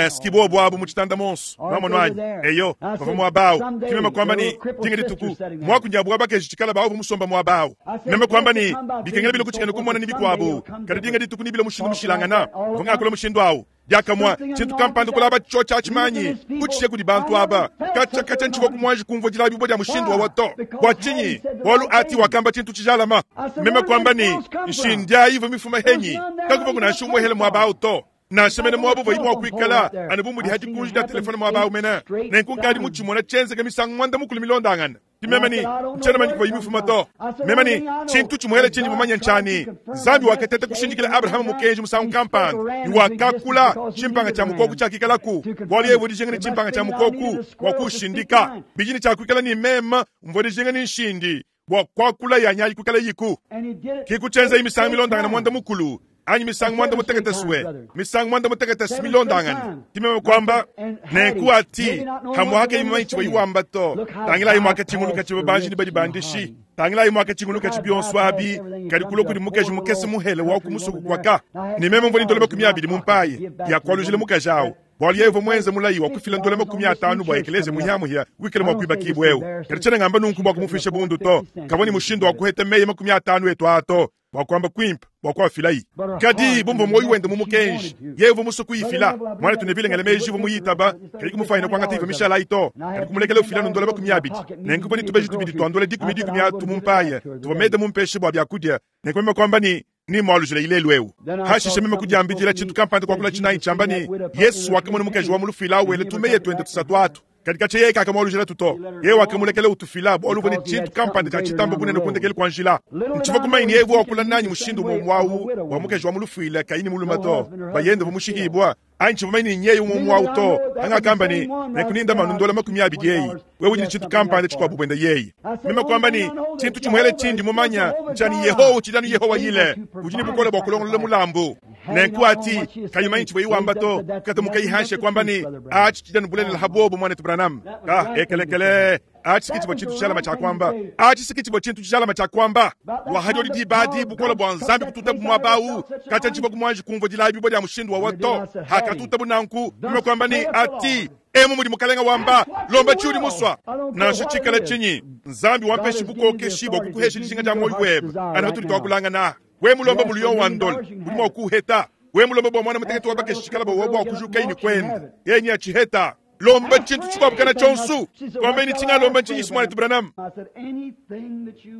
S1: Sikibo bwabu mu tshitanda monso. Mamono anyi? Eyo, bavua muaba awu. Kimema kwamba ne dinga dituku mwakunya bwa bakaji tshikala bawu musomba muaba awu. Meme kwamba ne bikengela bilo kutshikana kumona ne bikuabu. Kadi dinga dituku ni bilo mushindu mushilangana. Mvua ngakula mushindu awu. Diakamua tshintu kampanda kulaba tsho tshimanyi kutshishe kudi bantu aba. Katshia katshia ntshivua kumwanji kumvua dilabibua dia mushindu wawa to. Bua tshinyi? Bualu ati wakamba tshintu tshijalama. Meme kwamba ne nshindi ayi ivua mifuma henyi. Kakuvua kunansha umue muaba awu to. Nansha mene muaba uvua mua kuikala anu bu mudi hadi kunji dia telefone muaba awu mene. Nenku nkadi mutshimona tshienzeka misangu muanda mukulu milondangana. Meme ne ntshiena manya kuvua imifuma to. Meme ne tshintu tshimuele tshindi mumanye ntshani. Nzambi wakateta kushindikila Abrahama mukenji musangu kampanda, ne wakakula tshimpanga tshia mukoku tshiakikalaku. Bualu yeye uvua dijinga ne tshimpanga tshia mukoku bua kushindika. Bidi ne tshiakuikala ne meme mvua dijinga ne nshindi bua kuakula ya nyayi kuikala yiku.
S2: And he did it
S1: Kiku tshienza misangu milondangana muanda mukulu anyi misangu muanda mutekete sue, misangu muanda mutekete si milondangana. Kimeme kwamba nenku ati hamuhaka imumanyi tshivua iwamba to. Tangilayi mwakatshinguluka tshivua banji ne badi bandishi. Tangilayi mwakatshinguluka tshi bionso abi, kadi kulo kudi mukaji mukese muhele wa ku musuku kwaka. Ne meme mvua ni ndola makumi abidi mu mpaye ya kualujila mukaji awu. Bualu yeye uvua muenze mulayi wa kufila ndola makumi atanu bua ekelezia muhiamuhia wikale mua kuibakibua eu. Kadi tshiena ngamba nunku bua kumufisha bundu to. Kavua ne mushindu wa kuheta meyi makumi atanu etu aa to, bua kuamba kuimpe bua kuafilayi. Kadi bumvua muoyo wende mu mukenji, yeye uvua musue kuyifila. Muanetu ne bilengele meji uvua muyitaba, kadi kumufanyina kuangata ivua mishalayi to. Kadi kumulekela ufila ndola makumi abidi. Nenku uvua ne tubeji tubidi tua ndola dikumi dikumi atu mu mpaye, tuvua meda mumpeshe bua biakudia. Nenku meme kuamba ne, ni mwalujila ilelu eu. Hashishe meme kudiambidila tshintu kampanda kuakula tshinayi tshiamba ne, Yesu wakamona mukaji wa mu lufuila wele tumeye tuende tusatu atu. Kadi katshia yeye kakamwalujila tuto. Yeye wakamulekela utufila bualu uvua ne tshintu kampanda tshia tshitamba bunene kundekele kua njila. Ntshivua kumanya ne yeye uvua wakula nanyi mushindu umue awu wa mukaji wa mu lufuila kayi ne mulume to. Bayende uvua mushikibua. Anyi tshivua manya ne nyeye umue awu to. Angakamba ne, nenkuninda manu ndola makumi abidi eyi. Wewe udi ne tshintu kampanda tshikuabu buenda yeye. Meme kuamba ne, tshintu tshimuele tshindi mumanya ntshani Yehowa utshidi anu Yehowa yile. Udi ne bukole bua kulongolola mulambu. Nenku ati kayimanyi tshivua iwamba to. Kata mukayi hanshe kuamba ne, atshi tshidi anu bulelela ha bobo muanetu Branham. Ka ekelekele. Atshi ke tshivua tshintu tshijalame tshia kuamba. Atshi ke tshivua tshintu tshijalame tshia kuamba. Bua hadiodi diba adi, bukole bua Nzambi kututabu muaba au, katshia ntshivua ku muanji kumvua dilayibua dia mushindu wawa to. Hakatutabu nanku, meme kuamba ne, Ati, emu mudi Mukalenga wamba, lomba tshiudi musua. Nansha tshikala tshinyi, Nzambi wampeshi bukokeshi bua kukuhesha dijinga dia muoyo webe. Anu hatudi tuakulangana. We mulomba muliyo wa ndole, udi mua kuheta. We mulomba bua mwana mutekete wa bakeshi tshikala bua bua kujuka ini kwenda. Yenye achiheta. Lomba tshintu tshikuabu tshonsu. Kwamba ini tshinga lomba ntshinyi mwanetu Branham.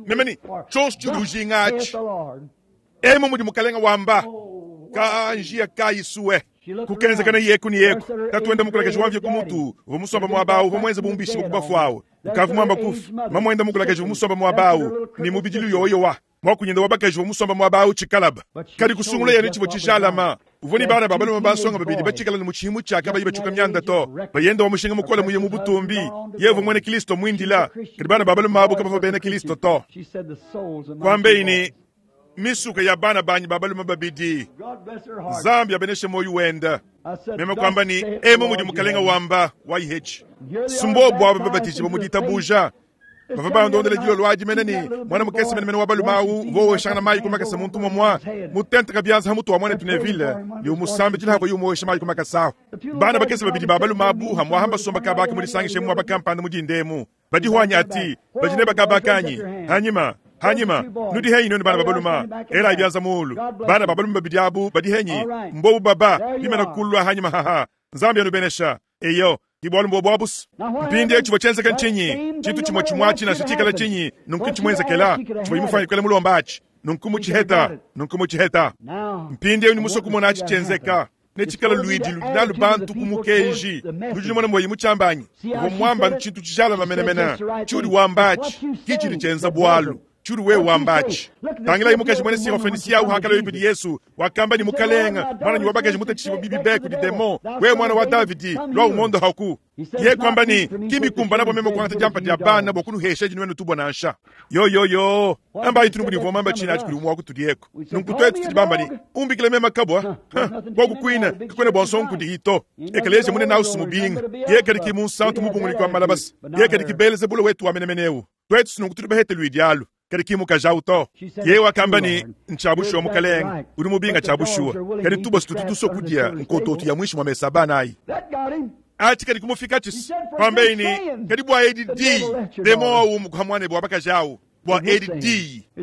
S1: Memeni tshonsu tshidi ujinga atshi. Emu mudi Mukalenga wamba. Ka njia ka isuwe. Kukenzekana yeku ni yeku. Tatuenda mukulakaji wamvye kumutu. Uvua musomba muaba uvua mwenze bumbishi bukubafu Ukavu mwamba kufu. Mamwenda mukulakaji uvua musomba muaba ni mubidilu yoyowa. Mwakunyenda wabakaji uvua musomba muaba chikalaba. Kadi kusungula yene chivua chijalama. Uvua ni bana babalume basonga babidi bachikala ni muchihimu chaka bayi bachuka myanda to. Bayenda wa mushinga mukola muye mu butumbi. Yevu mwene Kristo mwindila. Kadi bana babalume abo kabava bena Kristo to. Kwambe ini misuka ya bana banyi babalume babidi. Nzambi abeneshe moyo wenda. Meme kwamba ni emu mudi Mukalenga wamba wayihechi. Sumbo bwa babatiji bamuditabuja. Bava bandondela dilo lwaji mene ni mwana mukesi mene mene wa balumau vo shangana mai kumakasa muntu momwa mutente kabyanza hamutu wa mwana tuneville ni umusambi jila hako yumo shama kumakasa bana bakesi babidi babalumabu hamwa hamba somba kabaka muri sangishe mu abakampanda mujindemu badi hwanya ati bajine bakabakanyi hanyima hanyima nudi henyi noni bana babaluma ela ibyanza mulu bana babaluma babidi abu badi henyi mbobu baba bimena kulwa hanyima haha Nzambi anubenesha eyo Kibwalu mbo bwabus. Mpindi echi chenzeka nchinyi. Chitu chimwe chimwachi na chitikala chinyi. Nunku chimwenzekela. Chimwe imufanya kwele mulomba achi. Nunku muchiheta. Nunku muchiheta. Mpindi eyu ni muso kumona achi chenzeka. Nechikala luidi ludinalu bantu kumukenji. Ludi mwana mwe imuchambanyi. Uvo mwamba nchitu chijala mamenemena. Chudi wambachi. Kichiri chenza bwalu. Chudi we wambachi. Tangila imukaji mwene sirofenisia au hakala yipidi Yesu. Wakamba ni mukalenga. Mwana ni wabakaji mutachiwa bibi beku di demo. We mwana wa Davidi. Lwa umondo haku. Ye kwamba ni kimi kumba nabo meme kwanta jampa dia bana bokunu hesha jinwenu tubwa nansha. Yo yo yo. Amba itunu budi vomamba china ati kuli umwa kutudieko. Nunkutu etu ni umbikile mema kabwa. Kwa kukuina kukwene bonson kudi ito. Ekeleje mune na usumubinga. Ye kadiki munsantu mubunguli kwa malabas. Ye kadiki Beelzebule wetu wa menemeneu. Twetu nunkutu behete luidialu. Kadi mukaja uto. Ye wakamba ni nchabushuwa mukalenga. Uri mubinga chabushuwa. Kadi tubo situtuso kudia nkototu ya mwisho mwa mesaba nai. Ati kadi kumufika chis. Kwambe ini kadi bwa ADD. Demo au mkuhamwane bwa bakajao. Bwa ADD.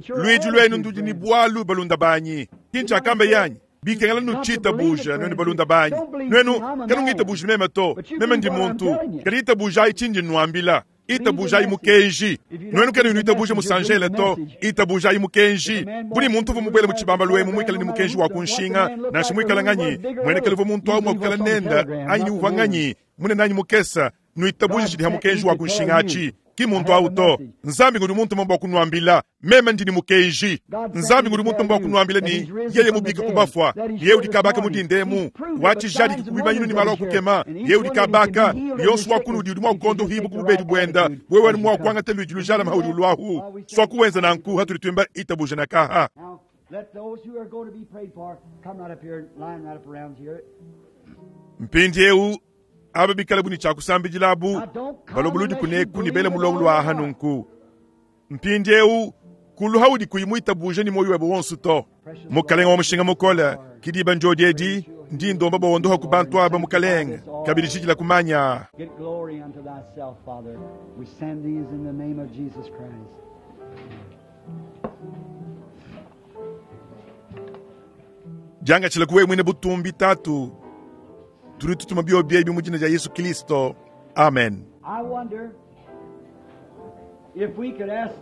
S1: Luigi lwenu ndudi ni bwalu balunda banyi. Kincha kambe yanyi. Bikengela nuchita buja nwenu balunda banyi. Nwenu kalungita buja meme to. Meme ndi muntu. Kadi ita buja ichinji nuambila. Itabuja imukenji. Nwenu kenu itabuja musanjele to. Itabuja imukenji. Buli muntu vumubwele muchibamba lwemu mwikala ni mukenji wa kunshinga. Nashi mwikala nganyi. Mwenekele vu muntu au mwakukala nenda. Anyi uvanganyi. Mune nanyi mukesa. Nuitabuja chidi hamukenji wa kunshinga achi. Ki muntu au to. Nzambi ngudi muntu mambo kunuambila. Meme ndi ni mukenji. Nzambi ngudi muntu mambo kunuambila ni yeye mubika kubafwa. Yeye udikabaka mudindemu. Wachi jadi kubibanyinu ni malo kukema. Yeye udikabaka. Yonsu wakunu di mwa kondo hibu kubedi bwenda. Wewe ni mwa kwanga telu julujala maudi lwahu. Swakuwenza nanku hatulitwimba itabuja na kaha.
S2: Let those who are going to be prayed for come right up here, line right up around here.
S1: Mpindi eu aba bikala buni chakusambijilabu balobuludi kuneku ni bele mulongo lwa hanunku. Mpindi eu kuluhaudi kuyimuita buje ni moyo webo wonsu to. Mukalenga wa mushinga mukola kidiba njodi edi ndi ndomba bondoha kubantu aba mukalenga kabiri chikila kumanya.
S2: Get glory unto thyself, Father. We send these in the name of Jesus Christ.
S1: Janga chila kuwe mwine butumbi tatu. Turi tutuma bio biebi mujina ja Yesu Kristo. Amen.
S2: I wonder if we could ask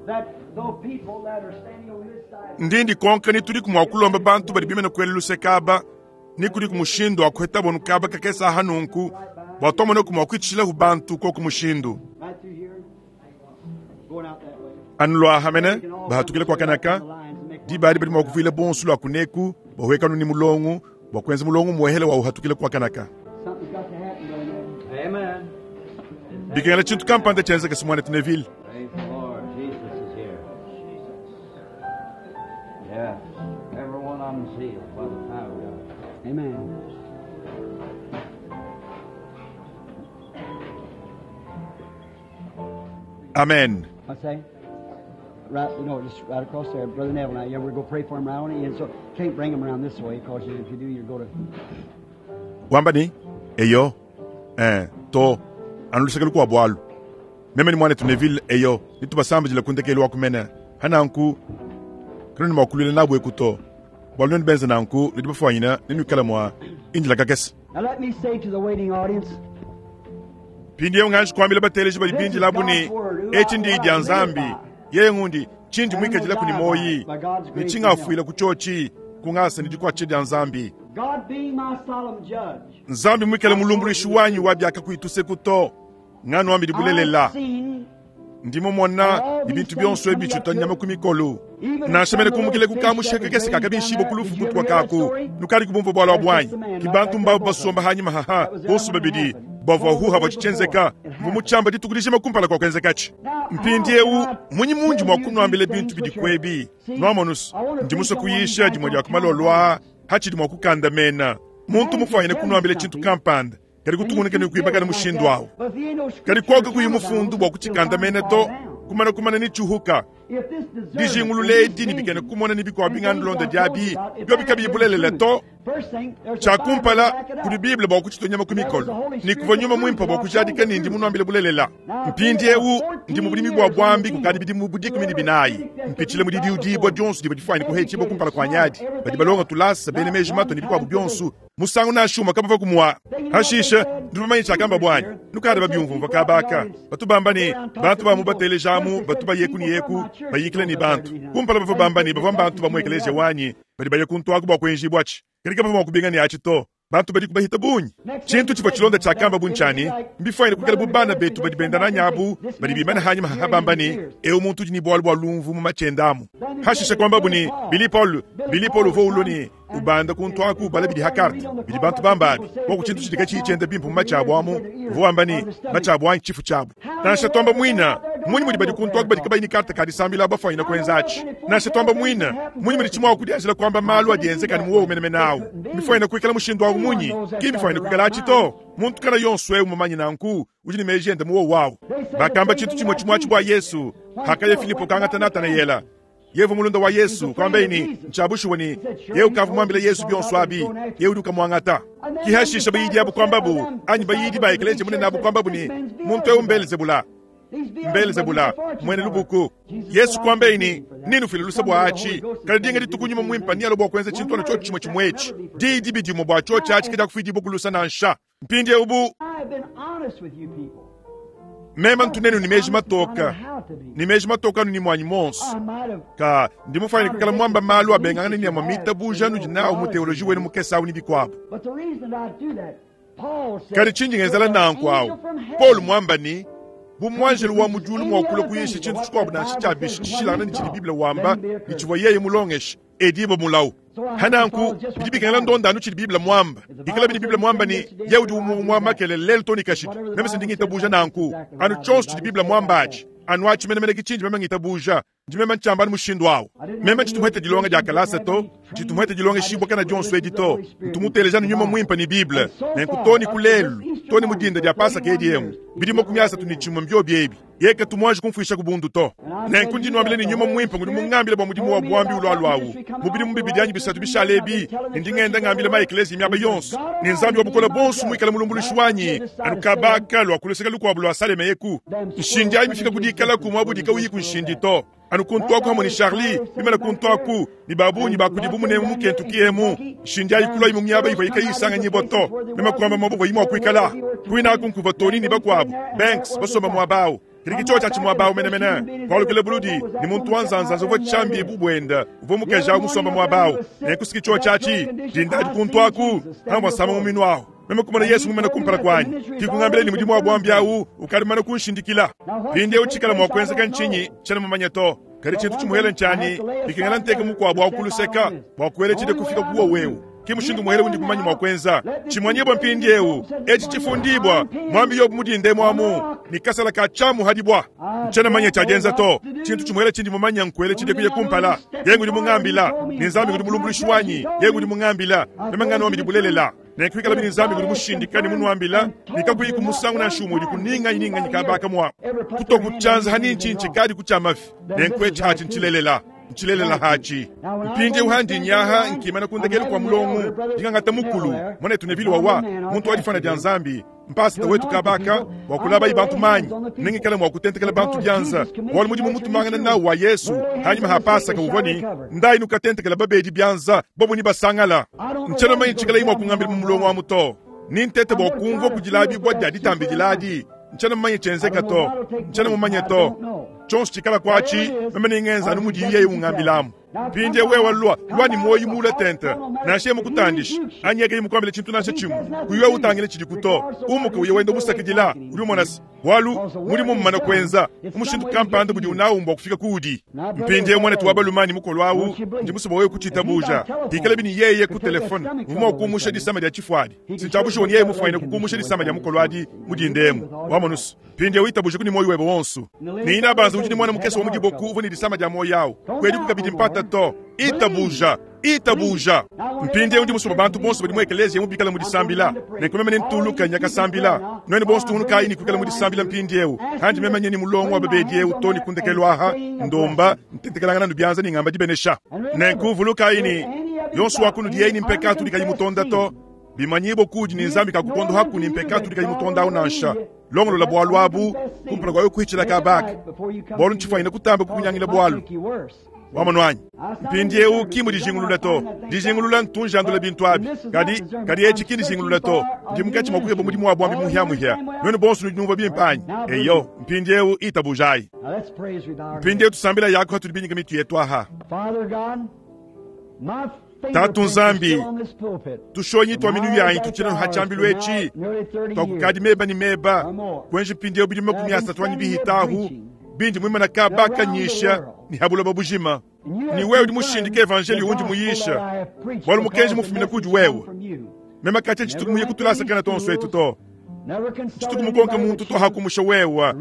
S2: that though people that are standing on this side.
S1: Ndindi konka ni turi kumwakulomba bantu bali bimena kwele lusekaba ni kuri kumushindo akweta bonu kaba kakesa hanunku batomone kumwakwitshila hu bantu ko kumushindo.
S2: Right through here. Going out that way.
S1: Anulwa hamene bahatukile kwa kanaka dibali bali mwakuvile bonsu lwa kuneku bahwekanu ni mulongo bwakwenza mulongo mwehele wa uhatukile kwa kanaka.
S2: Something's got to happen, brother.
S3: Amen.
S1: Bikengela chintu kampanda chenza kesimwana Tineville.
S3: Praise the Lord. Jesus is here. Yes. Every one of them sealed by the power of God.
S2: Amen.
S1: Amen.
S2: What's that? Right, no, just right across there, Brother Neville. Now, yeah, we're going to pray for him right on the end. So can't bring him around this way because if you do, you go to.
S1: Wamba ne, Eyo, ee, to, anu luseke lukuabu alu. Meme ne muanetu Neville, eyo, netubasambidile ku ndekelu wa ku mene. Pa nanku, kanuena mua kuluila nabu eku to, bualu nuenu benze nanku, nudi bafuanyine ne nuikale mua indila kakese.
S2: Now let me say to the waiting audience,
S1: Mpindieu nganji kuambila bateleji badi bindila abu ne, Etshi ndiyi dia Nzambi. Yeye ngundi tshindi muikadilaku ne muoyi, ne tshingafuila ku tshiotshi, ku ngasa ne dikuatshisha dia Nzambi.
S2: God being my solemn judge,
S1: Nzambi muikale mulumbuluishi wanyi wa biakakuyi tuseku to, nganuambidi bulelela.
S2: I've seen
S1: Ndi mumona ne bintu bionso ebi bitshitua nyama ku mikolo, nansha mene kumukile ku kamushe kakese kakabishibua ku lufu kutua kaku. Nukadi kubumvua bualu abu anyi? Ki bantu mbabu basomba hanyima haha bonso babidi bavua huha bua tshitshienzeka. Mvua mutshiamba dituku dijima kumpala kua kuenzekatshi. Mpindieu mmunyi mundi mua kunuambila bintu bidi kuebi? Nuamonus, ndi musue kuyisha dimue dia ku malolo aa hatshidi mua kukandamena muntu mufuanyine kunuambila tshintu kampanda kadi kutungunuka ne kuibakana mushindu au. Kadi kuoku kakuyi mufundu bua kutshikandamena to, kumana kumana ne tshiuhuka. Dijingulula edi ne bikena kumona ne bikuabu bingandulonda diabi, biobi kabiyi bulelela to. Tshia kumpala, kudi Bible bua kutshitua nyama ku mikolo, ne kuvua Nyuma Muimpe bua kujadika ne ndi munuambile bulelela. Mpindiewu ndi mu budimi bua buambi kukadi bidimu bu 14, mpitshila mu didiudibua dionso divua difuane kuhetshibua kumpala kuanyi adi. Badi balonga tulasa, bena meji matue ne bikuabu bionso, musangu nansha umue kabavua kumua. Hashishe, nudi bamanye tshiakamba anyi? Nukadi babiumvumvua kaba aka. Batu bamba ne, bantu ba mu bateleja amu batu baye ku ne eku, bayikila ne bantu. Kumpala bavua bamba ne, bavua mbantu ba mu ekeleziya wanyi badi baya kuntu aku bua kuenjibua atshi. Kadi kabavua mua kubinga ne atshi to. Bantu badiku bahita bungi. Tshintu tshivua tshilonda tshiakamba bu ntshia ne, Mbifuanyine kuikala bu bana betu badi benda nanyi abu, badi bimane hanyima haha bamba ne, Eu muntu udi ne bualu bua lumvu mu matshi ende amu. Hashishe kuambabu ne, Billy Paul, Billy Paul uvua ulua ne ubanda kuntu aku ubala bidi ha karte, bidi bantu bamba abi, koku tshintu tshidi katshiyi tshienda bimpe mu matshi abu amu, uvua wamba ne, matshi abu anyi tshifu tshiabu. Nansha tuamba muina, mmunyi mudi badi kuntu aku badi kabayi ne karte ka disambila bafuanyine kuenza atshi? Nansha tuamba muina, mmunyi mudi tshimua kudianjila kuamba malu adi enzeka ne mu wowu menemene awu? Mbifuanyine kuikala mushindu awu munyi? Ki mbifuanyine kuikala atshi to. Muntu kana yonso eu mumanye nanku, udi ne meji ende mu wowu awu. Bakamba tshintu tshimue tshimue atshi bua Yesu, hakaya Filipo kangata Natanayela. Yevu mulunda wa Yesu, kuambaye ne, Ntshia bushuwa ne, yeye ukavua muambile Yesu bionso abi, yeye udi ukamuangata. Ki hashisha bayidi abu kuambabu, anyi bayidi ba ekeleziya munene abu kuambabu ne, Muntu eu mBelzebula, mBelzebula, muena lubuku. Yesu kuambaye ne, Nenufile luse bua atshi, kadi dinga dituku Nyuma Muimpe nealue bua kuenza tshintu anu tshiotshi tshimue tshimue etshi. Diyi dibi dimue bua tshiotshi atshi kadiakufuidibua ku lusa nansha. Mpindieu bu meme ntu nenu ne meji matoka, ne meji matoka anu ne muanyi muonso, ka ndi mufuanyine kuikala muamba malu abengangana ne amue mitabuja anudi nawu mu teoloji wenu mukese awu ne bikuabu. Kadi tshindi ngenzela nanku awu, Paulo muamba ne, bu muanjelu wa mu diulu mua kulua kuyisha tshintu tshikuabu nansha tshia bishi tshishilangane ne tshidi Bible wamba ne tshivua yeye mulongeshe, edibue mulawu. Pa nanku, bidi bikengela ndonda anu tshidi Bible muamba. Bikalabi ne Bible muamba ne, Yeye udi umue umue makelela, lelu too ne kashidi, meme se ndi ngitabuja nanku. Anu tshionso tshidi Bible muamba atshi, anu atshi menemene ke tshindi meme ngitabuja. Ndi meme ntshiamba anu mushindu awu. Meme tshitu muhete dilonga dia kalasa to, tshitu muhete dilongeshibua kana dionso edi to. Ntu muteleja anu Nyuma Muimpe ne Bible. Nenku too ne ku lelu, too ne mu dinda dia Pasaka edi emu, bidimu 31 mbiobi ebi. Yeye katu muanji kumfuishaku bundu to. Nenku ndi nnuambila ne, Nyuma Muimpe ngudi mungambile bua mudimu wa buambi ulualua awu mu bidimu bibidi anyi bisatu bishale ebi, ne ndi ngenda ngambila ma-ekleziya miaba yonso ne, Nzambi wa Bukole Buonso muikale mulumbuluishi wanyi, anu kaba kalua ku luseke lukuabu lua Saleme eku. Nshindi ayi mifike ku dikalaku muaba udi kawuyiku nshindi to. Anu kuntu aku hamue ne Charlie, bimane kuntu aku, ne ba bungi ba kudibu munemu mu Kentucky emu, nshindi ayi kuluayi mu miaba ivua kayiyi isanganyibua to. Meme kuamba muaba uvuayi mua kuikala. Kuine aku nkuvua Tony ne bakuabu, Banks, basomba muaba au. Kadi ke tshiotshi atshi muaba au menemene. Kualukila buludi ne muntu wa nzanzanza uvua tshiambi bu buenda, uvua mukaji au musomba muaba au. Nenku si ke tshiotshi atshi, dinda adi kuntu aku, pamvua nsama muminu au. Meme kumona Yesu mumane kumpala kuanyi, ke kungambila ne mudimu wa buambi au ukadi mumane kunshindikila. Mpindieu tshikala mua kuenzeka ntshinyi? Tshiena mumanye to. Kadi tshintu tshimuhele ntshianyi, bikengela nteke mukuabu au ku luseka bua kuela tshide kufika ku wowu eu. Ke mushindu muhele undi kumanya mua kuenza. Tshimanyibua mpindieu, etshi tshifundibua, muambi Yobo mudinde emu amu, ne kasala ka tshiamu hadibua. Ntshiena manya tshia dienza to. Tshintu tshimuhele tshindi mumanya nkuela tshide kuya kumpala. Yeye ngudi mungambila, ne Nzambi ngudi mulumbuluishi wanyi. Yeye ngudi mungambila, meme nganuambidi bulelela. Nenku ikalabi ne Nzambi ngudi mushindika ne munuambila ne kakuyiku musangu nansha umue udi kuninganyi ninganyi kaaba mua kutua ku tshianza ha nintshintshe kadi ku tshia mafi. Nenku etshi hatshi ntshilelela, ntshilelela hatshi. Mpindieu handi nyaha nkimana ku ndekelu kua mulongo, ndingangata mukulu muanetu Neville wawa, muntu wa difana dia Nzambi, mpasita wetu kabaka bua kulabayi bantu manyi, nengikale mua kutentekela bantu bianza, bualu mudimu mutumangana nawu wa Yesu hanyima ha Pasaka uvua ne, Ndayi nukatentekela babedi bianza, bobo ni basangala. Ntshiena mumanye tshikalayi mua kungambila mu mulongo amu to. Ni ntete bua kumvua kudilabibua dia ditambidiladi. Ntshiena mumanye tshienzeka to. Ntshiena mumanye to. Tshionso tshikala kuatshi, meme nengenza anu mudiye yeye ungambilamu. Mpindieu wewe lua, lua ne muoyo muule tente, nansha yeye mukutandishe anyi yeye kayi mukuambile tshintu nansha tshimue, kuyi wewe utangila tshidiku to. Umuka uye wenda umusakidila. Udi umona se, bualu mudimu mmumana kuenza mu mushindu kampanda budiwu nawu mbua kufika kuudi. Mpindieu muanetu wa balume anyi mukolo au, ndi musue bua wewe kutshitabuja. Pikalabi ne yeye ku telefone uvua mua kumusha disama dia tshifuadi, si ntshia bushuwa ne yeye mufuanyine kukumusha disama dia mukolo adi mu dinda emu. Wamonu se, Mpindieu itabujaku ne muoyo webe wonso. Ne inabanza udi ne muana mukese wa mu diboku uvua ne disama dia muoyo au. Kuediku kabidi mpata to. Itabuja! Itabuja! Mpindieu ndi musue bua bantu bonso badi mu ekeleziya emu bikale mu disambila. Nenku meme nentuluke nya kasambila. Nuenu bonso tungunukayi ne kuikala mu disambila mpindieu. Handi meme nye ne mulongo wa babedi eu too ne ku ndekelu aha, ndomba, ntentekelangana nu bianza ne ngamba dibenesha. Nenku vulukayi ne, yonso wa kunudi yeye ne mpekatu udi kayi mutonda to, bimanyibue kuudi ne Nzambi kakukondohaku ne mpekatu udi kayi mutonda au nansha. Longolola bualu abu kumpala kua wewe kuhitshila kaba aka, bualu ntshifuanyine kutamba kukunyangila bualu. Wamonu anyi? Mpindieu ki mu dijingulula to. Dijingulula ntu njandula bintu abi. Kadi, kadi etshi ki ndijingulula to. Ndi munkatshi mua kukeba mudimu wa buambi muhiamuhia. Nuenu bonso nudi numvua bimpe anyi? Eyo, mpindieu itabujayi. Mpindieu tusambila yaku hatudi binyika mitu yetu aha. Tatu Nzambi, tushonyi tua minu yanyi tutshina ha tshiambilu etshi tuakukadi meba ne meba kuenji mpindieu bidimu 30 anyi bihitahu bindi muimana kaba kanyisha ne ha buloba bujima. Ne wewe udi mushindike evanjeliyo undi muyisha, bualu mukenji mufumine kudi wewe. Meme katshia tshituku muye kutulasakana tuonso etu to. Tshituku mukonke muntu to hakumusha wewe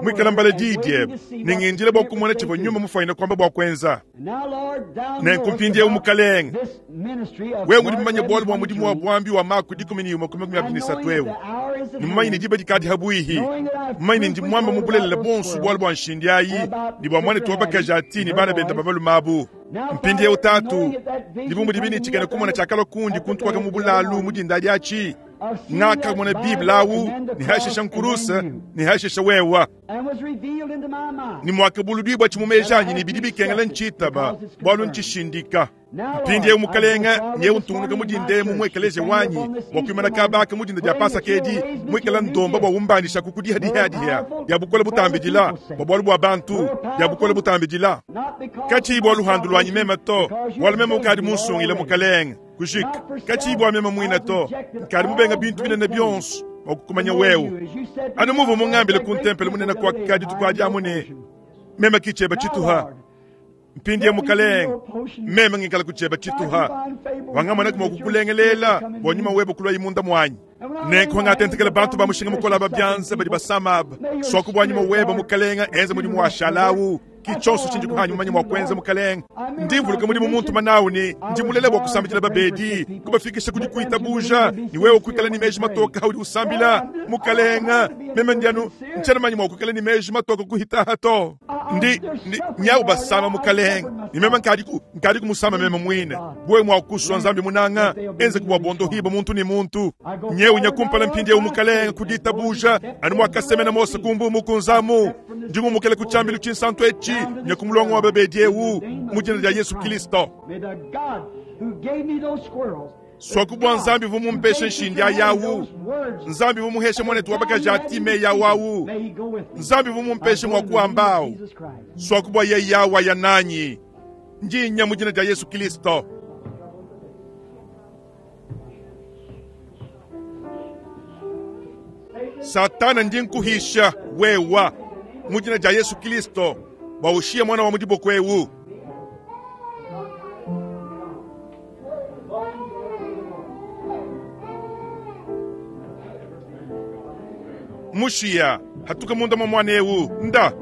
S1: muikala mbala diyi diebe ne ngindila bua kumona tshivua nyuma mufuanyine kuamba bua kuenza. Nenku mpindieu Mukalenge, wewe udi mumanye bualu bua mudimu wa buambi wa Mako 11 ku 23 eu, ne mumanye ne diba dikadi habuihi, mumanye ne ndi muamba mu bulelela buonso bualu bua nshindi ayi ne bua muanetu wa bakaji ati ne bana bende ba balume abu. Mpindieu Tatu, ndi bu mudibi ne tshikena kumona tshiakalua kundi kuntu kwaka mu bulalu mu dinda diatshi, ngakamona Bible awu ne hashisha nkuruse ne hashisha wewa ne muakabuludibua tshi mu meji anyi ne bidi bikengela ntshitaba bualu ntshishindika. Mpindieu Mukalenge, nyewu ntungunuka mu dinda emu mu ekeleziya wanyi bua kuimana kaba aka mu dinda dia Pasaka edi muikala ndomba bua umbandishaku ku dihadihadiha dia bukole butambidila bua bualu bua bantu dia bukole butambidila katshiyi bua luhandu luanyi meme to, bualu meme ukadi munsungile Mukalenge. Kujika katshiyi bua meme muine to, nkadi mubenga bintu binene bionso bua kukumanya wewe, anu muvua mungambile ku ntempelo munene kuaka dituku adi amu ne, meme ki tshieba tshituha. Mpindieu Mukalenge, meme ngikala ku tshieba tshituha, wangamonaku mua kukulengelela bua nyuma webe kuluayi munda muanyi. Nenku ngatentekela bantu ba mushinga mukole aba bianza badi basama aba, suaku bua nyuma webe Mukalenge enze mudimu wa shalawu. Ki tshionso tshindi kuhanyi mumanye mua kuenza Mukalenge. Ndi mvuluka mudimu muntuma nawu ne ndi mulela bua kusambidila babedi, kubafikisha ku dikuitabuja, ne wewe kuikala ne meji matoka haudi usambila. Mukalenge, meme ndi anu ntshiena manye mua kuikala ne meji matoka kuhitaha to. Ndi, ndi nyawu basama Mukalenge, ne meme nkadiku, nkadiku musama meme muine. Wewe mua kusua Nzambi munanga, enze bua bondohiba muntu ne muntu. Nyewu nya kumpala mpindieu Mukalenge ku ditabuja, anu muakasemena Mose ku mbu mukunzamu. Ndi ngumukela ku tshiambilu tshinsantu etshi nya ku mulongo wa babedi eu mu dina dia Yesu Kristo. Suaku bua Nzambi uvua mumpeshe nshindi ayi awu, Nzambi uvua muheshe muanetu wa bakaji ati meyi awu awu, Nzambi uvua mumpeshe mua kuamba awu. Suaku bua yeye awu aya nanyi. Ndi nya mu dina dia Yesu Kristo. Satana, ndi nkuhisha wewa mu dina dia Yesu Kristo bua ushiye muana wa mu diboko eu. Mushiya hatuka munda mua muana eu nda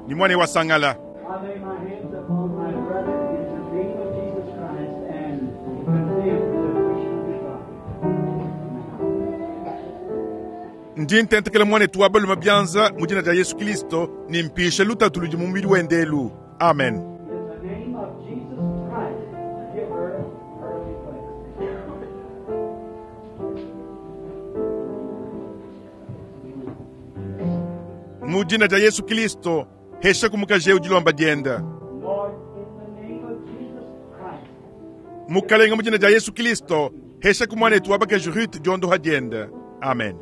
S1: ni muana eu asangala.
S2: I lay my hands upon my brother in the name of Jesus Christ and condemn the preaching of God.
S1: Ndi ntentekela muanetu wa balume byanza mu dina dia Yesu Kristo ne mpisha lutatu ludi mu mubidi wende elu. Amen.
S2: In the name of Jesus Christ, give her her request.
S1: Mu dina dia Yesu Kristo, hesha kumukaji eu dilomba dienda.
S2: Lord, in the name of Jesus Christ,
S1: Mukalenga mu dina dia Yesu Kristo, hesha ku muanetu wa bakaji Ruth diondoha dienda. Amen.
S2: I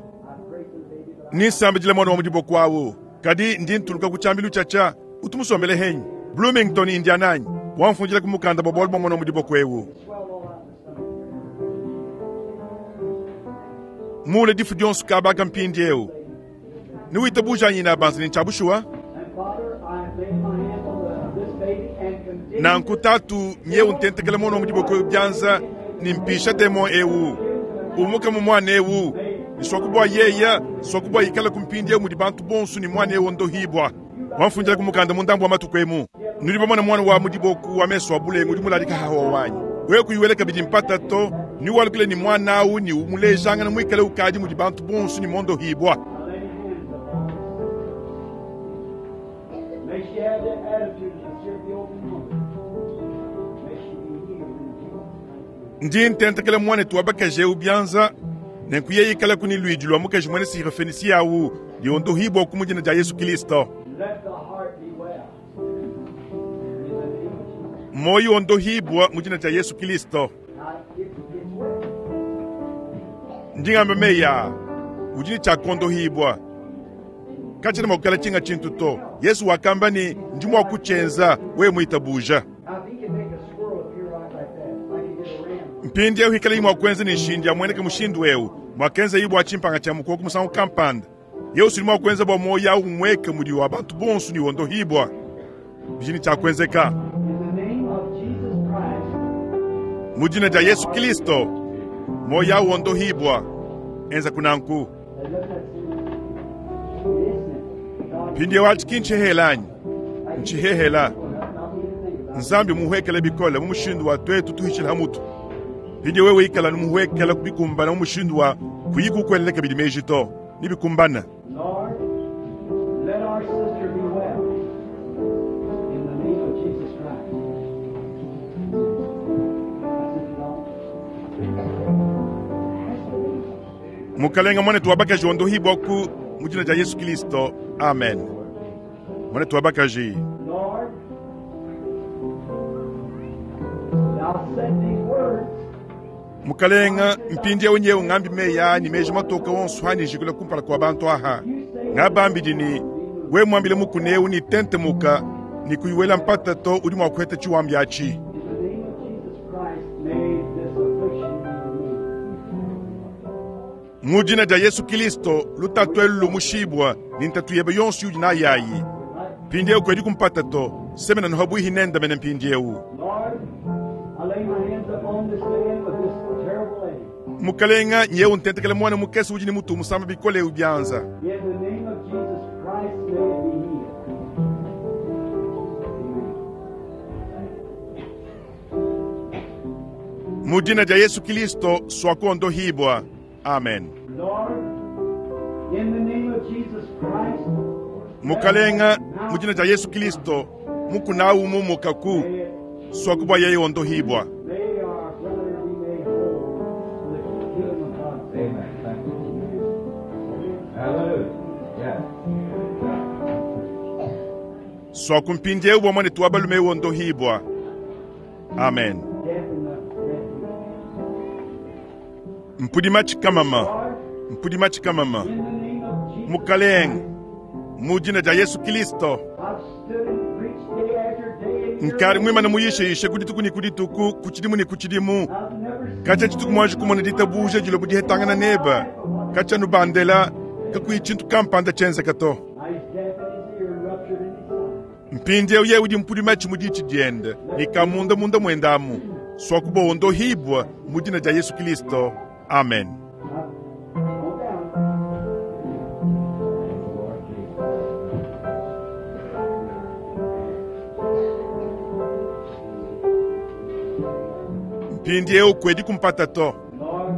S2: pray for the baby. But
S1: Ninsambidila mwana wa mudiboko awu. Kadi ndi ntuluka ku tshiambilu tshiatshia, utumusombele henyi. Bloomington, Indiana anyi. Wamfundila ku mukanda bwa bualu bua mwana wa mudiboko ewu.
S2: swell all out the stomach.
S1: Mule difu dionso kabaka mpindi eu. Niwitabuja anyi na banza ni ntshabushuwa?
S2: And Father, I lay my hands on this baby and continue
S1: Nanku tatu nyewu ntentekela mwana wa mudiboko ewu byanza ni mpisha demo ewu. Umuka mu mwana ewu. Ni swakubwa yeya, swakubwa ikala ku mpindi ewu mudi bantu bonso ni mwana ewu ondohibwa. Wamfundila ku mukanda mu ndambu wa matuku emu. Nudi bamona mwana wa mudiboku wa meso wa bulengu udi mulalika hawa wanyi. Wewe kuyiwela kabidi mpata to, ni walukile ni mwana awu ni umulejangana mwikale ukadi mudi bantu bonso ni mondohibwa.
S2: I lay hands upon this sister. May she have the attitude to serve the open mother. May she be healed in Jesus' name.
S1: Ndi ntentekela mwanetu wa bakaji ewu byanza, nenku yeye ikala kuni lwidi lwa mukaji mwene sirofenisi awu, liondohibwa ku mudina dia Yesu Kristo.
S2: Let the heart be well. In the name of Jesus.
S1: Moyo ondohibwa mu dina dia Yesu Kristo.
S2: Now, it's well.
S1: Ndingamba meya, udi ne tshiakondohibwa. Katshiena mua kukala tshinga tshintu to. Yesu wakamba ni ndi mua kutshienza wewe muitabuja.
S2: Now, if he can make a squirrel appear right like that, like he did a ram.
S1: Mpindi eu hikala imwa kwenza ni nshindi amweneke mushindu eu mwakenza ibwa tshimpanga tshia mukoko musangu kampanda. Yesu udi mua kuenza bua moyo awu mweke mudi wa bantu bonso ni wondohibwa. Bijini tshiakuenzeka.
S2: In the name of Jesus Christ,
S1: Mu dina dia Yesu Kristo, moyo awu wondohibwa. Enza kunanku.
S2: Now, look, that's simple. It is simple. God,
S1: Mpindi eu atshi kintshihelanyi. Ntshihehela.
S2: not me to think about.
S1: Nzambi muhwekele bikole mu mushindu wa twetu tuhishila mutu. Mpindi wewe ikala numuhwekela kubikumbana mu mushindu wa kuyikukweleleka bidi meji to. Nibikumbana.
S2: Lord, let our sister be well. In the name of Jesus Christ. That's it, Lord.
S1: Mukalenga mwanetu wa bakaji ondohibwa ku mu dina dia Yesu Kristo. Amen. Mwanetu wa bakaji.
S2: Lord, thou said these words.
S1: Mukalenga mpindi eu nyewu ngambi meya ni meji matoka wonso hani jikula kumpala kwa bantu aha. Ngabambidi ni we mwambile mukune eu ni tentemuka ni kuyiwela mpata to udi mua kuheta tshiwambi atshi.
S2: In the name of Jesus Christ, may this affliction be removed.
S1: Mu dina dia Yesu Kristo lutatu elu lumushibwa ni ntatu yebe yonso yudi nayayi. Mpindi eu kwedi kumpata to semena nohabwihi nenda mene mpindi eu.
S2: Lord, I lay my hands upon this man with this terrible ache.
S1: Mukalenga nyewu ntentekela mwana mukese udi ni mutu musamba bikole eu byanza.
S2: In the name of Jesus Christ, may it be healed. Amen.
S1: Mu dina dia Yesu Kristo swakuondohibwa. Amen.
S2: Lord, in the name of Jesus Christ,
S1: Mukalenga mu dina dia Yesu Kristo mukunawu mumukaku
S2: may it,
S1: swakubwa yeye ondohibwa.
S2: may our brother be made whole for the kingdom of God.
S3: Amen. Thank you. Hallelujah. Yeah.
S1: Swakumpindi eu bwa mwanetu wa balume eu ondohibwa. Amen.
S2: Death in the refuge.
S1: Mpudi tshikamama,
S2: Lord,
S1: mpudi tshikamama.
S2: in the name of Jesus
S1: Mukalenga
S2: Christ,
S1: mu dina dia Yesu Kristo
S2: I've stood and preached day after day and year
S1: nkari
S2: after
S1: mwimana
S2: year.
S1: muyisheyishe kudituku ni kudituku kutshidimu ni kutshidimu.
S2: I've never seen
S1: Katya tshituku mwanji kumona ditabuja dilobu dihetangana neba. Katya nubandela kakuyi tshintu kampanda tshenzeka to.
S2: Now he's deaf in his ear and ruptured in his eye.
S1: Mpindi eu yewe udi mpudi matshi mu ditshi diende ni kamunda munda mwendamu. Swakuba ondohibwa mu dina dia Yesu Kristo. Amen.
S2: Now, go down.
S3: Lord Jesus.
S1: Mpindi eu kwedi kumpata to.
S2: Lord,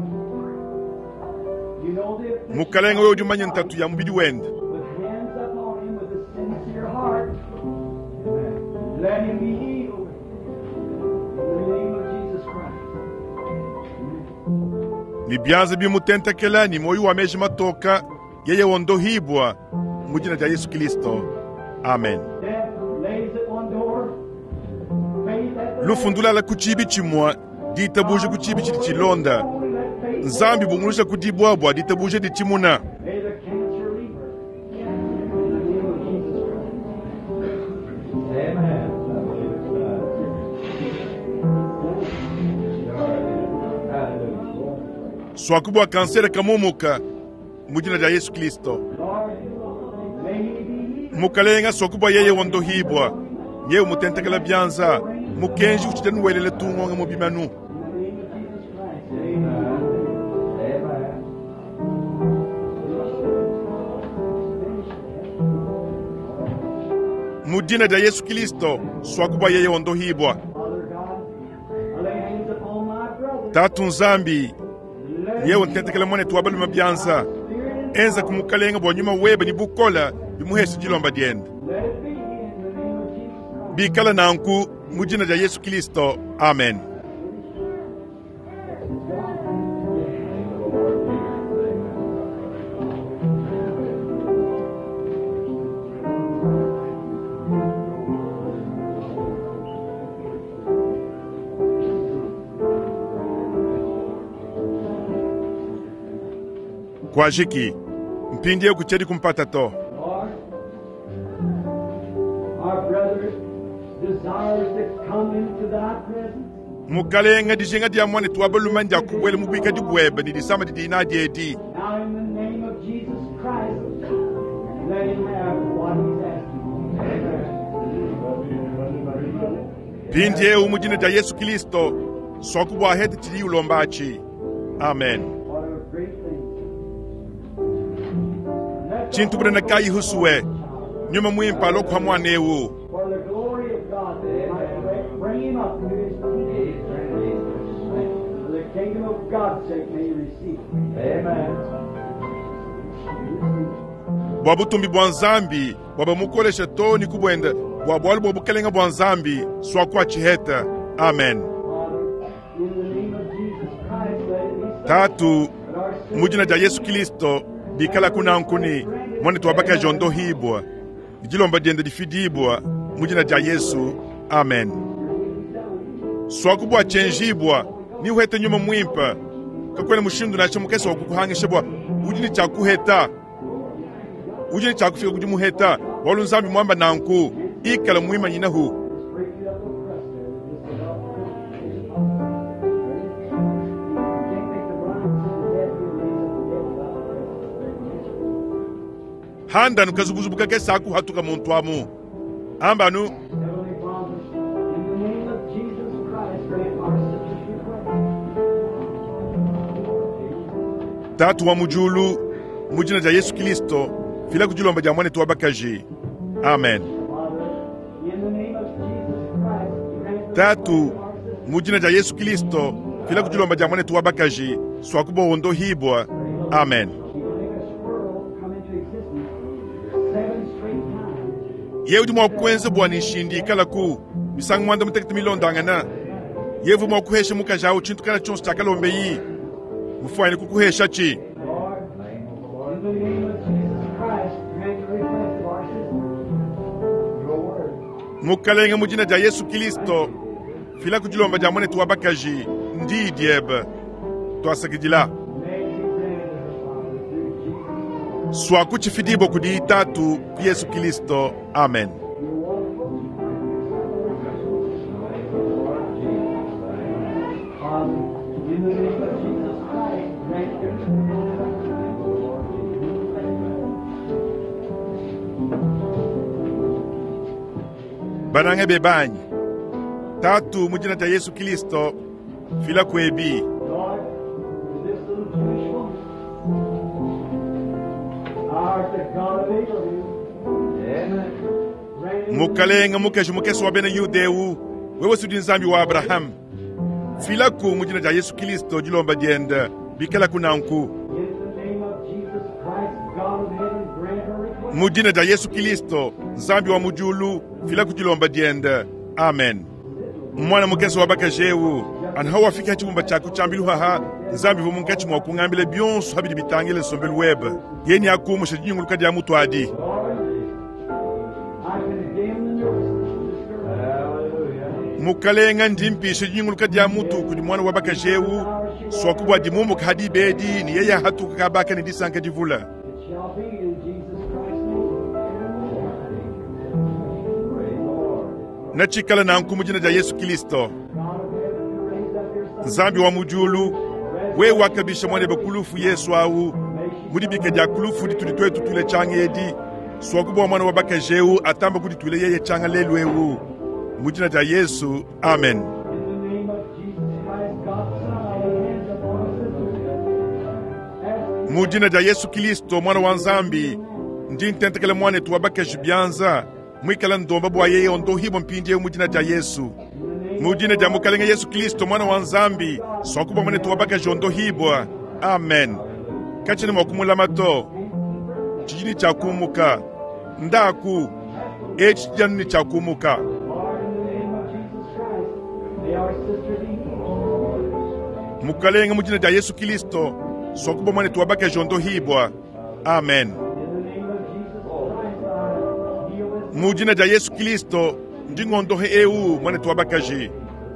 S2: you know the
S1: Mukalenga, wewe udi umanya ntatu ya mubidi wende.
S2: With hands upon him with a sincere heart, let him be healed. In the name of Jesus Christ.
S1: Ni byanza bimutentekela ni moyo wa meji matoka yeye wondohibwa mu jina lya Yesu Kristo. Amen.
S2: Death lays at one door, faith at the
S1: Lufundulala ku chibi chimwa ditabuje ku chibi chidi chilonda.
S2: Only let faith
S1: Nzambi bungulusha kudibwa bwa ditabuje dichimuna.
S2: May the cancer leave her. In the name of Jesus Christ.
S3: Amen. I believe it's done. Hallelujah.
S1: Swakubwa kansere kamumuka mu jina lya Yesu Kristo.
S2: Lord, may he be healed.
S1: Mukalenga swakubwa yeye wondohibwa. Yewe mutentekela byanza mukenji uchitenuwelele tungonge mu bimanu.
S2: In the name of Jesus Christ. Amen.
S3: Amen.
S1: Mu jina lya Yesu Kristo swakubwa yeye wondohibwa.
S2: Father God, I lay hands upon my brother.
S1: Tatu Nzambi
S2: Let
S1: yewe ntentekela mwanetu wa balume byanza
S2: spirit and
S1: enza kumukalenga bwa nyuma webe ni bukola bimuhesha dilomba diende
S2: let it be in the name of Jesus Christ.
S1: bikala nanku mu jina lya Yesu Kristo. Amen. Kwajiki mpindie kuchedi kumpata to.
S2: Lord, our brother desires to come into thy presence.
S1: Mukalenga dijinga dia mwanetu wa balume ndia kubwela mu bwika dibwebe ni disama didina diedi.
S2: Now in the name of Jesus Christ, let him have what he's asking.
S1: Mpindiewu mu jina dia Yesu Kristo swakubwa hete tili ulombachi. Amen.
S2: What a great thing. Let the
S1: Chintu bunene kayi husuwe nyuma mwimpa lokwa mwanewu.
S2: For the glory of God, that he might bring him up to his people. For the kingdom of God's sake, may he receive it.
S3: Amen.
S1: Bwa butumbi bwa Nzambi bwa bamukolesha to ni kubwenda bwa bwalu bwa bukelenga bwa Nzambi swakwa chiheta. Amen.
S2: Father, in the name of Jesus Christ, let it be so.
S1: Tatu
S2: That our sin
S1: mu jina dia Yesu Kristo bikala kunankuni mwanetu wa bakaji ondohibwa dijilomba diende difidibwa mu jina dia Yesu. Amen. Swakubwa chenjibwa ni uhete nyuma mwimpa kakwene mushindu nacho mukesa wakukuhangisha bwa udi ni chakuheta udi ni chakufika kudi muheta walu Nzambi mwamba nanku ikala mwima nyinahu.
S2: break you up a crust there. Just about You can't make the blind see the dead, you raise up the dead without a
S1: Handanu kazubuzubu kakesa akuhatuka muntu amu ambanu.
S2: Heavenly Father, in the name of Jesus Christ, grant our sister's request.
S1: Tatu wa mujulu mu jina dia Yesu Kristo fila kujilomba dia mwanetu wa bakaji. Amen.
S2: Father, in the name of Jesus Christ, grant the
S1: Tatu
S2: request of our sister.
S1: mu jina dia Yesu Kristo fila kujilomba dia mwanetu wa bakaji swakuba wondohibwa. Amen.
S2: She will make a squirrel come into existence 7 straight times.
S1: Ye udi mwa kuenza bwa ni nshindi ikala ku misangu mwanda mutekete milondangana yevu mwa kuhesha mukaji awu chintu kana chonso chakalombeyi mufwayine kukuhesha chi.
S2: Lord, in the name of Jesus Christ, grant the request of our sister. Your word.
S1: Mukalenga mu jina dia Yesu Kristo fila kujilomba dia mwanetu wa bakaji ndi diebe twasakidila.
S2: May it be granted her, Father, through Jesus Christ.
S1: Swakuchifidibwa kudi itatu ku Yesu Kristo. Amen.
S2: Father, in the name of Jesus Christ, grant your
S1: Banange bebanyi tatu mu jina dia Yesu Kristo fila kwebi.
S2: Lord, to this little Jewish woman, art the God of Abraham,
S3: Amen.
S2: grant
S1: Mukalenga mukeshi mukesi wa bena Yudewu wewe sudi Nzambi wa Abrahamu filaku mu jina dia Yesu Kristo dilomba diende bikala kunanku.
S2: in the name of Jesus
S1: Mu dina dia Yesu Kilisto, Nzambi wa mu diulu, fila ku dilomba diende. Amen. Mwana mukese wa bakaji eu anu hawafika ha tshibumba tshia ku tshiambilu haha, Nzambi uvua munkatshi mua kungambila bionso habidi bitangila nsombelu webe. Yeye neakumusha dinyunguluka dia mutu adi.
S2: I condemn the nervous disturbance.
S1: Mukalenga ndi mpisha dinyunguluka dia mutu kudi mwana wa bakaji eu, swaku bua dimumuka hadi bedi ne yeye hatuka kabaka ne disanka divula.
S2: It shall be in Jesus Christ's name.
S1: Natshikala nanku mu dina dia Yesu Kilisto.
S2: God of heaven, who raised up your son,
S1: Nzambi wa mu diulu, wewe wakabisha mwanebe kulufu Yesu awu mudibika dia kulufu ditudi twetu tuile tshanga edi, swaku bua mwana wa bakaji eu atamba kudituile yeye tshanga lelu eu. Mu dina dia Yesu, amen.
S2: in the name of Jesus Christ, God's Son, I lay hands upon our sister. Ask
S1: Mu dina dia Yesu Kilisto mwana wa Nzambi, ndi ntentekele mwanetu wa bakaji bianza, mwikala ndomba bua yeye ondohibwa mpindi eu mu dina dia Yesu. Mu dina dia Mukalenge Yesu Kilisto mwana wa Nzambi, swaku bua mwanetu wa bakaji ondohibwa. Amen. Katshene mua kumulama to. Tshijini tshia kumuka. Ndaku. Etshi tshijanu ni tshia kumuka.
S2: Lord, in the name of Jesus Christ, may our sister be healed.
S1: Mukalenge mu dina dia Yesu Kilisto, swaku bua mwanetu wa bakaji ondohibwa. Amen.
S2: In the name of Jesus Christ, I heal this.
S1: Mu dina dia Yesu Kilisto, ndi ngondohe eu mwanetu wa bakaji.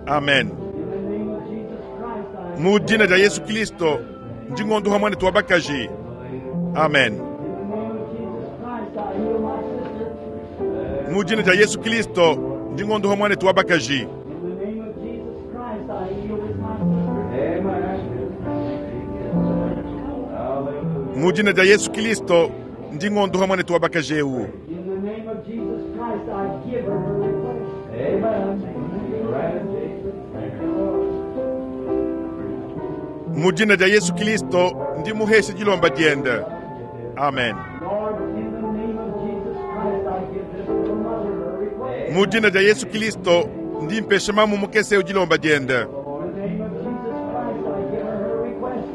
S1: Amen.
S2: In the name of Jesus Christ, I
S1: Mu dina dia Yesu Kilisto, ndi ngondoha mwanetu wa bakaji. Amen.
S2: In the name of Jesus Christ, I heal my sister.
S1: Mu dina dia Yesu Kilisto, ndi ngondoha mwanetu wa bakaji.
S2: In the name of Jesus Christ, I heal this my sister.
S1: Mu dina dia Yesu Kilisto, ndi ngondoha mwanetu wa bakaji eu.
S2: In the name of Jesus Christ, I give her her request.
S1: Mu dina dia Yesu Kilisto, ndi muheshe dilomba diende. Amen.
S2: Lord, in the name of Jesus Christ, I give this little mother her request.
S1: Mu dina dia Yesu Kilisto, ndi mpesha mamu mukese eu dilomba diende.
S2: In the name of Jesus Christ, I give her her request.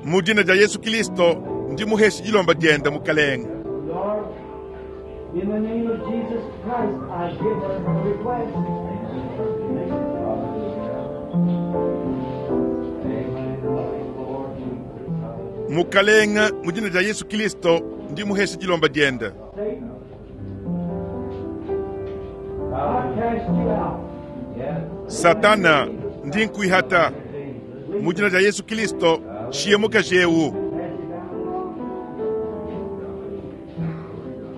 S1: Mu dina dia Yesu Kilisto, ndi muheshe dilomba diende mukalenge.
S2: Lord, in the name of Jesus Christ, I give her her request.
S1: Mukalenga mu dina dia Yesu Kilisto, ndi muheshe dilomba diende.
S2: Satan, I cast you out.
S1: Satana ndi nkuihata. Mu dina dia Yesu Kilisto, shiye mukaji eu.
S2: Cast you down.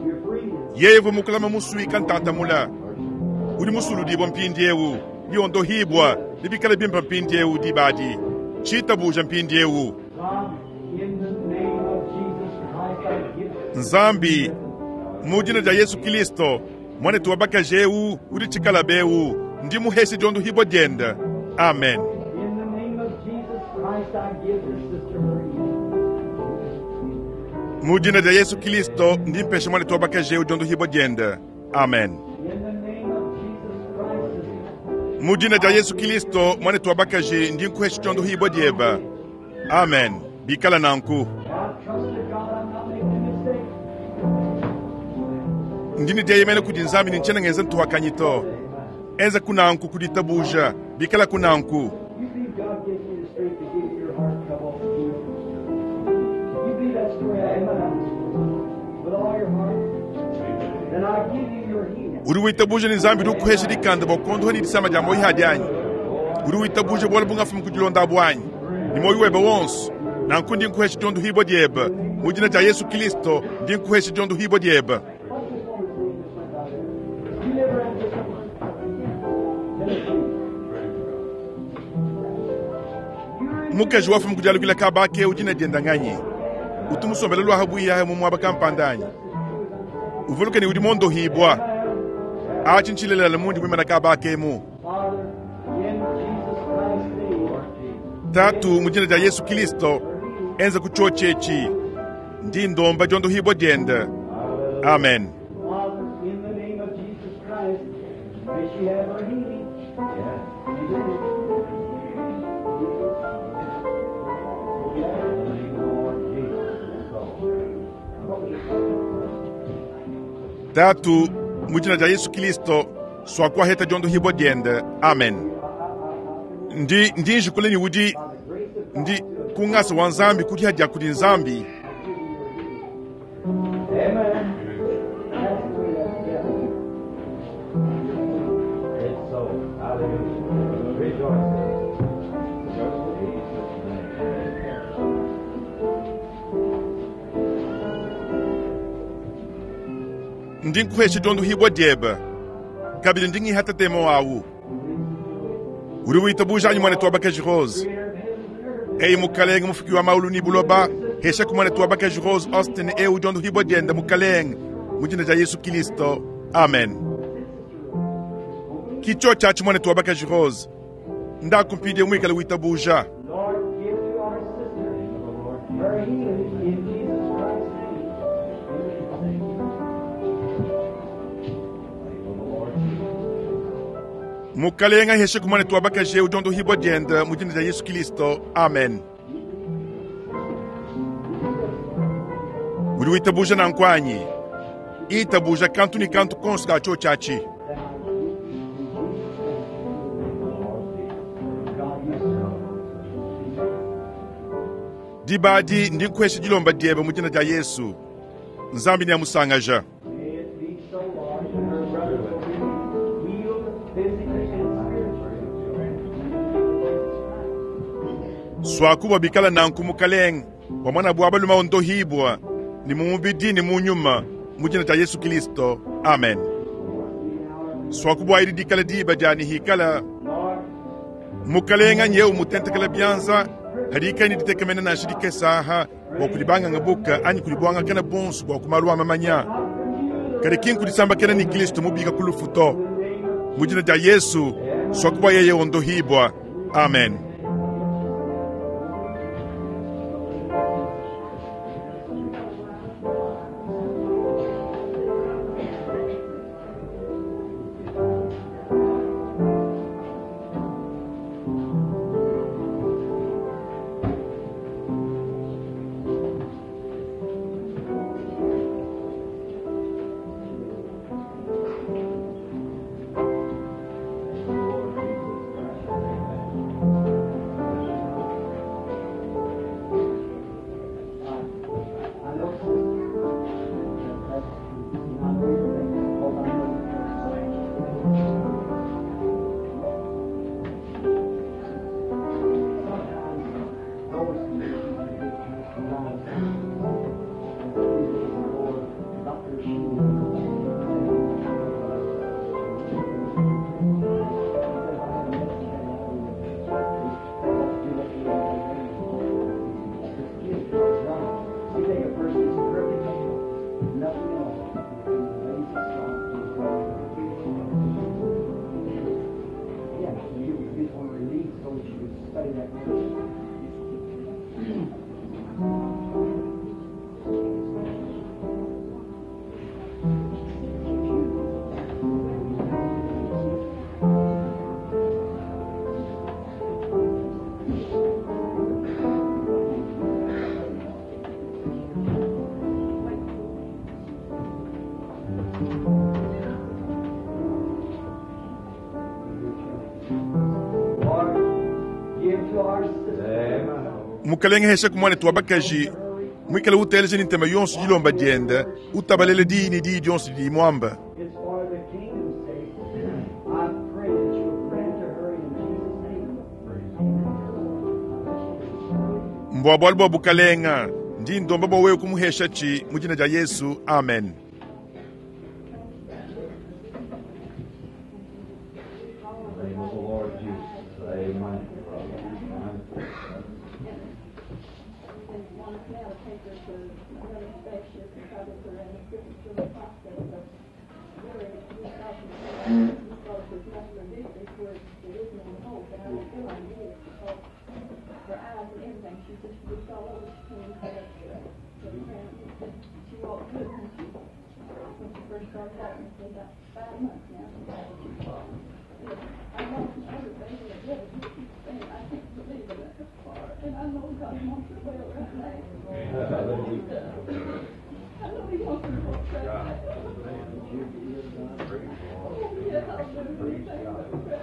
S2: You're free.
S1: Yeye vumukulama musuika ntantamula. Udi musuludibwa mpindi eu, liondohibwa, libikala bimpa mpindi eu dibadi. Tshitabuja mpindi eu.
S2: God, in the name of Jesus Christ, I give
S1: Nzambi, mu dina dia Yesu Kilisto, mwanetu wa bakaji eu udi tshikalabe eu, ndi muheshe diondohibwa diende. Amen.
S2: In the name of Jesus Christ, I give this sister her healing.
S1: Mu dina dia Yesu Kilisto, ndi mpesha mwanetu wa bakaji eu diondohibwa diende. Amen.
S2: In the name of Jesus Christ, sister,
S1: Mu dina dia Yesu Kilisto, mwanetu wa bakaji ndi nkuhesha diondohibwa dieba. Amen. Bikala nanku.
S2: I trust to God I'm not making a mistake.
S1: Ndini dieyemene kudi Nzambi ni ntshena ngenza ntuhakanyi to. Enza kunanku kuditabuja, bikala kunanku.
S2: You believe God gives you the strength to give your heart trouble. You believe that story out of my mouth with all your heart. Then I give you your healing.
S1: Udi witabuja ni Nzambi udi ukuhesha dikanda bua kuondoha ni disama dia moyi hadi anyi. Udi witabuja bualu bungafumu kudilonda bwanyi. Ni moyi webe wonso. Nanku ndi nkuhesha diondohibwa dieba. Mu dina dia Yesu Kilisto, ndi nkuhesha diondohibwa dieba.
S2: What's this woman's name that went out there? You live around here somewhere? Tennessee. You're in
S1: Mukaji wafumu kudialukila kabake udi na dienda nganyi. Utumusombela lwaha buiyahe mu mwaba kampanda anyi. Uvuluke ni udi mondohibwa. Achi ntshilelela mundi mwimana kabake mu.
S2: Father, in Jesus Christ's name,
S1: Tatu mu dina dia Yesu Kilisto, enza kuchochechi. Ndi ndomba diondohibwa diende. Amen.
S2: Father, in the name of Jesus Christ, may she have her healing.
S1: Tatu, mu dina dia Yesu Kilisto, swakuaheta diondohibua diende. Amen. Ndi ndi njikula ne udi ndi ku ngasa wa Nzambi kudiha dia kudi Nzambi.
S2: Amen. That's the way that's done.
S3: It's so. Hallelujah. Rejoice. Jesus' name.
S1: Ndi nkuhesha diondohibua diebe kabidi ndi ngihata temo awu. Udi witabuja anyi mwanetu wa bakaji Rose? Eyi mukalenge mufuki wa maulu ni buloba, hesha ku mwanetu wa bakaji Rose Austin ewu diondohibua diende mukalenge mu dina dia Yesu Kilisto. Amen. Kicho chachi mwanetu wa bakaji Rose, ndakumpidie mwikale witabuja.
S2: Lord, give to our sister her healing in Jesus Christ's name.
S1: Mukalenga hesha ku mwanetu wa bakaji ewu diondohibua diende mu dina dia Yesu Kilisto. Amen. Udi witabuja nankwanyi itabuja kantu ni kantu konso ka cho chachi. Dibadi ndi nkuhesha dilomba diebe mu dina dia Yesu. Nzambi ne amusangaja.
S2: May it be so, Lord, that her brothers will be healed physically and spiritually.
S1: Swakuba bikala nanku mukalenge wa mwana bwa baluma ondohibwa ni mu mubidi ni mu nyuma mu dina dia Yesu Kilisto. Amen. Swakubwa ili dikala diba diani hikala
S2: Lord,
S1: mukalenga nyeu mutentekela byanza hadikani ditekemena nansha dikesaha bua kulibanganga buka anyi kulibwangakana bonso bua kumalu amamanya kadi kinkudisambakena ni Kristo mubika ku lufu to mu dina dia Yesu swakubwa yeye ondohibwa. Amen.
S2: I know, sister, that that's true. I know you think that, because I know. Sometimes those conditions are good to rise. And a few days ago, Dr. Sheehan You take a person who's perfect, nothing at all, and raise a Yeah, you just want to release so that you can study that word. Lord, give to our sister.
S1: Mukalenge hesha ku mwanetu wa bakaji mwikale uteleje ni ntema yonso dilomba diende utabalele diyi ni diyi dionso didi mwamba.
S2: It's for the kingdom's sake. I pray that you'll grant to her in Jesus' name.
S1: Mbwa bwalu bwa bukalenga ndi ndomba bwa wewe kumuhesha chi mu dina dia Yesu. Amen.
S3: In the name of the Lord Jesus. Amen. Amen.
S4: And one now to take her to another specialist and try to put her in a different sort of process of really we thought we thought it was muscular dystrophy where there is no hope, and I don't feel like it is because her eyes and everything, she just looks all over. She can't even get up to the ground. She walked good when she first started walking. It's been about 5 months now. She walked. I lost my other baby at 11. And I can't believe it that far. And I know God wants her well right now.
S3: Hallelujah.
S4: I know He wants her to walk right now. Yes, I'll do anything but pray.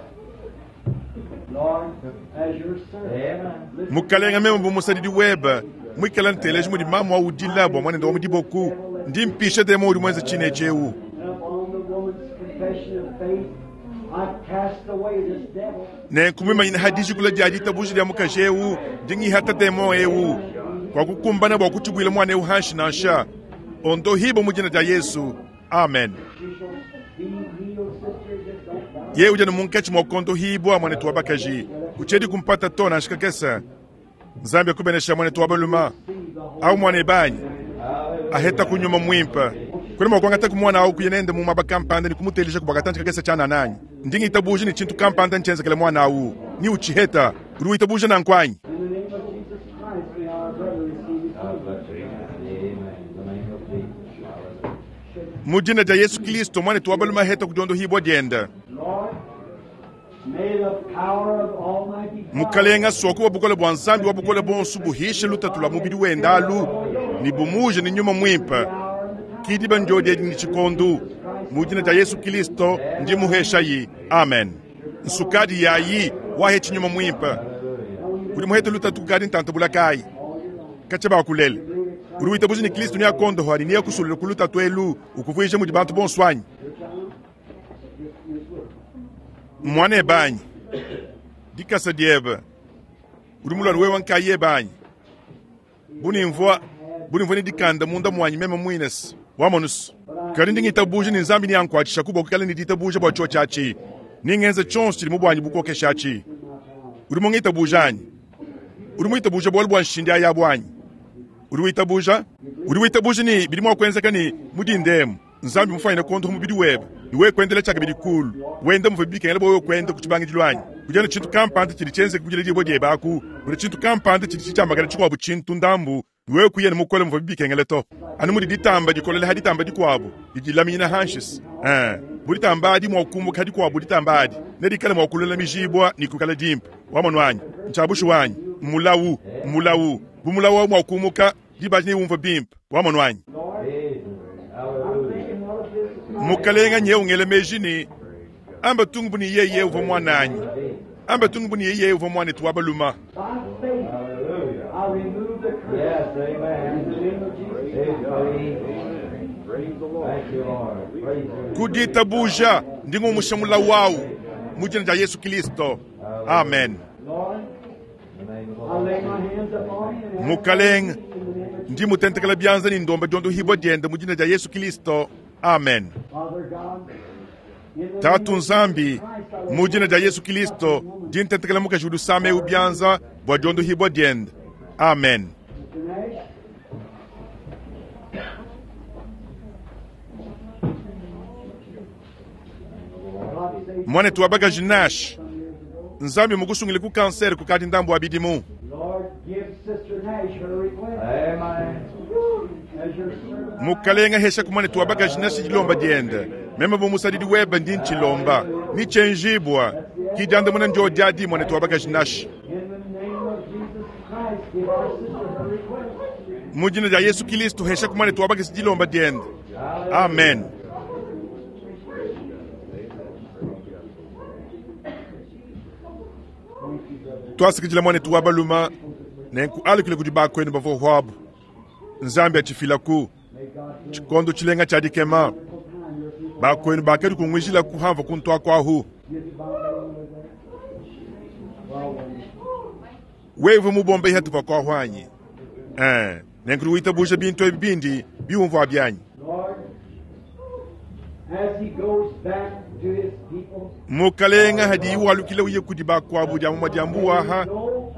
S2: Lord, as your servant, listen
S1: Mukalenga meme bu musadidi webe mwikala nteleji mudi mamu audila bua mwanende wa mudiboku ndi mpisha demo udi mwenze tshinechi ewu
S2: and upon the woman's confession of faith, I cast away this devil.
S1: nenkumimanyina ha dijikula dia ditabuja dia mukaji ewu ndingihata demo ewu kwa kukumbana bua kutshibwila mwana ewu hanshi nansha ondohibo mu dina dia yesu amen
S2: She shall be healed, sister. Just don't doubt.
S1: ye udi anu munkatshi mua kondohibwa mwanetu wa bakaji kutshiedi kumpata to nansha kakese nzambi akubenesha mwanetu wa baluma au mwana ebanyi aheta kunyuma mwimpe kuli mua kuangata kumwana au kuya nende mu maba kampanda ni kumutelisha kubwakatanji kakese tshana nanyi ndingi itabuja ni tshintu kampanda ntshienzekele mwana awu ni utshiheta udi witabuja nankwanyi
S2: In the name of Jesus Christ, may our brother receive his healing.
S3: Amen. In the name of Jesus. Hallelujah.
S1: mu dina dia yesu kristo mwanetu wa baluma aheta kudiondohibwa dienda
S2: Lord, may the power of Almighty God
S1: mukalenga soku wa bukole bua nzambi wa bukole bonso buhishe lutatu lua mubidi wenda alu ni bumuje ni nyuma mwimpe kidiba njodi ni tshikondu mu dina dia yesu kristo ndi muheshayi amen nsukadi yayi wahe tshinyuma mwimpe udi muhete lutatu kukadi ntanta bulakayi katshia bakulele udi witabuja ni kristo ni akondoho ani niye kusulula ku lutatu elu ukuvuija mudi bantu bonso anyi mwana ebanyi dikasa diebe udi mulwana wewa nkayi ebanyi bunimvua bunimvua ni dikanda munda mwanyi meme mwinesi wamonusu kadi ndi ngitabuja ni nzambi ni ankuatshisha kubwa kukala ni ditabuja bua tshio tshiatshi ningenza tshionso tshidi mu bwanyi bukokeshatshi udi mungitabuja anyi udi muitabuja bualu bua nshindi aya bwanyi udi witabuja udi witabuja ni bidi mua kuenzeka ni mudindemu nzambi mufanyine kondoho mubidi webe niwe kuendela tshaka bidi kulu wenda muve bikengela bwa wewe kuenda ku tshibangidilu anyi kudiana tshintu kampanda tshidi tshienzeka kudila dibua diebe aku kudi tshintu kampanda tshidi tshitshiambakana tshikuabu tshintu ndambu niwe kuya ne mukole muve bikengela to anu mudi ditamba dikolela ha ditamba dikuabu didilaminyina hanshisi bu ditamba adi mua kukumbuka ha dikuabu ditamba adi nedikale mua kulola mijibwa ni kukala dimpe wamonu anyi ntshiabushi wanyi mmulawu mmulawu bu mulawu awu mua kumuka dibaji niwumva bimpe wamonu anyi
S3: Praise Hallelujah.
S1: mukalenga nye ungele meji ni amba tungu buni yeye uvua mwananyi amba tungu buni yeye uvua mwanetu wa baluma
S2: By faith,
S3: Hallelujah.
S2: I remove the curse.
S3: Yes, amen.
S2: In the name of Jesus Christ.
S3: Thank you, Lord. Praise you.
S1: kuditabuja ndingumusha mulawu awu mu dina dia yesu kristo amen
S2: Lord,
S3: In the name of the
S2: I
S3: Lord.
S2: lay my hands upon him and ask
S1: Mukalenga
S2: in the name of
S1: ndi mutentekela byanza ni ndomba diondohibwa diende mu dina dia yesu kristo amen
S2: Father God. In the
S1: tatu
S2: name of
S1: nzambi
S2: Jesus Christ, I lay
S1: mu dina dia yesu kristo ndi ntentekela mukaji udi usama ewu byanza bua diondohibwa diende amen
S2: Mr. Nash, God saved
S1: mwanetu wa bakaji nash
S2: some years ago.
S1: nzambi mukusungile ku kansere kukadi ndambu wa bidimu
S2: Lord, give Sister Nash her request.
S3: Amen.
S2: As your servant,
S1: mukalenga hesha ku mwanetu wa bakaji nash dilomba diende meme bu musadidi webe ndi ntshilomba ni tshenjibwa kidiandamuna ndio diadi mwanetu wa bakaji nash
S2: in the name of Jesus Christ, give our sister her request.
S1: mu dina dia yesu kristo hesha ku mwanetu wa bakaji dilomba diende amen twasikidila mwanetu wa baluma nenku alukile kudi bakwenu bavua hwabu nzambi atshifilaku tshikondo tshilenga tshia dikema bakwenu bakadi kungwijila kuhamva kuntua kwahu wewe mubombe ihatu pakwahu anyi eh nenku witabuja bintu ebi bindi biumvua byanyi
S2: Lord, as he goes back to his people,
S1: mukalenga hadi walukile uye kudi bakwabu dia mumwa dia mbuwaha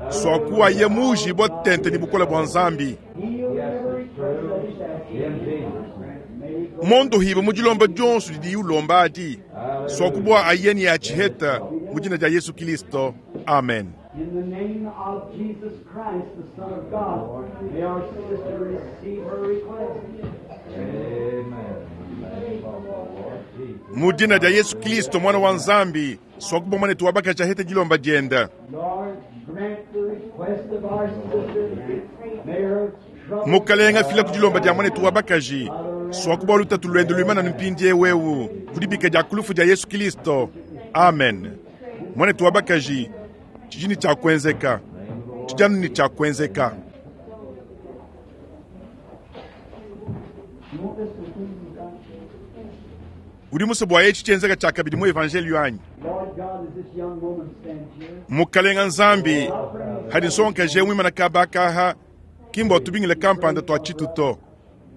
S1: swakuwa ye muji bwa tente ni bukola bwa nzambi
S2: heal every
S3: Yes, it's
S2: request
S3: true.
S2: that he's asking.
S3: In Jesus' name.
S2: May he go
S1: mondo hiba mujilomba dionso didi ulomba adi swakubwa ayeni ya tshiheta mu dina dia yesu kristo amen
S2: in the name of Jesus Christ, the Son of God. May our sister receive her request.
S3: Amen. In the name of the Lord Jesus.
S1: mu dina dia yesu kristo mwana wa nzambi swakubwa mwanetu wa bakaji ahete dilomba dienda
S2: Lord, grant the request of our sister. May her trouble
S1: mukalenga fila ku dilomba dia mwanetu wa bakaji Swaku bua lutatu luende luimane anu mpindiewu ewu, ku dibika dia ku lufu dia Yesu Kilisto. Amen. Muanetu wa bakaji, tshidi ne tshia kuenzeka. Tshidi anu ne tshia kuenzeka. Udi musue bua etshi tshienzeka tshiakabidi mu evanjeliyo anyi? Mukalenga Nzambi, hadi nsongakaji eu muimane kaba aka aha, ki mbua tubingila kampanda tua tshitu to.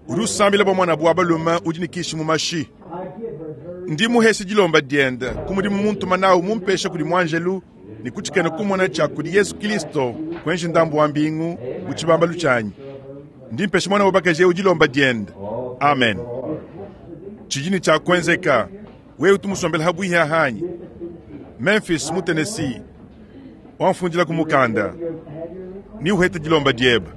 S1: Udi usambila bua muanabu wa balume udi ne kishi mu mashi. Ndi muheshe dilomba diende ku mudimu muntuma nawu mumpesha kudi muanjelu ne ku tshikena kumona tshia kudi Yesu Kristo kuenji ndambu wa mbingu mu tshibambalu tshianyi. Ndi mpesha muana wa bakaji eu dilomba diende. Amen. Tshidi ne tshia kuenzeka. Wewe utu musombele ha buihi ahanyi? Memphis mu Tennessee. Wamfundila ku mukanda. Ni uhete dilomba diebe.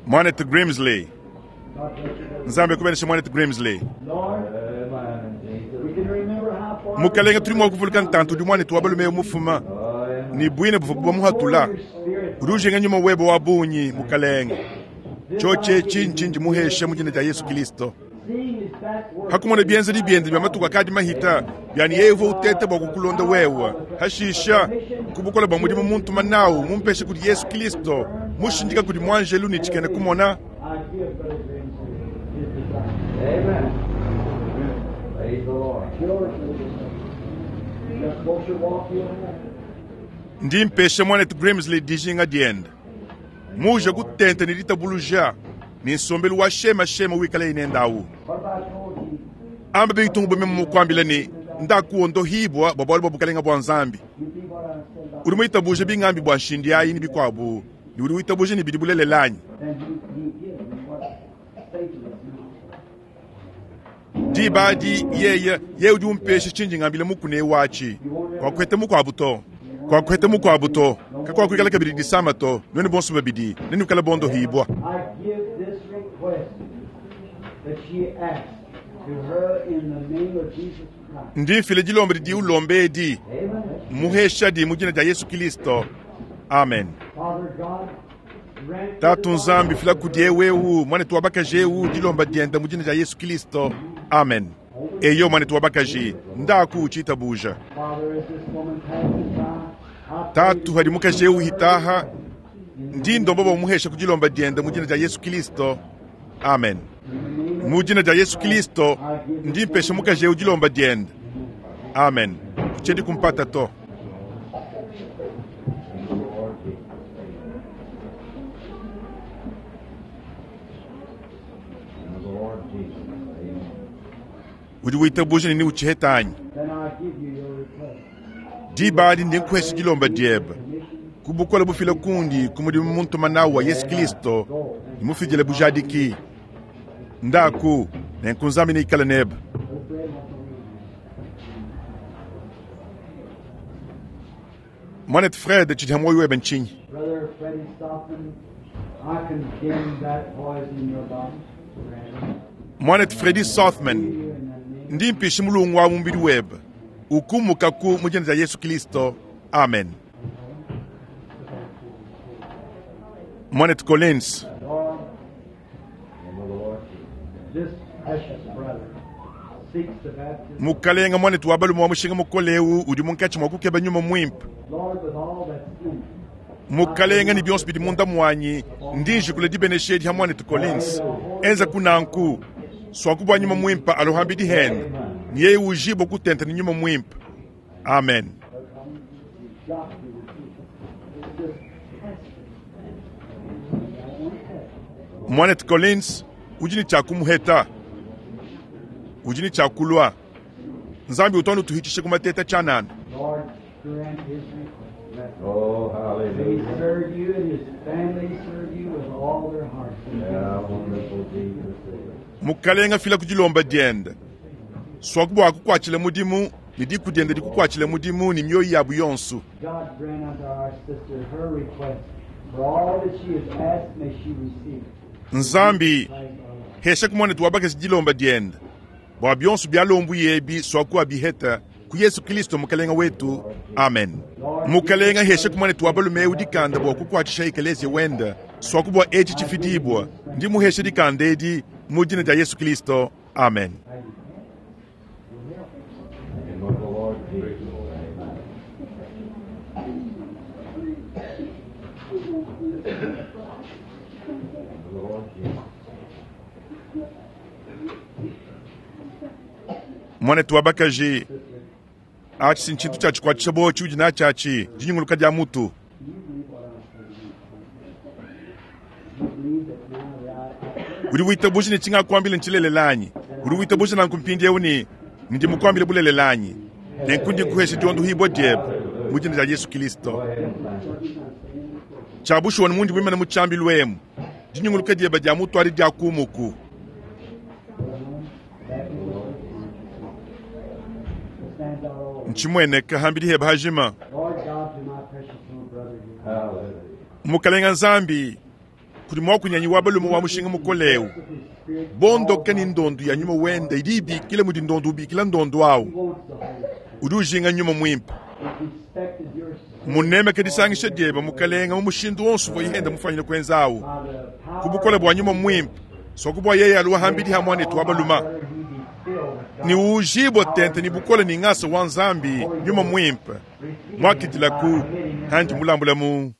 S1: Mwanetu Grimsley. Nzambi akubeneshe Mwanetu Grimsley. Mukalenge, tudi mua kuvuluka ntantu udi muanetu wa balume eu mufuma ne buine buvua bamuhatula. Udi ujinga nyuma webe wa bungi, Mukalenge. Tshiotshi etshi ntshindi muheshe mu dina dia Yesu Kilisto. Hakumona bienzedi biende bia matuku akadi mahita, biani yeye uvua uteta bua kukulonda wewe. Hashisha, ku bukole bua mudimu muntuma nawu mumpeshe kudi Yesu Kilisto, mushindika kudi muanjelu ne tshikena kumona. Ndi mpesha muanetu Grimsley dijinga diende. Muuje kutenta ne ditabuluja ne nsombelu wa shemashema wikalaye nende awu. Amba bitungu bua meme mukuambila ne, Ndaku wondohibua bua bualu bua Bukalenga bua Nzambi. Udi muitabuje bingambi bua nshindi ayi ne bikuabu, ne udi witabuja ne bidi bulelela anyi? Diba adi yeye, yeye udi umpesha tshindi ngambila mukuna eu atshi. Kuakuheta mukuabu to. Kuakuheta mukuabu to. Kakuakuikala kabidi disama to. Nuenu bonso babidi nenuikale bondohibua. Ndi mfila dilomba didi ulomba edi, muheshadi mu dina dia Yesu Kilisto. Amen. Tatu Nzambi, fila kudi eu eu muanetu wa bakaji eu dilomba diende mu dina dia Yesu Kilisto. Amen. Eyo muanetu wa bakaji, ndaku utshitabuja. Tatu, hadi mukaji eu hitaha, ndi ndomba bua umuhesha ku dilomba diende mu dina dia Yesu Kilisto. Amen. Mu dina dia Yesu Kilisto, ndi mpesha mukaji eu dilomba diende. Amen. Kutshiedi kumpata to. Udi witabuja ne neutshiheta anyi? Diba adi ndi nkuhesha dilomba diebe ku bukole bufila kundi ku mudimu muntuma nawu wa Yesu Kilisto ne mufidile bujadiki. Ndaku, nenku Nzambi neikale nebe. Mwanetu Fred, tshidi ha muoyo webe ntshinyi? Mwanetu Freddy Sothmann, ndi mpisha mulungu wa mubidi webe ukumukaku mu dina dia Yesu Kilisto. Amen. Mwanetu Collins. Mukalenga, muanetu wa balume wa mushinga mukole eu udi munkatshi mua kukeba nyuma muimpe. Mukalenga, ne bionso bidi munda muanyi, ndi njikula dibenesha edi ha muanetu Collins. Enza ku nanku, suaku bua nyuma muimpe alo hambidi hende, ne yeye ujibua kutenta ne nyuma muimpe. Amen. Muanetu Collins udi ne tshia kumuheta, udi ne tshia kulua. Nzambi utu anu utuhitshisha ku mateta tshianana.
S3: Oh, hallelujah. Yeah, wonderful Jesus is.
S1: Mukalenga fila ku dilomba diende, suaku bua akukuatshile mudimu ne diku diende dikukuatshile mudimu ne mioyo yabu yonso.
S2: God grant unto our sister her request. For all that she has asked, may she receive.
S1: Nzambi, hesha ku muanetu wa bakaji dilomba diende, bua bionso bialombuye ebi suaku abiheta. Ku Yesu Kilisto Mukalenga wetu. Amen. Mukalenga hesha kumwanetu wa balume eu dikanda bua kukuatshisha ekeleziya wende, suaku bua etshi tshifidibua. Ndi muhesha dikanda edi mu dina dia Yesu Kilisto. Amen.
S3: In the name of the Lord Jesus. Amen. In the name of the Lord Jesus.
S1: Mwanetu wa bakaji, atshi si ntshintu tshia tshikuatshisha buowa tshiudi natshi atshi, dinyunguluka dia mutu. Udi witabuja ne tshingakuambila ntshilelela anyi? Udi witabuja nanku mpindieu ne ndi mukuambile bulelela anyi? Nenku ndi nkuhesha diondohibua diebe mu dina dia Yesu Kilisto.
S3: Go ahead and thank you.
S1: Tshia bushuwa ne mundi muimane mu tshiambilu emu, dinyunguluka diebe dia mutu adi dia kumuku. Ntshimueneka hambidi hebe hajima.
S2: Lord God, to my precious little brother here.
S3: Hallelujah.
S1: Mukalenga Nzambi, kudi muakunyanyi wa balume wa mushinga mukole eu. Bondoke ni ndondu ya nyuma wende idi ibikila mudi ndondu ubikila ndondu awu.
S2: He wants the Holy Spirit.
S1: Udi ujinga nyuma muimpe.
S2: He's respected your
S1: Munemeke disangisha diebe mukalenga mu mushindu wonso uvua yenda mufanyine kuenza awu.
S2: by the power
S1: Ku bukole bua nyuma muimpe, soku bua yeye aluwa hambidi ha mwanetu wa baluma.
S2: brother, he be filled with God.
S1: Ni ujibwa tente ni bukole ni ngasa wa Nzambi nyuma muimpe. Mwakidilaku handi mulambula mu.